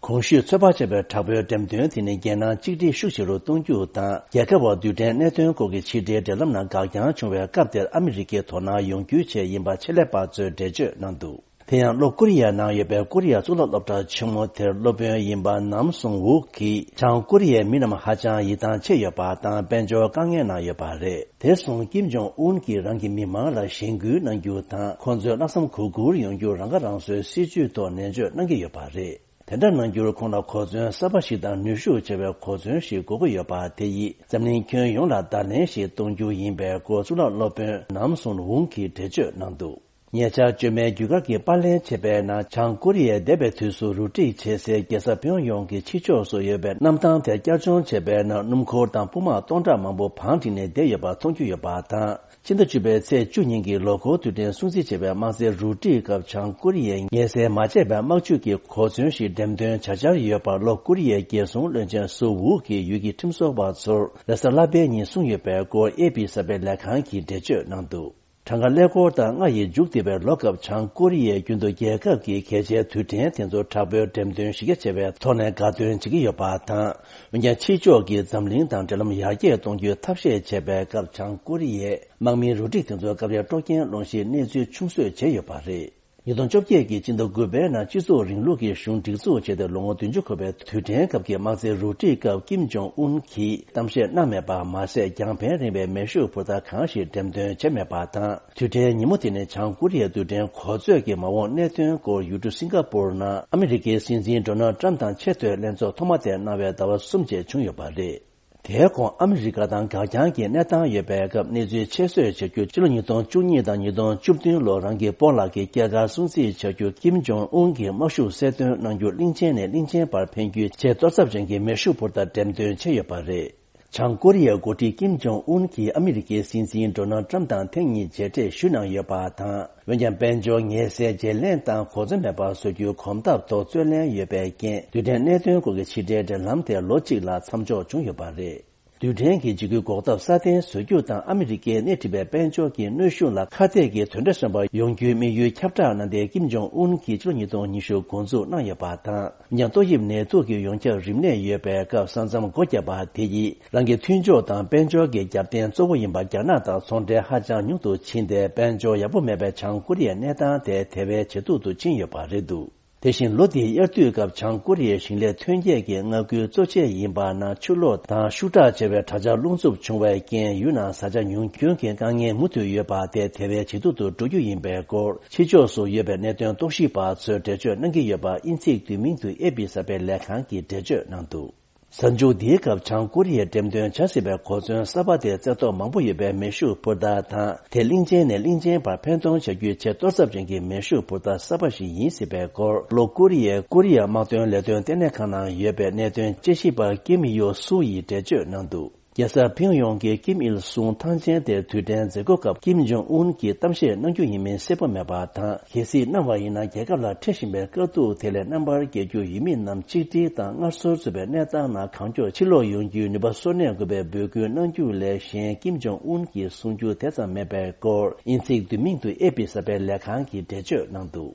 གོང་ཞུས་ཚོད་དཔག་བྱས་པའི་དྲག་པོའི་འགྲེམས་སྟོན་དེ་ནི་རྒྱལ་ནང་གཅིག་སྒྲིལ་ཤུགས་ཆེ་རུ་གཏོང་རྒྱུ་དང་། རྒྱལ་ཁབ་བར་རྡུལ་ཕྲན་གནད་དོན་སྐོར་གྱི་ཕྱི་འབྲེལ་འབྲེལ་ལམ་ནང་འགག་རྐྱང་བྱུང་བའི་སྐབས་དེར་ཨ་མི་རི་ཀའི་དོ་སྣང་ཡོང་རྒྱུའི་ཆེད་ཡིན་པ་ཆེད་ལས་པ་ཚོས་འགྲེལ་བརྗོད་གནང་འདུག་དེ་ཡང་ལྷོ་ཀོ་རི་ཡའི་ནང་ཡོད་པའི་ཀོ་རི་ཡ་གཙུག་ལག་སློབ་གྲྭ་ཆེན་མོ་དེར་སློབ་དཔོན་ཡིན་པ་ནམ་སུང་ཝུག་གིས་བྱང་ཀོ་རི་ཡའི་མི་རྣམས་ཧ་ཅང་ཡིད་ཐང་ཆད་ཡོད་པ་དང་དཔལ་འབྱོར་དཀའ་ངལ་ནང་ཡོད་པ་རེད། དེར་སོང་ཀིམ་ཇོང་ཨུན་གྱིས་རང་གི་མི་མང་ལ་གཞེན་སྐུལ་གནང་རྒྱུ་དང་། ཁོང་ཚོས་ལྷག་བསམ་གུས་བཀུར་ཡོང་རྒྱུར་རང་ཁ་རང་གསོའི་སྲིད་ཇུས་ཐོག་ནན་བརྗོད་གནང་གི་ཡོད་པ་རེད། དེ་འདྲ་གནང་རྒྱུར་ཁོང་ལ་གོ་མཚོན་གསར་པ་ཞིག་དང་ནུས་ཤུགས་ཆེ་བའི་གོ་མཚོན་ཞིག་དགོས་ཀྱི་ཡོད་པ་དེ་ཡིས་འཛམ་གླིང་ཁྱོན་ཡོངས་ལ་བརྡ་ལན་ཞིག་གཏོང་རྒྱུ་ཡིན་པའི་སྐོར་གཙུག་ལག་སློབ་དཔོན་ནམ་སུན་ཝུང་གིས་འགྲེལ་བརྗོད་གནང་འདུག་ཉེ་ཆར་བཅོས་མའི་རྒྱུ་སྐར་གྱི་པར་ལེན་བྱས་པའི་ནང་། བྱང་ཀོ་རི་ཡས་འདས་པའི་དུས་སུ་རུ་སྒྲིག་བྱེད་སའི་རྒྱལ་ས་ཕིའུ་ཡོང་གི་ཕྱི་ཕྱོགས་སུ་ཡོད་པའི་གནམ་ཐང་དེར་བསྐྱར་སྦྱོང་བྱས་པའི་ནང་། སྣུམ་འཁོར་དང་དཔུང་དམག་སྟོང་ཕྲག་མང་པོ་བང་བསྒྲིགས་ནས་བསྡད་ཡོད་པ་མཐོང་རྒྱུ་ཡོད་པ་དང་། ཕྱི་ཟླ་བཅུ་པའི་ཚེས་བཅུ་ཉིན་གྱི་ལོ་འཁོར་དུས་དྲན་སྲུང་བརྩི་བྱས་པའི་དམག་རྩེད་རུ་སྒྲིག་སྐབས། བྱང་ཀོ་རི་ཡས་ངལ་སེལ་མ་བྱས་པའི་དམག་ཇུས་ཀྱི་གོ་མཚོན་ཞིག་འགྲེམས་སྟོན་བྱ་འཆར་ཡོད་པར། ལྷོ་ཀོ་རི་ཡའི་རྒྱལ་སྲུང་བློན་ཆེན་སུ་ཝུ་གིས་ཡུལ་གྱི་ཁྲིམས་བཟོ་བ་ཚོར་རེས་གཟའ་ལྷག་པའི་ཉིན་གསུངས་ཡོད་པའི་སྐོར་ཨེ་པི་གསར་སྤེལ་ལས་ཁང་གིས་འགྲེལ་བརྗོད་གནང་འདུག་གྲངས་ཀ་ཀླད་ཀོར་དང་ལྔ་ཡིས་མཇུག་བསྡུས་པའི་ལོ་སྐབས། བྱང་ཀོ་རི་ཡས་རྒྱུན་དུ་རྒྱལ་ཁབ་ཀྱི་གལ་ཆེའི་དུས་དྲན་དེ་ཚོ་དྲག་པོའི་འགྲེམས་སྟོན་གཞི་རྒྱ་ཆེ་བའི་ཐོག་ནས་དགའ་སྟོན་བྱེད་ཀྱི་ཡོད་པ་དང་། འོན་ཀྱང་ཕྱི་ཕྱོགས་ཀྱིས་འཛམ་གླིང་དང་འབྲེལ་ལམ་ཡར་རྒྱས་གཏོང་རྒྱུའི་ཐབས་ཤེས་བྱས་པའི་སྐབས། བྱང་ཀོ་རི་ཡས་དམག་མིའི་རུ་སྒྲིག་དེ་ཚོའི་སྐབས་རེ་དཀྲོག་རྐྱེན་སློང་གཞིའི་གནས་ཚུལ་ཆུང་བཟོས་བྱས་ཡོད་པ་རེད། ཉིས་སྟོང་བཅོ་བརྒྱད་ཀྱི་སྤྱི་ཟླ་དགུ་པའི་ནང་། སྤྱི་ཚོགས་རིང་ལུགས་ཀྱི་གཞུང་སྒྲིག་འཛུགས་བྱས་ཏེ་ལོ་ངོ་བདུན་ཅུ་འཁོར་བའི་དུས་དྲན་སྐབས་ཀྱི་དམག་རྩེད་རུ་སྒྲིག་སྐབས། ཀིམ་ཇོང་ཨུན་གྱིས་གཏམ་བཤད་གནང་མེད་པ་མ་ཟད། རྒྱང་འཕེན་རིང་བའི་མེ་ཤུགས་འཕུར་མདའ་གང་ཞིག་འགྲེམས་སྟོན་བྱས་མེད་པ་དང་། དུས་དྲན་ཉིན་མོ་དེ་ནི་བྱང་ཀོ་རི་ཡའི་རྡུལ་ཕྲན་གོ་མཛོད་ཀྱི་མ་འོངས་གནད་དོན་སྐོར་ཡུལ་གྲུ་སིང་ག་པུར་ནང་ཨ་མི་རི་ཀའི་སྲིད་འཛིན་ཌོ་ནལ་ཏྲམ་དང་ཆེས་མཐོའི་ལྷན་ཚོགས་ཐོག་མ་དེ་གནང་བའི་ཟླ་བ་གསུམ་རྗེས་བྱུང་ཡོད་པ་རེད། དེའི་གོང་ཨ་མི་རི་ཀ་དང་འགག་རྐྱང་གི་གནས་སྟངས་ཡོད་པའི་སྐབས། གནས་ཚུལ་ཆེད་བཟོས་བྱ་རྒྱུ། ཕྱི་ལོ་ཉིས་སྟོང་བཅུ་གཉིས་དང་ཉིས་སྟོང་བཅུ་བདུན་ལོར་རང་གི་སྤོ་ལགས་ཀྱི་སྐྱེས་སྐར་སྲུང་བརྩི་བྱ་རྒྱུ། ཀིམ་ཇོང་ཨུན་གྱི་དམག་ཤུགས་གསལ་སྟོན་གནང་རྒྱུ། གླིང་ཆེན་ནས་གླིང་ཆེན་བར་འཕེན་རྒྱུའི་ཆེས་གཏོར་ཚབས་ཅན་གྱི་མེ་ཤུགས་འཕུར་མདའ་འགྲེམས་སྟོན་བྱས་ཡོད་པ་རེད། བྱང་ཀོ་རི་ཡའི་འགོ་ཁྲིད་ཀིམ་ཇོང་ཨུན་གྱིས་ཨ་མི་རི་ཀའི་སྲིད་འཛིན་ཌོ་ནལ་ཏྲམ་དང་ཐེངས་གཉིས་མཇལ་འཕྲད་ཞུས་གནང་ཡོད་པ་དང་། འོན་ཀྱང་། དཔལ་འབྱོར་ངལ་སེལ་བརྗེ་ལེན་དང་གོ་མཚོན་མེད་པར་བཟོ་རྒྱུའི་གོམ་སྟབས་ཐོག་རྩོད་ལེན་ཡོད་པའི་རྐྱེན། རྡུལ་ཕྲན་གནད་དོན་སྐོར་གྱི་ཕྱི་འབྲེལ་འབྲེལ་ལམ་དེ་ལོ་གཅིག་ལ་མཚམས་འཇོག་བྱུང་ཡོད་པ་རེད། རྡུལ་ཕྲན་གྱི་འཇིགས་སྐུལ་འགོག་ཐབས་སྲ་བརྟན་བཟོ་རྒྱུ་དང་། ཨ་མི་རི་ཀས་སྣེ་ཁྲིད་པའི་དཔལ་འབྱོར་གྱི་གནོན་ཤུགས་ལ་ཁ་གཏད་ཀྱི་དོན་འབྲས་སོན་པ་ཡོང་རྒྱུའི་དམིགས་ཡུལ་ཁྱབ་བསྒྲགས་གནང་སྟེ། ཀིམ་ཇོང་ཨུན་གྱིས་ཕྱི་ལོ་ཉིས་སྟོང་ཉི་ཤུ་འགོ་འཛུགས་གནང་ཡོད་པ་དང་། འོན་ཀྱང་། ཏོག་དབྱིབས་ནད་དུག་གི་ཡོངས་ཁྱབ་རིམས་ནད་ཡོད་པའི་སྐབས། ས་མཚམས་སྒོ་བརྒྱབ་པ་དེ་ཡིས་རང་གི་མཐུན་ཕྱོགས་དང་དཔལ་འབྱོར་གྱི་རྒྱབ་རྟེན་གཙོ་བོ་ཡིན་པ་རྒྱ་ནག་དང་ཚོང་འབྲེལ་ཧ་ཅང་ཉུང་དུ་ཕྱིན་ཏེ། དཔལ་འབྱོར་ཡག་པོ་མེད་པའི་བྱང་ཀོ་རི་ཡའི་གནས་སྟངས་དེ་དེ་བས་ཇེ་སྡུག་ཏུ་ཕྱིན་ཡོད་པ་རེད་འདུག་དེ་བཞིན། ལོ་འདིའི་དབྱར་དུས་སྐབས་བྱང་ཀོ་རི་ཡའི་ཞིང་ལས་ཐོན་སྐྱེད་ཀྱི་མངའ་ཁུལ་གཙོ་ཆེ་ཡིན་པ་ནང་ཆུ་ལོག་དང་ཤུགས་དྲག་ཆེ་བའི་དྲག་ཆར་རླུང་འཚུབ་བྱུང་བའི་རྐྱེན། ཡུལ་ནང་བཟའ་བཅའ་ཉུང་སྐྱོན་གྱི་དཀའ་ངལ་མུ་མཐུད་ཡོད་པ་དེ་དེ་བས་ཇེ་སྡུག་ཏུ་འགྲོ་རྒྱུ་ཡིན་པའི་སྐོར། ཕྱི་ཕྱོགས་སུ་ཡོད་པའི་གནད་དོན་རྟོག་ཞིབ་པ་ཚོས་འགྲེལ་བརྗོད་གནང་གི་ཡོད་པ། དབྱིན་ཚིག་བསྡུས་མིང་དུ་ཨེ་པི་གསར་སྤེལ་ལས་ཁང་གིས་འགྲེལ་བརྗོད་གནང་འདུག་གཟའ་མཇུག་འདིའི་སྐབས་བྱང་ཀོ་རི་ཡས་འགྲེམས་སྟོན་བྱ་སྲིད་པའི་གོ་མཚོན་གསར་པ་དེ། རྩེ་ཐོག་མང་པོ་ཡོད་པའི་མེ་ཤུགས་འཕུར་མདའ་དང་། དེ་གླིང་ཆེན་ནས་གླིང་ཆེན་བར་འཕེན་གཏོང་བྱ་རྒྱུའི་ཆེས་གཏོར་ཚབས་ཅན་གྱི་མེ་ཤུགས་འཕུར་མདའ་གསར་པ་ཞིག་ཡིན་སྲིད་པའི་སྐོར། ལྷོ་ཀོ་རི་ཡའི་ཀོ་རི་ཡ་དམག་དོན་ལས་དོན་ལྟེ་གནས་ཁང་ནང་ཡོད་པའི་གནད་དོན་དཔྱད་ཞིབ་པ་ཀིམ་ཡོ་སུ་ཡིས་འགྲེལ་བརྗོད་གནང་འདུག་རྒྱལ་ས་ཕིང་ཡོང་གི་ཀིམ་ཨིལ་སུང་ཐང་ཆེན་དེར་དུས་དྲན་མཛད་སྒོ་སྐབས། ཀིམ་ཇོང་ཨུན་གྱིས་གཏམ་བཤད་གནང་རྒྱུ་ཡིན་མིན་གསལ་པོ་མེད་པ་དང་། གལ་སྲིད་གནང་བ་ཡིན་ན། རྒྱལ་ཁབ་ལ་འཕྲད་བཞིན་པའི་དཀའ་སྡུག་དེ་ལས་རྣམ་པར་རྒྱལ་རྒྱུ་ཡིན་མིན་རྣམས་གཅིག་སྒྲིལ་དང་སྔར་སྲོལ་བཟོས་པའི་གནས་སྟངས་ནང་གང་མགྱོགས་ཕྱིར་ལོག་ཡོང་རྒྱུའི་ནུས་པ་གསོ་གནས་དགོས་པའི་འབོད་སྐུལ་གནང་རྒྱུ་ལས་གཞན། ཀིམ་ཇོང་ཨུན་གྱིས་གསུང་རྒྱུ་དེ་ཙམ་མེད་པའི་སྐོར། དབྱིན་ཚིག་བསྡུས་མིང་དུ་ཨེ་པི་གསར་སྤེལ་ལས་ཁང་གིས་འགྲེལ་བརྗོད་གནང་འདུག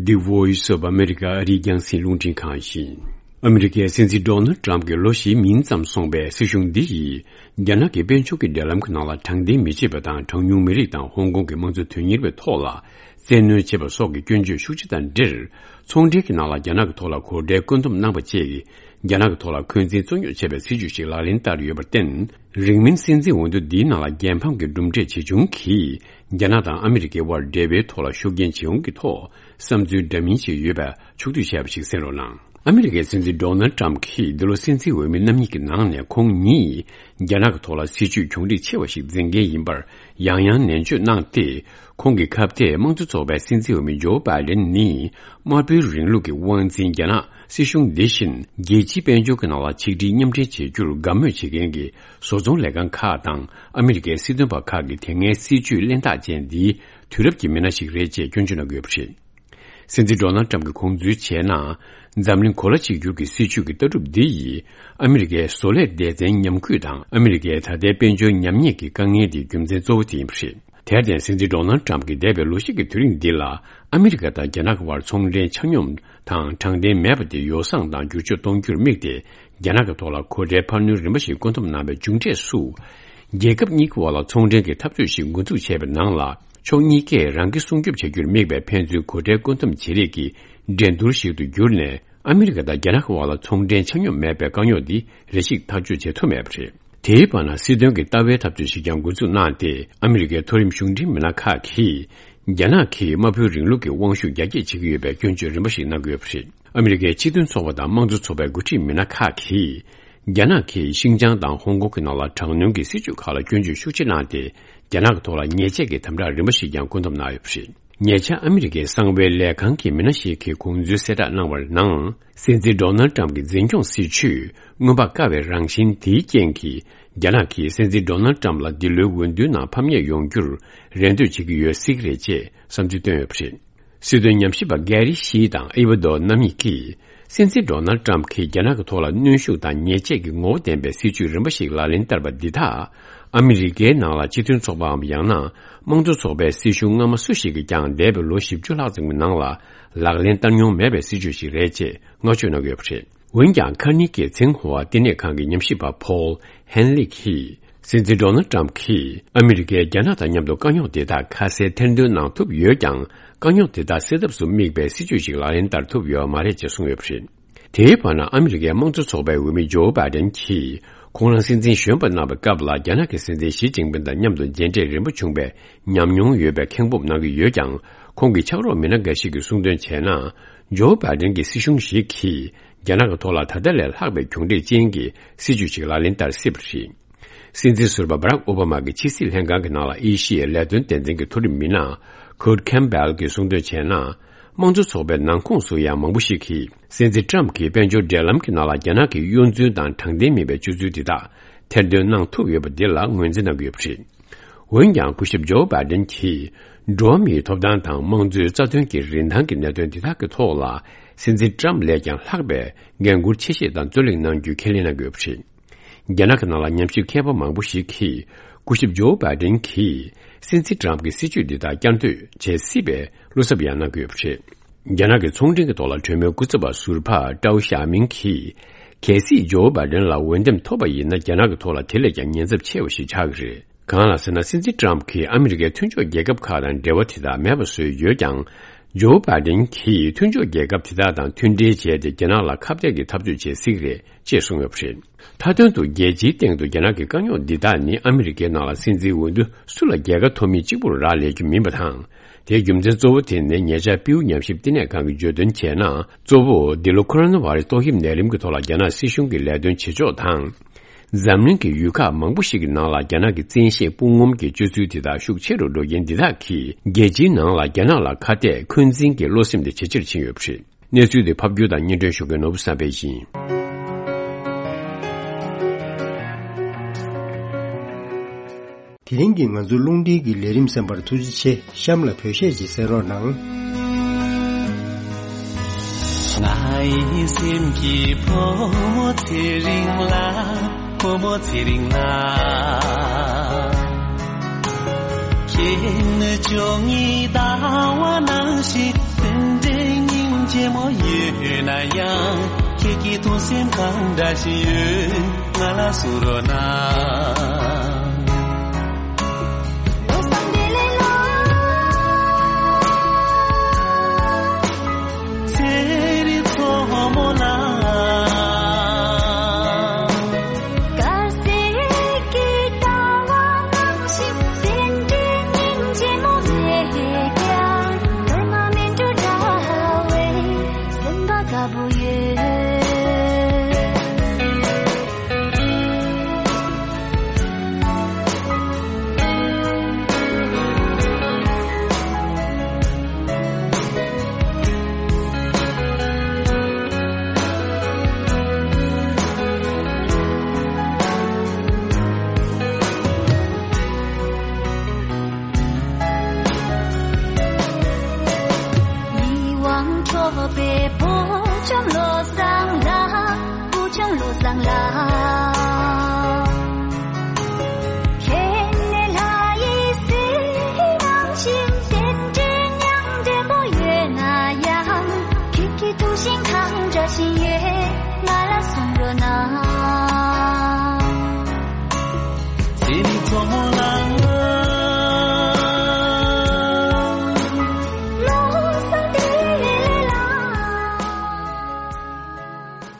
The Voice of America ཨ་རིའི་རྒྱང་སྲིང་རླུང་འཕྲིན་ཁང་ཡིན། ཨ་མི་རི་ཀའི་སྲིད་འཛིན་ཌོ་ནལ་ཏྲམ་གྱི་ལོ་བཞིའི་མིང་ཙམ་སོང་པའི་སྲིད་གཞུང་འདི་ཡིས། རྒྱ་ནག་གི་དཔལ་འབྱོར་གྱི་འབྲེལ་ལམ་གྱི་ནང་ལ་དྲང་བདེན་མི་བྱེད་པ་དང་། གྲངས་ཉུང་མི་རིགས་དང་ཧོང་ཀོང་གི་དམངས་གཙོ་དོན་གཉེར་བའི་ཐོག་ལ་བཙན་གནོན་བྱེད་པ་སོགས་ཀྱི་སྐྱོན་བརྗོད་ཤུགས་ཆེ་དང་འབྲེལ། ཚོང་འབྲེལ་གྱི་ནང་ལ་རྒྱ་ནག་གི་ཐོག་ལ་གོ་ཁྲལ་བཀོད་འདོམས་གནང་བ་བཅས་ཀྱིས། རྒྱ་ནག་གི་ཐོག་ལ་འཁོན་འཛིན་གཙོ་སྐྱོང་བྱས་པའི་སྲིད་ཇུས་ཤིག་ལག་ལེན་བསྟར་ཡོད་པར་བརྟེན། རིང་མིན་སྲིད་འཛིན་འོས་བསྡུ་འདིའི་ནང་ལ་རྒྱལ་ཕམ་གྱི་གྲུབ་འབྲས་ཇི་བྱུང་གིས། རྒྱ་ནག་དང་ཨ་མི་རི་ཀའི་དབར་འབྲེལ་བའི་ཐོག་ལ་ཤུགས་རྐྱེན་ཇི་ཡོང་གི་ཐོག་བསམ་ཚུལ་འདྲ་མིན་ཞིག་ཡོད་པ་ཕྱོགས་བསྡུས་བྱས་པ་ཞིག་གསན་རོགས་གནང་། ཨ་མི་རི་ཀའི་སྲིད་འཛིན་ཌོ་ནལ་ཏྲམ་གྱིས་འདི་ལོ་སྲིད་འཛིན་འོས་མི་རྣམ་གཉིས་ཀྱི་ནང་ནས་ཁོང་ཉིད་རྒྱ་ནག་གི་ཐོག་ལ་སྲིད་ཇུས་གྱོང་རིག་ཆེ་བ་ཞིག་འཛིན་མཁན་ཡིན་པར་ཡང་ཡང་ནན་བརྗོད་གནང་སྟེ། ཁོང་གི་ཁ་གཏད་དམངས་གཙོ་ཚོགས་པའི་སྲིད་འཛིན་འོས་མི་ཇོ་བྷའི་ཌེན་ནི་དམར་པོའི་རིང་ལུགས་ཀྱི་དབང་འཛིན་རྒྱ་ནག་སྲིད་གཞུང་འདི་བཞིན་རྒྱལ་སྤྱིའི་དཔལ་འབྱོར་གྱི་ནང་ལ་ཆིག་སྒྲིལ་མཉམ་འབྲེལ་བྱེད་རྒྱུར་དགའ་མོས་བྱེད་མཁན་གྱི་བཟོ་ཚོང་ལས་ཁང་ཁག་དང་ཨ་མི་རི་ཀའི་སྲིད་དོན་པ་ཁག་གི་དེ་སྔའི་སྲིད་ཇུས་གླེན་རྟགས་ཅན་འདིའི་དུས་རབས་ཀྱི་མི་སྣ་ཞིག་རེད་ཅེས་སྐྱོན་བརྗོད་གནང་གི་ཡོད་པ་རེད། སྲིད་འཛིན་ཌོ་ནལ་ཏྲམ་གྱིས་ཁུངས་འཛུལ་བྱས་ན། འཛམ་གླིང་གོ་ལ་གཅིག་གྱུར་གྱི་སྲིད་ཇུས་ཀྱི་ལྟ་གྲུབ་འདི་ཡིས་ཨ་མི་རི་ཀའི་བཟོ་ལས་སྡེ་ཚན་ཉམས་རྒུད་དང་ཨ་མི་རི་ཀའི་ད་ལྟའི་དཔལ་འབྱོར་ཉམས་ཉེས་ཀྱི་དཀའ་ངལ་དེའི་རྒྱུ་མཚན་གཙོ་བོ་དེ་ཡིན་པ་རེད། དེར་བརྟེན་སྲིད་འཛིན་ཌོ་ནལ་ཏྲམ་གྱིས་འདས་པའི་ལོ་ཤས་ཀྱི་དུས་རིང་འདི་ལ་ཨ་མི་རི་ཀ་དང་རྒྱ་ནག་གི་དབར་ཚོང་འབྲེལ་ཆ་སྙོམས་དང་དྲང་བདེན་མེད་པ་དེ་ཡོ་བསྲང་དང་བསྒྱུར་བཅོས་གཏོང་རྒྱུར་དམིགས་ཏེ་རྒྱ་ནག་གི་ཐོག་ལ་གོ་ཁྲལ་འཕར་སྣོན་རིམ་པ་ཞིག་བཀོད་འདོམས་གནང་བའི་མཇུག་འབྲས་སུ། རྒྱལ་ཁབ་གཉིས་ཀྱི་དབར་ལ་ཚོང་འབྲེལ་གྱི་འཐབ་རྩོད་ཞིག་འགོ་འཛུགས་བྱས་པའི་ནང་ལ། ཕྱོགས་གཉིས་ཀས་རང་སྐྱིད་སྲུང་སྐྱོབ་བྱ་རྒྱུར་དམིགས་པའི་ཕན་ཚུན་གོ་ཁྲལ་བཀོད་འདོམས་བྱེད་རེས་ཀྱི་འགྲན་བསྡུར་ཞིག་ཏུ་གྱུར་ནས། ཨ་མི་རི་ཀ་དང་རྒྱ་ནག་གི་དབར་ལ་ཚོང་འབྲེལ་ཆ་སྙོམས་མེད་པའི་དཀའ་རྙོག་འདི་རེ་ཞིག་ཐག་གཅོད་བྱེད་ཐུབ་མེད་པ་རེད། དེའི་བར་ན་སྲིད་དོན་གྱི་ལྟ་བའི་འཐབ་རྩོད་ཞིག་ཀྱང་འགོ་འཛུགས་གནང་སྟེ། ཨ་མི་རི་ཀའི་མཐོ་རིམ་གཞུང་འབྲེལ་མི་སྣ་ཁག་གིས་རྒྱ་ནག་གིས་དམར་པོའི་རིང་ལུགས་ཀྱི་དབང་ཤུགས་རྒྱ་སྐྱེད་བྱེད་ཀྱི་ཡོད་པའི་སྐྱོན་བརྗོད་རིམ་པ་ཞིག་གནང་གི་ཡོད་པ་རེད། ཨ་མི་རི་ཀའི་སྤྱི་མཐུན་ཚོགས་པ་དང་དམངས་གཙོ་ཚོགས་པའི་འགོ་ཁྲིད་མི་སྣ་ཁག་གིས། རྒྱ་ནག་གིས་ཤིང་ཅང་དང་ཧོང་ཀོང་གི་ནང་ལ་དྲག་གནོན་གྱི་སྲིད་བྱུས་ཁག་ལ་སྐྱོན་བརྗོད་ཤུགས་ཆེ་གནང་སྟེ། རྒྱ་ནག་གི་ཐོག་ལ་ཉེས་ཆད་ཀྱི་དམ་དྲག་རིམ་པ་ཞིག་ཀྱང་བཀོད་འདོམས་གནང་ཡོད་པ་རེད། ཉེ་ཆར་ཨ་མི་རི་ཀའི་གསང་བའི་ལས་ཁང་གི་མི་སྣ་ཞིག་གིས་ཁུངས་འཛུལ་གསལ་བསྒྲགས་གནང་བར་ནང་། སྲིད་འཛིན་ཌོ་ནལ་ཏྲམ་གྱི་འཛིན་སྐྱོང་སྲིད་བྱུས་སྔོན་དཔག་དཀའ་བའི་རང་བཞིན་དེའི་རྐྱེན་གྱིས། རྒྱ་ནག་གིས་སྲིད་འཛིན་ཌོ་ནལ་ཏྲམ་ལ་འདི་ལོའི་འོས་བསྡུའི་ནང་ཕམ་ཉེས་ཡོང་རྒྱུར་རེ་འདོད་བྱེད་ཀྱི་ཡོད་སྲིད་ཀྱི་རེད་ཅེས་བསམ་ཚུལ་བཏོན་ཡོད་པ་རེད། སྲིད་དོན་ཉམས་ཞིབ་པ་གྷེ་རི་ཤི་དང་ཨེ་ཝ་རྡོ་རྣམ་གཉིས་ཀྱིས། སྲིད་འཛིན་ཌོ་ནལ་ཏྲམ་གྱིས་རྒྱ་ནག་གི་ཐོག་ལ་གནོན་ཤུགས་དང་ཉེས་ཆད་ཀྱི་ངོ་བོ་ལྡན་པའི་སྲིད་ཇུས་རིམ་པ་ཞིག་ལག་ལེན་བསྟར་བ་འདི་དག་ཨ་མི་རི་ཀའི་ནང་ལ་སྤྱི་མཐུན་ཚོགས་པའམ་ཡང་ན་དམངས་གཙོ་ཚོགས་པའི་སྲིད་གཞུང་སྔ་མ་སུ་ཞིག་གིས་ཀྱང་འདས་པའི་ལོ་བཞི་བཅུ་ལྷག་ཙམ་གྱི་ནང་ལ་ལག་ལེན་བསྟར་མྱོང་མེད་པའི་སྲིད་ཇུས་ཤིག་རེད་ཅེས་བསྔགས་བརྗོད་གནང་གི་ཡོད་པ་རེད། འོན་ཀྱང་། ཁར་ནི་ཀི་ཚེང་ཧོ་ཨ་བསྟི་གནས་ཁང་གི་ཉམས་ཞིབ་པ་ཕོལ་ཧན་ལི་གིས། སྲིད་འཛིན་ཌོ་ནལ་ཏྲམ་གྱིས་ཨ་མི་རི་ཀས་རྒྱ་ནག་དང་མཉམ་དུ་དཀའ་རྙོག་དེ་དག་ཁ་གསལ་ཐེར་འདོན་གནང་ཐུབ་ཡོད་ཀྱང་། དཀའ་རྙོག་དེ་དག་སེལ་ཐབས་སུ་དམིགས་པའི་སྲིད་ཇུས་ཤིག་ལག་ལེན་བསྟར་ཐུབ་ཡོད་མ་རེད་ཅེས་གསུངས་ཡོད་པ་རེད། དེའི་བར་ན། ཨ་མི་རི་ཀའི་དམངས་གཙོ་ཚོགས་པའི་འོས་མི་ཇོ་བྷའི་ཌེན་གྱིས། ཁོང་རང་སྲིད་འཛིན་གཞོན་པ་གནང་བའི་སྐབས་ལ། རྒྱ་ནག་གི་སྲིད་འཛིན་ཞི་ཅིན་ཕིན་དང་མཉམ་དུ་མཇལ་འཕྲད་རིམ་པ་བྱུང་བའི་ཉམས་མྱོང་ཡོད་པའི་མཁན་པོ་གནང་གི་ཡོད་ཀྱང་། ཁོང་གི་ཕྱག་རོགས་མི་སྣ་འགའ་ཞིག་གིས་གསུངས་དོན་བྱས་ན། ཇོ་བྷའི་ཌེན་གྱི་སྲིད་གཞུང་ཞིག་གིས། རྒྱ་ནག་གི་ཐོག་ལ་ད་ལྟ་ལས་ལྷག་པའི་གྱོང་རིག་ཅན་གྱི་སྲིད་ཇུས་ཤིག་ལག་ལེན་བསྟར་སྲིད་པ་རེད། སྲིད་འཛིན་ཟུར་པ་བྷ་རག་ཨོ་བྷ་མ་གི་ཕྱི་སྲིད་ལྷན་ཁང་གི་ནང་ལ་ཨེ་ཤི་ཡའི་ལས་དོན་སྡེ་ཚན་གྱི་མཐོ་རིམ་མི་སྣ་ཁུར་ཁེམ་བྷེལ་གྱིས་གསུངས་དོན་བྱས་ན། དམངས་གཙོ་ཚོགས་པའི་ནང་ཁོངས་སུ་ཡང་མང་པོ་ཞིག་གིས། སྲིད་འཛིན་ཏྲམ་གྱིས་དཔལ་འབྱོར་འབྲེལ་ལམ་གྱི་ནང་ལ་རྒྱ་ནག་གི་གཡོ་འཛུལ་དང་དྲང་བདེན་མིན་པའི་སྤྱོད་ཚུལ་དེ་དག་ཐེར་འདོན་གནང་ཐུབ་ཡོད་པ་འདི་ལ་ངོས་འཛིན་གནང་གི་ཡོད་པ་རེད། འོན་ཀྱང་། སྐུ་ཞབས་ཇོ་བྷའི་ཌེན་གྱིས། འགྲོ་བ་མིའི་ཐོབ་ཐང་དང་། དམངས་གཙོའི་རྩ་དོན་གྱི་རིན་ཐང་གི་གནད་དོན་དེ་དག་གི་ཐོག་ལ། སྲིད་འཛིན་ཏྲམ་ལས་ཀྱང་ལྷག་པའི་འགན་འཁུར་ཆེ་བཞེས་དང་རྩོད་གླེང་གནང་རྒྱུའི་ཁས་ལེན་གནང་གི་ཡོད་པ་རེད། རྒྱ་ནག་གི་ནང་ལ་ཉམས་ཞིབ་མཁས་པ་མང་པོ་ཞིག་གིས། སྐུ་ཞབས་ཇོ་བྷའི་ཌེན་གྱིས། སྲིད་འཛིན་ཏྲམ་གྱི་སྲིད་བྱུས་འདི་དག་བསྐྱར་ཟློས་བྱེད་སྲིད་པའི་བློ་འཚབ་ཡང་གནང་གི་ཡོད་པ་རེད། རྒྱ་ནག་གི་ཚོང་འབྲེལ་གྱི་ཐོག་ལ་གྲོས་མོལ་སྐུ་ཚབ་པ་ཟུར་པ་ཀྲའོ་ཞའོ་མིང་གིས། གལ་སྲིད་ཇོ་བྷའི་ཌེན་ལ་འོས་འདེམས་ཐོབ་པ་ཡིན་ན། རྒྱ་ནག་གི་ཐོག་ལ་དེ་ལས་ཀྱང་ཉེན་ཚབས་ཆེ་བ་ཞིག་ཆགས་ཀྱི་རེད། གང་ལགས་ཟེར་ན། སྲིད་འཛིན་ཏྲམ་གྱིས་ཨ་མི་རི་ཀའི་མཐུན་ཕྱོགས་རྒྱལ་ཁབ་ཁག་དང་འབྲེལ་བ་དེ་དག་མེད་པ་བཟོས་ཡོད་ཀྱང་། ཇོ་བྷའི་ཌེན་གྱིས་མཐུན་ཕྱོགས་རྒྱལ་ཁབ་དེ་དག་དང་མཐུན་འབྲེལ་བྱས་ཏེ། རྒྱ་ནག་ལ་ཁ་གཏད་ཀྱི་འཐབ་རྩོད་བྱེད་སྲིད་ཀྱི་རེད་ཅེས་གསུངས་ཡོད་པ་རེད། མཐའ་དོན་དུ། རྒྱལ་སྤྱིའི་སྟེང་དུ་རྒྱ་ནག་གི་དཀའ་རྙོག་འདི་དག་ནི། ཨ་མི་རི་ཀའི་ནང་ལ་སྲིད་འཛིན་འོས་བསྡུ་སུ་ལ་རྒྱལ་ཁ་ཐོབ་མིན་གཅིག་པུར་རག་ལས་རྒྱུ་མིན་པ་དང་། དེའི་རྒྱུ་མཚན་གཙོ་བོ་དེ་ནི། ཉེ་ཆར་པིའུ་ཉམས་ཞིབ་བསྟི་གནས་ཁང་གིས་བརྗོད་དོན་བྱས་ན། གཙོ་བོ་འདི་ལོ་ཁོ་རོ་ན་བྷ་རེ་སི་ཏོག་དབྱིབས་ནད་རིམས་ཀྱི་ཐོག་ལ་རྒྱ་ནག་སྲིད་གཞུང་གི་ལས་དོན་བྱེད་ཕྱོགས་དང་། འཛམ་གླིང་གི་ཡུལ་ཁག་མང་པོ་ཞིག་གི་ནང་ལ་རྒྱ་ནག་གི་བཙན་ཤེད་དཔུང་ངོམ་གྱི་སྤྱོད་ཚུལ་དེ་དག་ཤུགས་ཆེ་རུ་འགྲོ་རྐྱེན་འདི་དག་གིས། རྒྱལ་སྤྱིའི་ནང་ལ་རྒྱ་ནག་ལ་ཁ་གཏད་འཁོན་འཛིན་གྱི་བློ་སེམས་དེ་ཇེ་ཆེར་ཕྱིན་ཡོད་པ་རེད། གནས་ཚུལ་དེ་ཕབ་སྒྱུར་དང་སྙན་སྒྲོན་ཞུ་མཁན་ནོར་བུ་བསམ་འཕེལ་ཡིན། དེ་རིང་གི་ང་ཚོའི་རླུང་འཕྲིན་གྱི་ལས་རིམ་གསན་པར་ཐུགས་རྗེ་ཆེ། གཤམ་ལ་བོད་གཞས་ཅིག་གསན་རོགས་གནང་། ང་ཡི་སེམས་ཀྱི་བུ་མོ་ཚེ་རིང་ལགས། བུ་མོ་ཚེ་རིང་ལགས། ཁྱེད་ནི་བཅོ་ལྔའི་ཟླ་བ་ནང་བཞིན། དེ་འདྲའི་སྙིང་རྗེ་མོ་ཡོད་ན་ཡང་། ཁྱེད་ཀྱི་ཐུགས་སེམས་གང་འདྲ་ཞིག་ཡོད། ང་ལ་གསུང་རོགས་གནང་། ཚེ་རིང་མཚོ་མོ་ལ། དཀར་ཟས་ཀྱི་ཟླ་བ་ནང་བཞིན། དེ་འདྲའི་སྙིང་རྗེ་མོ་མེད་ཀྱང་། སྒྲོལ་མ་སྨིན་དྲུག་འདྲ་བའི། སེམས་པ་དགའ་པོ་ཡོད།